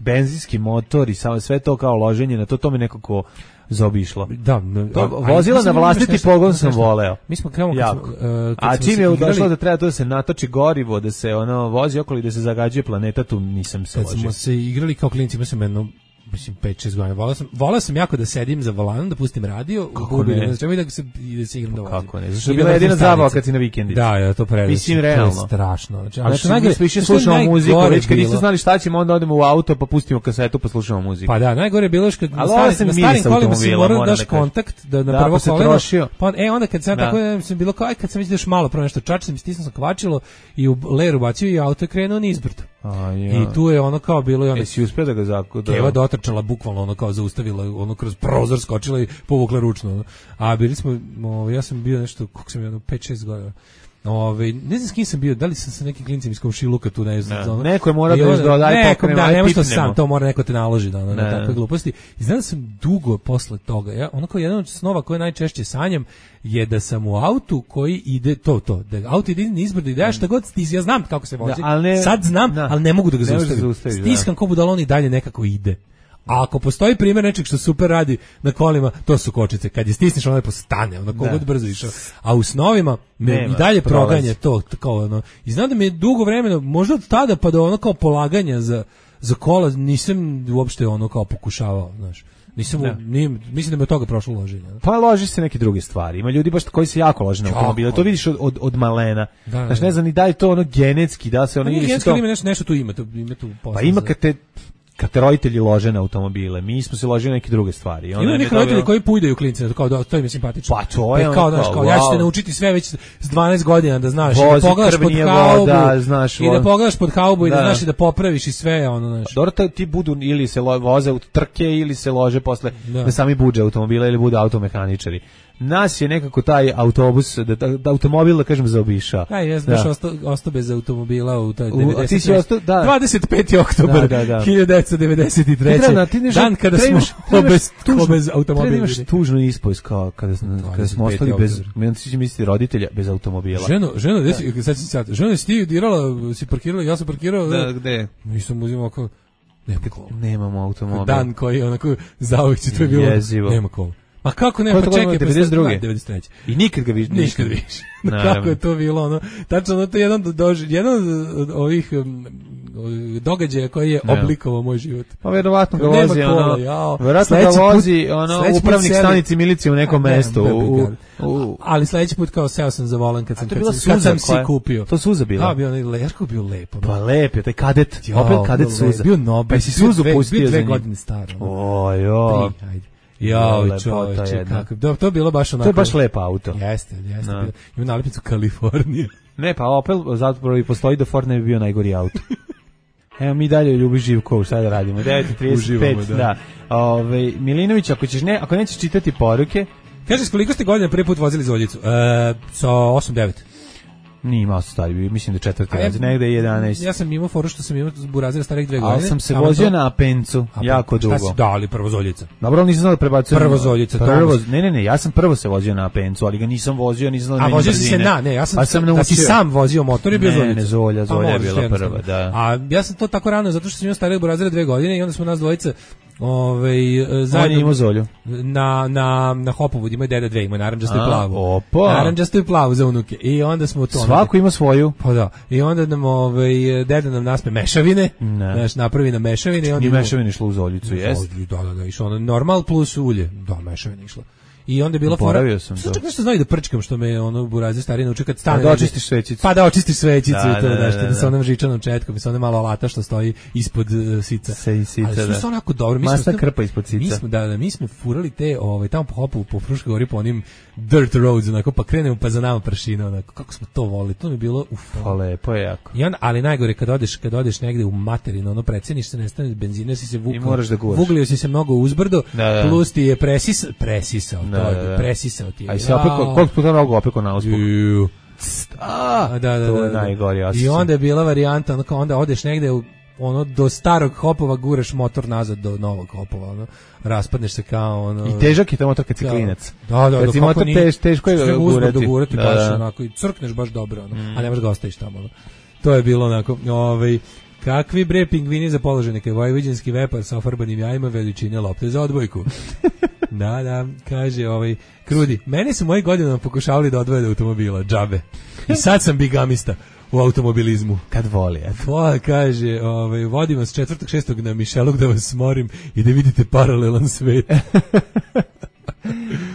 benzinski motor i sve to kao loženje na to, to me nekako zobišlo. Da, to, vozila na vlastiti pogon sam voleo. Mi smo krenuli kad, uh, kad a čim je došlo da treba to da se natoči gorivo, da se ono vozi okolo i da se zagađuje planeta, tu nisam se ložio. Kad smo se igrali kao klinci, ima sam jedno mislim pet šest godina. Volao sam, volao sam jako da sedim za volanom, da pustim radio, kako ne, ne znači da se i da se igram da vozim. Kako ne? Zašto je bila jedina zabava kad si na vikendi. Da, ja to predivno. Mislim realno. To je strašno. Znači, ali što najgore više slušamo muziku, već kad niste znali šta ćemo, onda odemo u auto, pa pustimo kasetu, pa slušamo muziku. Pa da, najgore je bilo što na starim, na starim kolima si morao daš kontakt da na prvo koleno. Pa e onda kad sam tako sam bilo kao kad sam već još malo pro nešto čačim, stisnuo sam kvačilo i u leru bacio i auto krenuo nizbrdo. I tu je ono kao bilo i onda jesi uspeo da ga zakuda. Keva dotrčala bukvalno ono kao zaustavila, ono kroz prozor skočila i povukla ručno. A bili smo, ja sam bio nešto, kako sam bio, pet šest godina. Ove, ne znam s kim sam bio, da li sam sa nekim klincem iz komšiluka tu, ne znam. Ne, neko je mora da da daj pokrenemo, da, ne možeš sam, to mora neko te naloži da ono, na takve gluposti. I znam da sam dugo posle toga, ja, ono kao jedan od snova koje najčešće sanjam je da sam u autu koji ide to to, da auto ide nizbrdo i da šta god stizi, ja znam kako se vozi. Da, ne, sad znam, da, ali ne mogu da ga zaustavim. Stiskam ko budalon i dalje nekako ide. A ako postoji primjer nečeg što super radi na kolima, to su kočice. Kad je stisneš, ono je postane, ono kogod brzo išao. A u snovima me Nema, i dalje proganje to, kao ono. I znam da mi je dugo vremena, možda od tada pa do ono kao polaganja za, za kola, nisam uopšte ono kao pokušavao, znaš. Nisam, nije, mislim da mi od toga prošlo loženje. Pa loži se neke druge stvari. Ima ljudi baš koji se jako lože na automobile. To vidiš od, od, od malena. Da, znaš, ne znam ni da je to ono genetski, da se ono... Nije genetski, to... ima nešto, nešto tu ima. To, ima tu pa ima kad te... kad te roditelji lože na automobile, mi smo se ložili na neke druge stvari. Ima neki roditelji koji pujdaju klince, kao da to im je simpatično. Pa to je kao, znaš, kao wow. Ja ću te naučiti sve već s dvanaest godina da znaš, vozi, i da pogledaš pod haubu, da, znaš, i da pogledaš pod haubu i da, da znaš i da popraviš i sve, ono, znaš. Dobro, ti budu ili se lo, voze u trke ili se lože posle da, da sami buđe automobila ili budu automehaničari. Nas je nekako taj autobus, da, da, da automobil, da kažem, zaobišao. Aj, ja sam ostao osta bez automobila u taj devedeset. Ti si ostao, da. dvadeset peti oktobar da, da, da. hiljadu devetsto devedeset treće. Da, ti nešto, dan kada smo bez, bez automobila. Treba imaš tužnu ispovest kao kada, kada smo ostali bez, meni se misli roditelja, bez automobila. Ženo, ženo, da. Desi, sad si sad, ženo si ti dirala, si parkirala, ja sam parkirao. Da, gde? Nisam uzimao kao, nema kola. Nemamo automobil. Dan koji onako zauvijek će to je bilo, jezivo. Nema kola. Ma kako ne, pa čekaj, devedeset druge. devedeset treće. I nikad ga više. Nikad više. Kako je to bilo, ono, tačno, ono, to je jedan, doži, jedan od ovih um, događaja koji je oblikovao moj život. Pa verovatno ga vozi, ono, verovatno ga vozi, ono, upravnik stanici milicije u nekom mestu. U, u, ali sledeći put kao seo sam za volan kad sam, kad, kad sam si kupio. To Suza bila? Da, bio onaj Leško, bio lepo. Pa lep je, taj kadet, opet kadet Suza. Bio Nobel. Pa si Suzu pustio za njim. Bio dve godine star. O, jo. Ja, čovječe, kako. To, to je bilo baš onako. To je baš lep auto. Jeste, jeste. No. Ima nalepnicu Kalifornija. Ne, pa Opel zapravo i postoji da Ford ne bi bio najgori auto. Evo mi dalje Ljubi Živkov, šta da radimo? devet trideset pet, da. da. Ove, Milinović, ako ćeš ne, ako nećeš čitati poruke, kažeš koliko ste godina prvi put vozili Zoljicu? E, sa osam devet. Nije imao stari, mislim da četvrti razred, negde je jedanaest. Ja sam imao foru što sam imao burazira starih dve godine. Ali sam se vozio to... na Apencu, Apen, jako dugo. Šta si dali, prvo Zoljica? Dobro, ali nisam znao da prebacujem. Prvo Zoljica, prvo, ne, ne, ne, ja sam prvo se vozio na Apencu, ali ga nisam vozio, nisam znao da menjam brzine. A vozio si se na, ne, ja sam, sam da si sam vozio motor i bio Zoljica. Ne, ne, Zolja, Zolja je bila prva, da. A ja sam to tako rano, zato što sam imao starih burazira dve godine i onda smo nas dvojica Ovaj zajedno ima Zolju. Na na na Hopovu ima deda dve, ima narandžastu i plavu. Opa. Narandžastu i plavu za unuke. I onda smo to. Svako ima svoju. Pa da. I onda nam ovaj deda nam naspe mešavine. Znaš, napravi na mešavine i onda i mešavine išlo u Zoljicu, jest. Da, da, da, išlo ono normal plus ulje. Da, mešavine išlo. I onda je bila fora. Boravio sam to. Čak nešto znaju da prčkam što me ono burazer stari nauči kad stane. Da očistiš svećicu. Pa da očistiš svećicu da, i to da, da, da, što da, da sa onom žičanom četkom, sa onom malo alata što stoji ispod uh, sica. Se sica, ali da. su onako dobro. Mi Masna smo, krpa ispod sica. Mi smo, da, da, mi smo furali te, ovaj, tamo po hopu, po Fruškoj gori, po onim dirt roads, onako, pa krenemo pa za nama prašina, onako, kako smo to volili, to mi je bilo, uf. Pa lepo je jako. I onda, ali najgore, kad odeš, kad odeš negde u materinu, ono, preceniš se, nestane benzina, si se vukao. I moraš da guraš. Vuglio si se mnogo uzbrdo, da, da. plus ti je presis, presisao, da, to je, da, da. presisao ti je. A i se opeko, koliko puta mnogo opeko na uspuk? A, da, da, to da, je da. najgori osjećaj. I onda je bila varijanta, ono, kao onda odeš negde u ono do starog hopova guraš motor nazad do novog hopova, ono raspadneš se kao ono. I težak je to motor kad si klinac. Da, da, kad si motor tež, teško je ga gurati. gurati da, baš da. onako i crkneš baš dobro, ono, mm. a ne možeš ga ostaviš tamo. Ono. To je bilo onako, ovaj kakvi bre pingvini za položenike, vojvođanski vepar sa ofarbanim jajima veličine lopte za odbojku. Da, da, kaže ovaj Krudi, mene su moji godinama pokušavali da odvoje do automobila, džabe. I sad sam bigamista u automobilizmu. Kad voli, eto. Pa, kaže, ovaj, vodim vas četvrtog šestog na Mišelog da vas smorim i da vidite paralelan svet.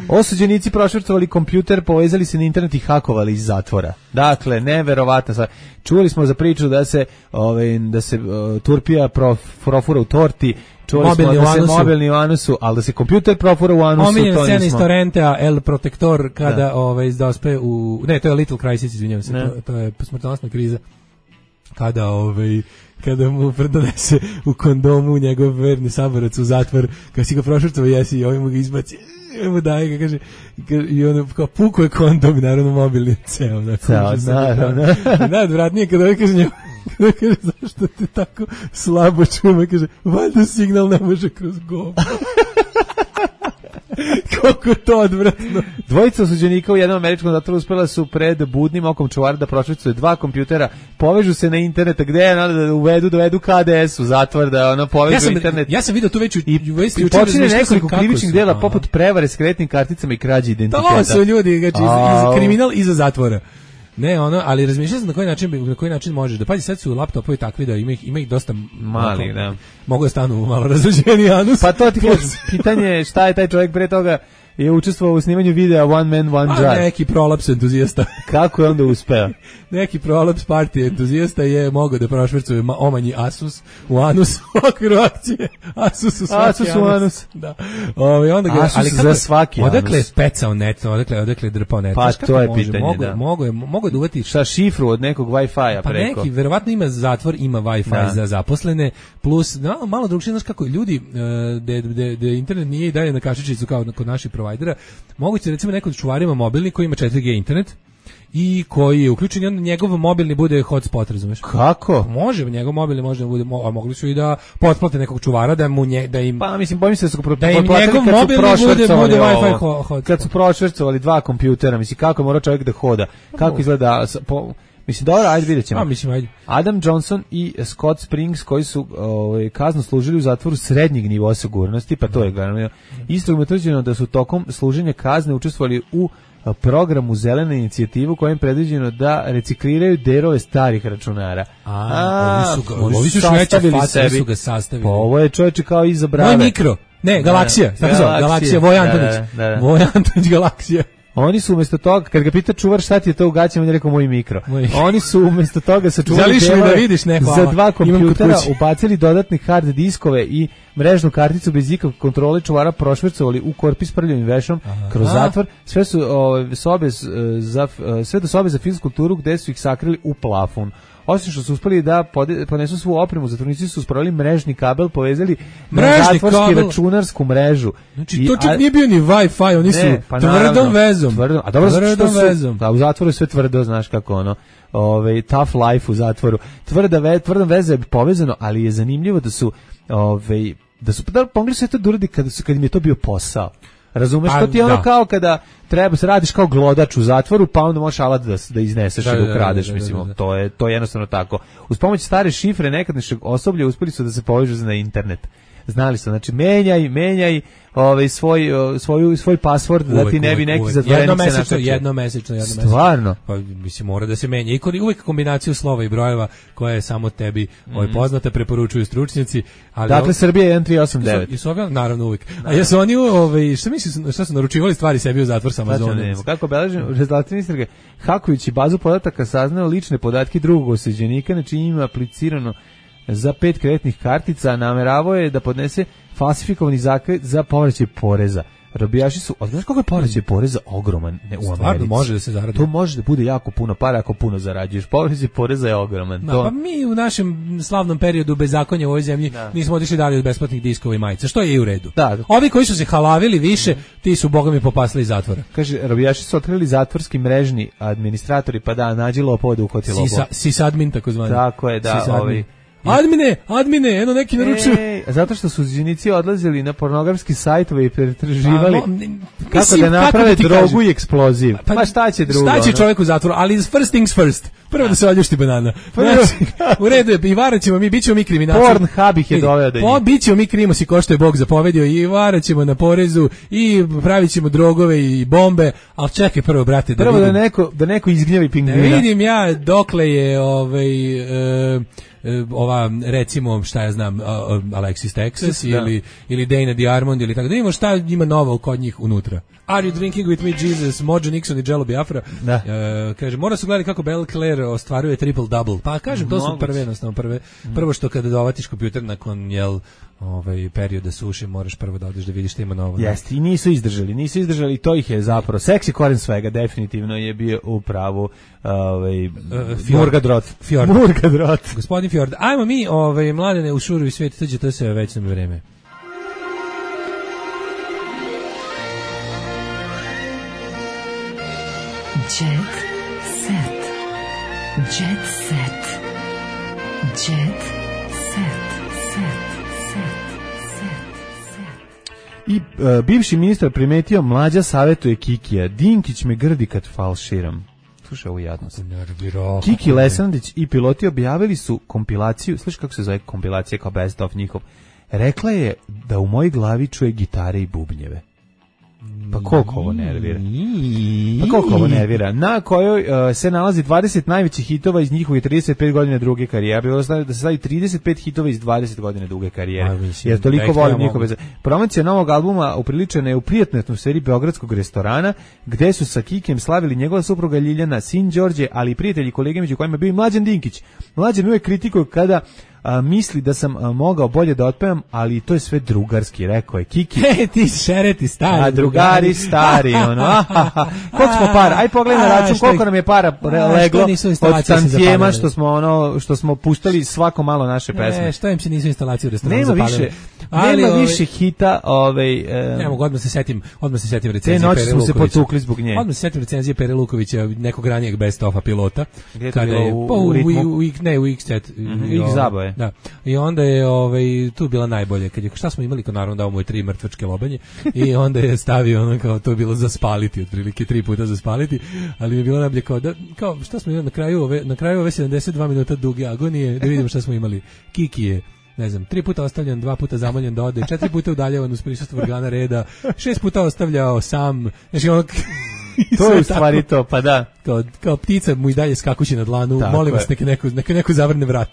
Osuđenici prošvrcovali kompjuter, povezali se na internet i hakovali iz zatvora. Dakle, neverovatno stvar. Čuli smo za priču da se, ovaj, da se uh, Turpija prof, profura u torti, čuli mobilni smo da se anusu. mobilni u anusu, ali da se kompjuter profura u anusu, Omiljen to scena iz nismo. Torrentea, El Protector, kada da. ovaj, dospe u... Ne, to je Little Crisis, izvinjavam se, to, to je smrtonosna kriza. Kada ovaj kada mu donese u kondomu njegov verni saborac u zatvor, kad si ga prošvrcao jesi i ovaj mu ga izbaci, mu daje ga, kaže, i ono kao puko je kondom, naravno mobilni ceo. Ceo, naravno. Najodvratnije kada ovaj kaže njemu, kada kaže, zašto te tako slabo čujemo, kaže, valjda signal ne može kroz gobu. Kako to odvratno. Dvojica osuđenika u jednom američkom zatvoru uspela su pred budnim okom čuvara da prošvercuju dva kompjutera, povežu se na internet, gde je da uvedu, dovedu K D S u zatvor, da ono povežu ja sam, internet. Ja sam vidio tu već u, i, i počine nekoliko krivičnih dela poput prevare s kreditnim karticama i krađe identiteta. To su ljudi, znači, iz, iz kriminal iza zatvora. Ne, ono, ali razmišljam na koji način na koji način možeš da pazi, sad su laptopovi takvi da ima ih ima ih dosta mali, da. Mogu da stanu malo razređeni anus. Pa to ti kažem, pitanje je šta je taj čovjek pre toga je učestvovao u snimanju videa One Man One Drive. A neki prolaps entuzijasta. Kako je onda uspeo? Neki prolaps partije entuzijasta je mogao da prošvercuje omanji Asus u anus u okviru akcije. Asus u svaki Asus u anus. Da. Ovaj onda ga, Asus ali kako, za svaki anus. Odakle je pecao net, odakle odakle je drpao net. Pa to je može? pitanje, mogu, da. Mogu je, mogu da uvati šta šifru od nekog Wi-Fi-a pa preko. Pa neki, verovatno ima zatvor, ima Wi-Fi da. za zaposlene, plus no, malo drugčije, znaš kako ljudi, da internet nije i dalje na kašičicu kao kod naših provajdera, moguće recimo neko od čuvarima mobilni koji ima četiri G internet i koji je uključen i onda njegov mobilni bude hotspot, razumeš? Kako? Može, njegov mobilni može da bude, a mogli su i da potplate nekog čuvara da mu nje, da im pa mislim bojim se da su da im njegov mobilni bude, bude Wi-Fi hotspot. Kad su prošvercovali dva kompjutera, mislim kako mora čovjek da hoda, kako izgleda po, mislim dobro, ajde vidjet ćemo. A, mislim, ajde. Adam Johnson i Scott Springs koji su ovaj, kaznu služili u zatvoru srednjeg nivoa sigurnosti, pa to je glavno. Isto je utvrđeno da su tokom služenja kazne učestvovali u programu Zelena inicijativa kojim je predviđeno da recikliraju delove starih računara. A, a ovi su, ga, ovi su sastavili sebi. Su ga sastavili. Pa ovo je čovječe kao iza brave. Moj mikro. Ne, Galaksija. Tako zove, Galaksija, Voj Antonić. Da, da, da. Voj Antonić, Galaksija. Oni su umjesto toga, kad ga pita čuvar šta ti je to u gaćama, on je rekao moj mikro. Moj. Oni su umjesto toga sačuvali da vidiš, ne, za dva kompjutera, ubacili dodatne hard diskove i mrežnu karticu bez ikakve kontrole, čuvara prošvercovali u korpi s prljavim vešom kroz zatvor, sve su o, sobe za, sve do sobe za filmsku kulturu gde su ih sakrili u plafon. Osim što su uspeli da pode, ponesu svu opremu, zatvornici su uspravili mrežni kabel, povezali mrežni na zatvorski kabel. Računarsku mrežu. Znači, to čak nije bio ni Wi-Fi, oni su ne, pa tvrdom naravno, vezom. Tvrdom, a dobro, tvrdom što vezom. Su, da, u zatvoru je sve tvrdo, znaš kako ono, ovaj, tough life u zatvoru. Tvrda ve, tvrdom veze je povezano, ali je zanimljivo da su, ovaj, da su, da pomogli su to da uradi kada, su, kada im je to bio posao. Razumeš, to ti je ono da. Kao kada treba se radiš kao glodač u zatvoru, pa onda možeš alat da, da izneseš da, i da ukradeš, da, da, mislim, da, da. To je to je jednostavno tako. Uz pomoć stare šifre nekadašnjeg osoblja uspeli su da se povežu na internet. Znali su, znači menjaj, menjaj ovaj svoj svoj svoj password da ti ne bi neki zatvorenik se našao. Jedno mesečno, jedno mesečno. Stvarno. Pa mislim mora da se menja. I uvijek kombinaciju slova i brojeva koja je samo tebi mm. ovaj poznata, preporučuju stručnjaci, ali dakle Srbija jedan tri osam devet. I su ovdje, naravno uvijek. A jesu oni ovaj šta misliš šta su naručivali stvari sebi u zatvor sa Amazonom? Kako beležim rezultati istrage, hakujući bazu podataka saznao lične podatke drugog osuđenika, znači ima aplicirano za pet kreditnih kartica, nameravao je da podnese falsifikovani zahtev za povraćaj poreza. Robijaši su, a znaš kako je povraćaj poreza ogroman ne, u Americi? Stvarno može da se zaradi. To može da bude jako puno para ako puno zarađuješ. Povraćaj poreza je ogroman. Da, to... Pa mi u našem slavnom periodu bezakonja u ovoj zemlji da. nismo otišli dalje od besplatnih diskova i majica, što je i u redu. Da. Ovi koji su se halavili više, ti su bogami popasli iz zatvora. Kaže, robijaši su otkrili zatvorski mrežni administratori, pa da, nađi lopova da uhvati lopova. Sysadmin takozvani. Tako je, da, ovaj... Admine, admine, eno neki naručuju. E, zato što su zunici odlazili na pornografski sajtove i pretraživali A, no, kako mislim, da naprave kako da drogu kažem? I eksploziv. Pa, pa šta će drugo? Šta će ono? čovjek u zatvoru? Ali first things first. Prvo da, da se odljušti banana. Znači, u redu je, i varaćemo mi, bit ćemo mi kriminalci. Pornhub ih je doveo do njih. Po, bit ćemo mi krimosi ko što je Bog zapovedio i varaćemo na porezu i pravit ćemo drogove i bombe, ali čekaj prvo, brate, da prvo vidim. da neko, da neko izgnjavi pingvina. Da vidim ja dokle je ovaj... E, ova recimo šta ja znam uh, Alexis Texas da. ili ili Dana Diarmond ili tako da vidimo šta ima novo kod njih unutra. Are you drinking with me Jesus, Mojo Nixon i Jello Biafra? Da. Uh, kaže mora se gledati kako Belle Claire ostvaruje triple double. Pa kažem to su prve jednostavno prve. Mm. Prvo što kada dovatiš kompjuter nakon jel ovaj perioda suše moraš prvo da odeš da vidiš šta ima novo. Jeste, i nisu izdržali, nisu izdržali, to ih je zapravo seksi koren svega, definitivno je bio u pravu ovaj uh, Murgadrot. Fjord. Murgadrot. Gospodin Fjord. Ajmo mi ovaj mladene u šurovi svijet, tuđe to se već nam vreme. Jet set. Jet set. Jet set. I uh, bivši ministar primetio mlađa savjetuje Kikija. Dinkić me grdi kad falširam. Slušaj ovu jadnost. Kiki Lesandić i piloti objavili su kompilaciju, slušaj kako se zove kompilacija kao best of njihov. Rekla je da u mojoj glavi čuje gitare i bubnjeve. Pa koliko ovo nervira? Pa koliko ovo nervira? Na kojoj uh, se nalazi dvadeset najvećih hitova iz njihovih trideset pet godina druge karijere. Bilo da se stavi trideset pet hitova iz dvadeset godina duge karijere. Jer toliko volim njihove. Promocija novog albuma upriličena je u prijatnoj atmosferi beogradskog restorana, gde su sa Kikijem slavili njegova supruga Ljiljana, sin Đorđe, ali i prijatelji i kolege među kojima je bio i Mlađan Dinkić. Mlađan uvijek kritikuje kada A, misli da sam a, mogao bolje da otpevam, ali to je sve drugarski, rekao je Kiki. E, ti šereti stari. A drugari stari, ono. Koliko smo para? Aj pogledaj na račun koliko nam je para leglo od tantijema što smo ono što smo puštali svako malo naše pesme. E, što im se nisu instalacije u restoranu nema zapalili. više, ali nema ove, više hita, ovaj e, ne mogu odmah se setim, odmah se setim recenzije Pere Lukovića. Te noći smo se potukli zbog nje. Odmah se setim recenzije Pere Lukovića, nekog ranijeg best ofa pilota. Kada je u, pa, u, ritmu? U, u, ne, u X-Set. Mm-hmm, X-Zabave. Da. I onda je ovaj tu bila najbolje kad je šta smo imali kao naravno dao mu je tri mrtvačke lobanje i onda je stavio ono kao to je bilo za spaliti otprilike tri puta za spaliti, ali je bilo najbolje kao da kao šta smo imali na kraju ove na kraju ove sedamdeset dva minuta duge agonije da vidimo šta smo imali. Kiki je ne znam, tri puta ostavljen, dva puta zamoljen da ode, četiri puta udaljavan uz prisustvo organa reda, šest puta ostavljao sam, znači ono to je u stvari to, pa da. Kao, kao ptica mu i dalje skakući na dlanu, tako molim vas, neka neko, neka neko zavrne vrat.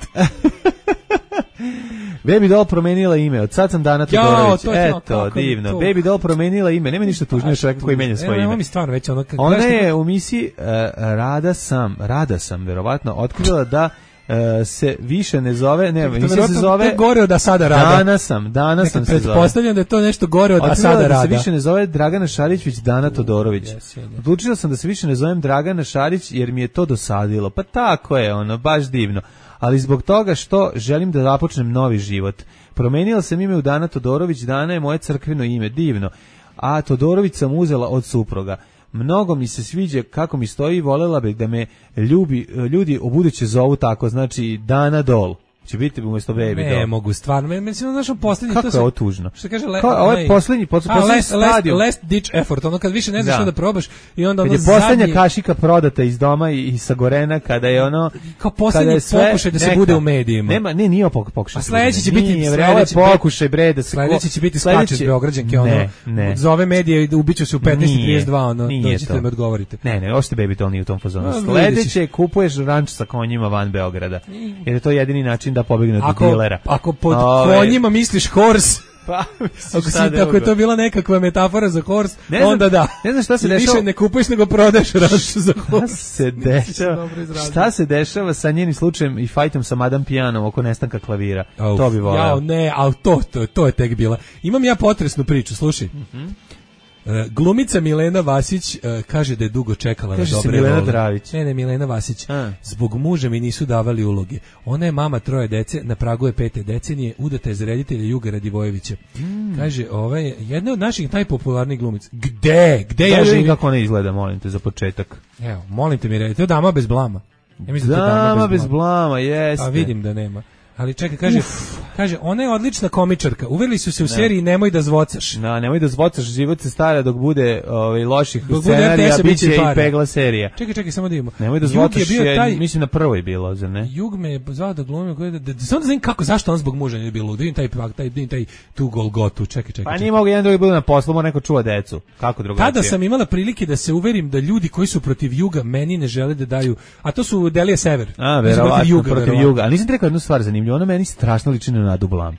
Baby Doll promenila ime, od sad sam Dana Todorović. Eto, kako divno. to? Baby Doll promenila ime, nema ništa tužnije čovjeka koji menja svoje ime. Mi stvarno već ono, ona je u misiji uh, Rada sam, Rada sam, verovatno, otkrila da Uh, se više ne zove, ne, emisija se zove gore od Asada Rada. Dana sam, Dana sam se zove. Pretpostavljam da je to nešto gore od Asada Rada. Da se više ne zove Dragana Šarić, već Dana Todorović. Yes, yes. Odlučila sam da se više ne zovem Dragana Šarić jer mi je to dosadilo. Pa tako je, ono, baš divno. Ali zbog toga što želim da započnem novi život. Promenila sam ime u Dana Todorović, Dana je moje crkveno ime, divno. A Todorović sam uzela od supruga. Mnogo mi se sviđa kako mi stoji, volela bih da me ljubi, ljudi ubuduće zovu tako, znači Dana Dol. Će biti umesto Baby Ne, Doll. mogu stvarno. Me mislim našo poslednji Kako to je se ovo tužno? Što kaže le, Kao, ovo je poslednji, poslednji last, stadion. last, last ditch effort, ono kad više ne znaš Da. šta da probaš i onda Kad ono je poslednja zadnji kašika prodata iz doma i, i sa Gorena, kada je ono... kao poslednji kada je sve- pokušaj da se neka. bude u medijima. Nema, ne, nije ovo pokušaj. A sledeći će biti Nije, bre, ovo je sledeći- pokušaj, bre, da se... Sledeći će biti sledeći- skače s Beograđanke, ono, Ne, ne. zove medije i da ubiću se u petnaest i Nije, trideset dva, ono, nije dođite to. da me odgovorite. Ne, ne, ošte Baby Doll nije u tom fazonu. A, vidjet Sledeće ćeš. kupuješ ranč sa konjima van Beograda. Jer je to jedini način da pobegne od Ako, dilera. ako pod Ove- konjima misliš horse, Pa, ako, si, ako je to bila nekakva metafora za horse, Ne znam- onda da. ne znam šta se Više dešava- ne kupuješ nego prodaješ ranč za Šta horse. se Nisi se dešava? dobro izrazio. Šta se dešava sa njenim slučajem i fajtom sa Madame Pijanom oko nestanka klavira? Auf, To bi voleo. Jao, ne, al to, to, to je tek bila. Imam ja potresnu priču, slušaj. Mhm. E, glumica Milena Vasić e, kaže da je dugo čekala Kaže na se dobre Milena role. Dravić. Ne, ne, Milena Vasić. A. Zbog muža mi nisu davali uloge. Ona je mama troje dece, na pragu je pete decenije, udata je za reditelja Juga Radivojevića. Mm. Kaže, ova je jedna od naših najpopularnijih glumica. Gde? Gde Ja ja živim živim? kako ona izgleda, molim te, za početak. Evo, molim te mi reći, to je dama bez blama. Ja mislim da je to Dama bez blama, jeste. A vidim da nema. Ali čekaj, kaže, kaže, ona je odlična komičarka. Uveli su se u seriji Nemoj da zvocaš. Da, nemoj da zvocaš, život se stara dok bude ovaj, loših Dok bude scenarija, R T S-a, bit bit će će i para. pegla serija. Čekaj, čekaj, samo da vidimo. Nemoj da Jug zvotaš, je bio je, taj, mislim na prvoj bilo, zar ne? Jug me je zvao da glumim, da, da, da, samo da znam kako, zašto on zbog muža nije bilo. Da vidim taj, taj, taj, taj tu Golgotu, čekaj, čekaj. Pa čekaj. nije mogu jedan drugi budu na poslu, mora neko čuva decu. Kako drugačije? Tada sam imala prilike da se uverim da ljudi koji su protiv Juga meni ne žele da daju, a to su Delija Sever. A, Koji su verovatno, protiv Juga. verovatno. Juga. Ali nisam ti rekao jednu stvar zanimljivu, ona meni strašno liči na Nadu Blam.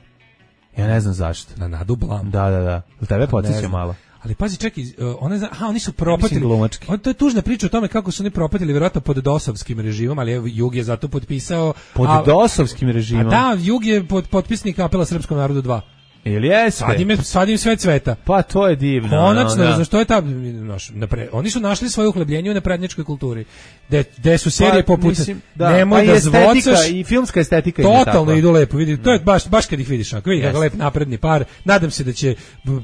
Ja ne znam zašto. Na Nadu Blam. Da, da, da. Jel tebe Ne podsjeća znam. malo? Ali pazi, čekaj, uh, ona je, za- aha, oni su propatili. Mislim glumački. O, to je tužna priča o tome kako su oni propatili vjerojatno pod dosovskim režimom, ali evo, Jug je zato potpisao. Pod a, dosovskim a režimom. da, Jug je pod, potpisnik apela Srpskom narodu dva. Ili jeste? Sad im, je, sad im sve cveta. Pa to je divno. Konačno, ono, da. znaš, to je ta, znaš, napre, oni su našli svoje uhlebljenje u naprednjačkoj kulturi. De, de su serije Pa, poput mislim, da, Nemoj pa i da estetika, zvocaš. i filmska estetika im je Totalno takva. idu lepo, vidi, to je baš baš kad ih vidiš, ako vidi kako Jeste. lep napredni par. Nadam se da će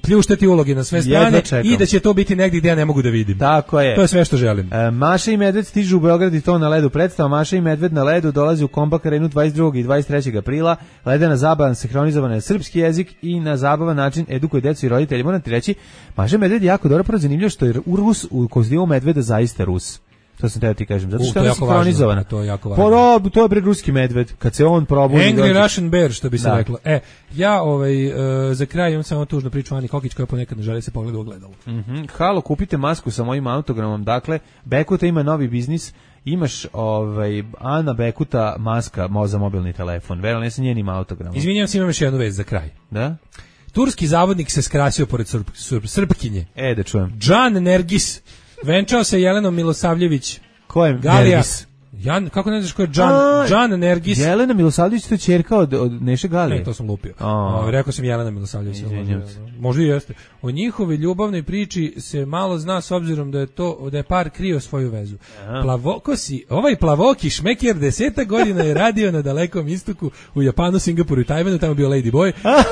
pljuštati uloge na sve Jedva strane čekam. i da će to biti negdje gdje ja ne mogu da vidim. Tako je. To je sve što želim. E, Maša i Medved stižu u Beograd i to na ledu. Predstava Maša i Medved na ledu dolazi u Kompak Arenu dvadeset drugog i dvadeset trećeg aprila. Ledena zabava sinhronizovana na srpski jezik i na zabavan način edukuje decu i roditelji. Moram ti reći, Maša i Medved je jako dobro, prvo zanimljivo što je u Rus u kozdivu Medveda zaista Rus. To sam teo ti kažem, zato U, što to je je ona jako sinhronizovana. važno, to je jako važno. Pa rob, to je bre ruski medved. Kad se on probudi... Angry dođe- Russian Bear, što bi se Da. reklo. E, ja ovaj, e, za kraj imam samo tužnu priču Ani Kokić koja ponekad ne želi se pogleda u ogledalo. Mhm. Halo, kupite masku sa mojim autogramom. Dakle, Bekuta ima novi biznis. Imaš ovaj Ana Bekuta maska mo za mobilni telefon. Verujem, ne sa njenim autogramom. Izvinjavam se, imam još jednu vest za kraj. Da? Turski zavodnik se skrasio pored Srp, Srp, Srpkinje. E, da čujem. Džan Nergis venčao se Jelenom Milosavljević. Ko je Galija. Nergis? Jan, kako ne znaš ko je Džan, A, Džan Nergis? Jelena Milosavljević, to je ćerka od, od Neše Galije. Ne, to sam lupio. A. O, rekao sam Jelena Milosavljević. Izvinjam možda, se. možda i jeste. O njihovoj ljubavnoj priči se malo zna s obzirom da je to da je par krio svoju vezu. Plavokosi, ovaj plavoki šmeker deseta godina je radio na dalekom istoku u Japanu, Singapuru i Tajvanu, tamo je bio Lady Boy. A,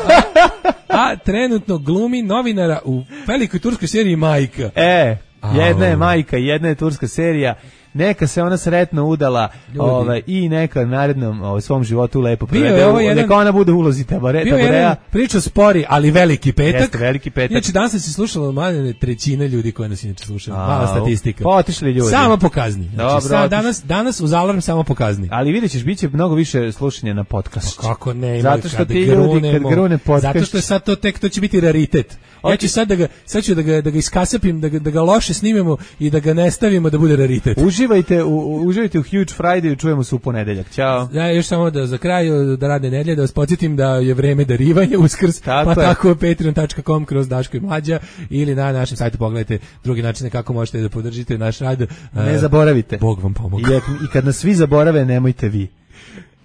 a trenutno glumi novinara u velikoj turskoj seriji Majka. E, jedna je Au. majka, jedna je turska serija. Neka se ona sretno udala ovaj, i neka narednom ovaj, svom životu lepo Bio je provede. ovo u- jedan- Neka ona bude u ulozi tabare, Bio je jedan taboreja. priča spori, ali veliki petak. Jeste, veliki petak. Inače, danas se slušalo od manje trećine ljudi koje nas inače slušaju. Au. Mala statistika. Pa otišli ljudi. Samo pokazni. Znači, Dobro, sa, otišli. danas, danas uz alarm samo pokazni. Ali vidjet ćeš, bit će mnogo više slušanja na podcast. Kako ne ima, Zato što kad ti ljudi, kad grunemo. grune podcast. Zato što je sad to tek, to će biti raritet. Ja ću sad da ga, sad ću da ga, da ga iskasapim, da ga, da ga loše snimemo i da ga ne stavimo da bude raritet. Uživajte u, u- uživajte u Huge Friday, čujemo se u ponedeljak. Ćao. Ja još samo da za kraj da rade nedelje da vas podsjetim da je vreme darivanja Uskrs, Tako pa je. tako patreon dot com kroz Daško i Mlađa ili na našem sajtu pogledajte drugi načine kako možete da podržite naš rad. Ne E, zaboravite. Bog vam pomoga. I, ak- I kad nas svi zaborave, nemojte vi.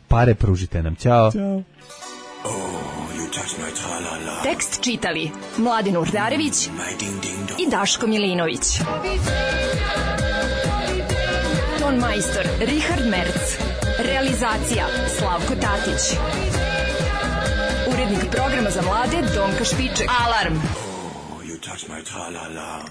Pare pružite nam. Ćao. Ćao. Tekst čitali Mladin Urdarević i Daško Milinović. Ton majstor Richard Merc. Realizacija Slavko Tatić. Urednik programa za mlade Donka Špiček. Alarm! You touch my tra-la-la.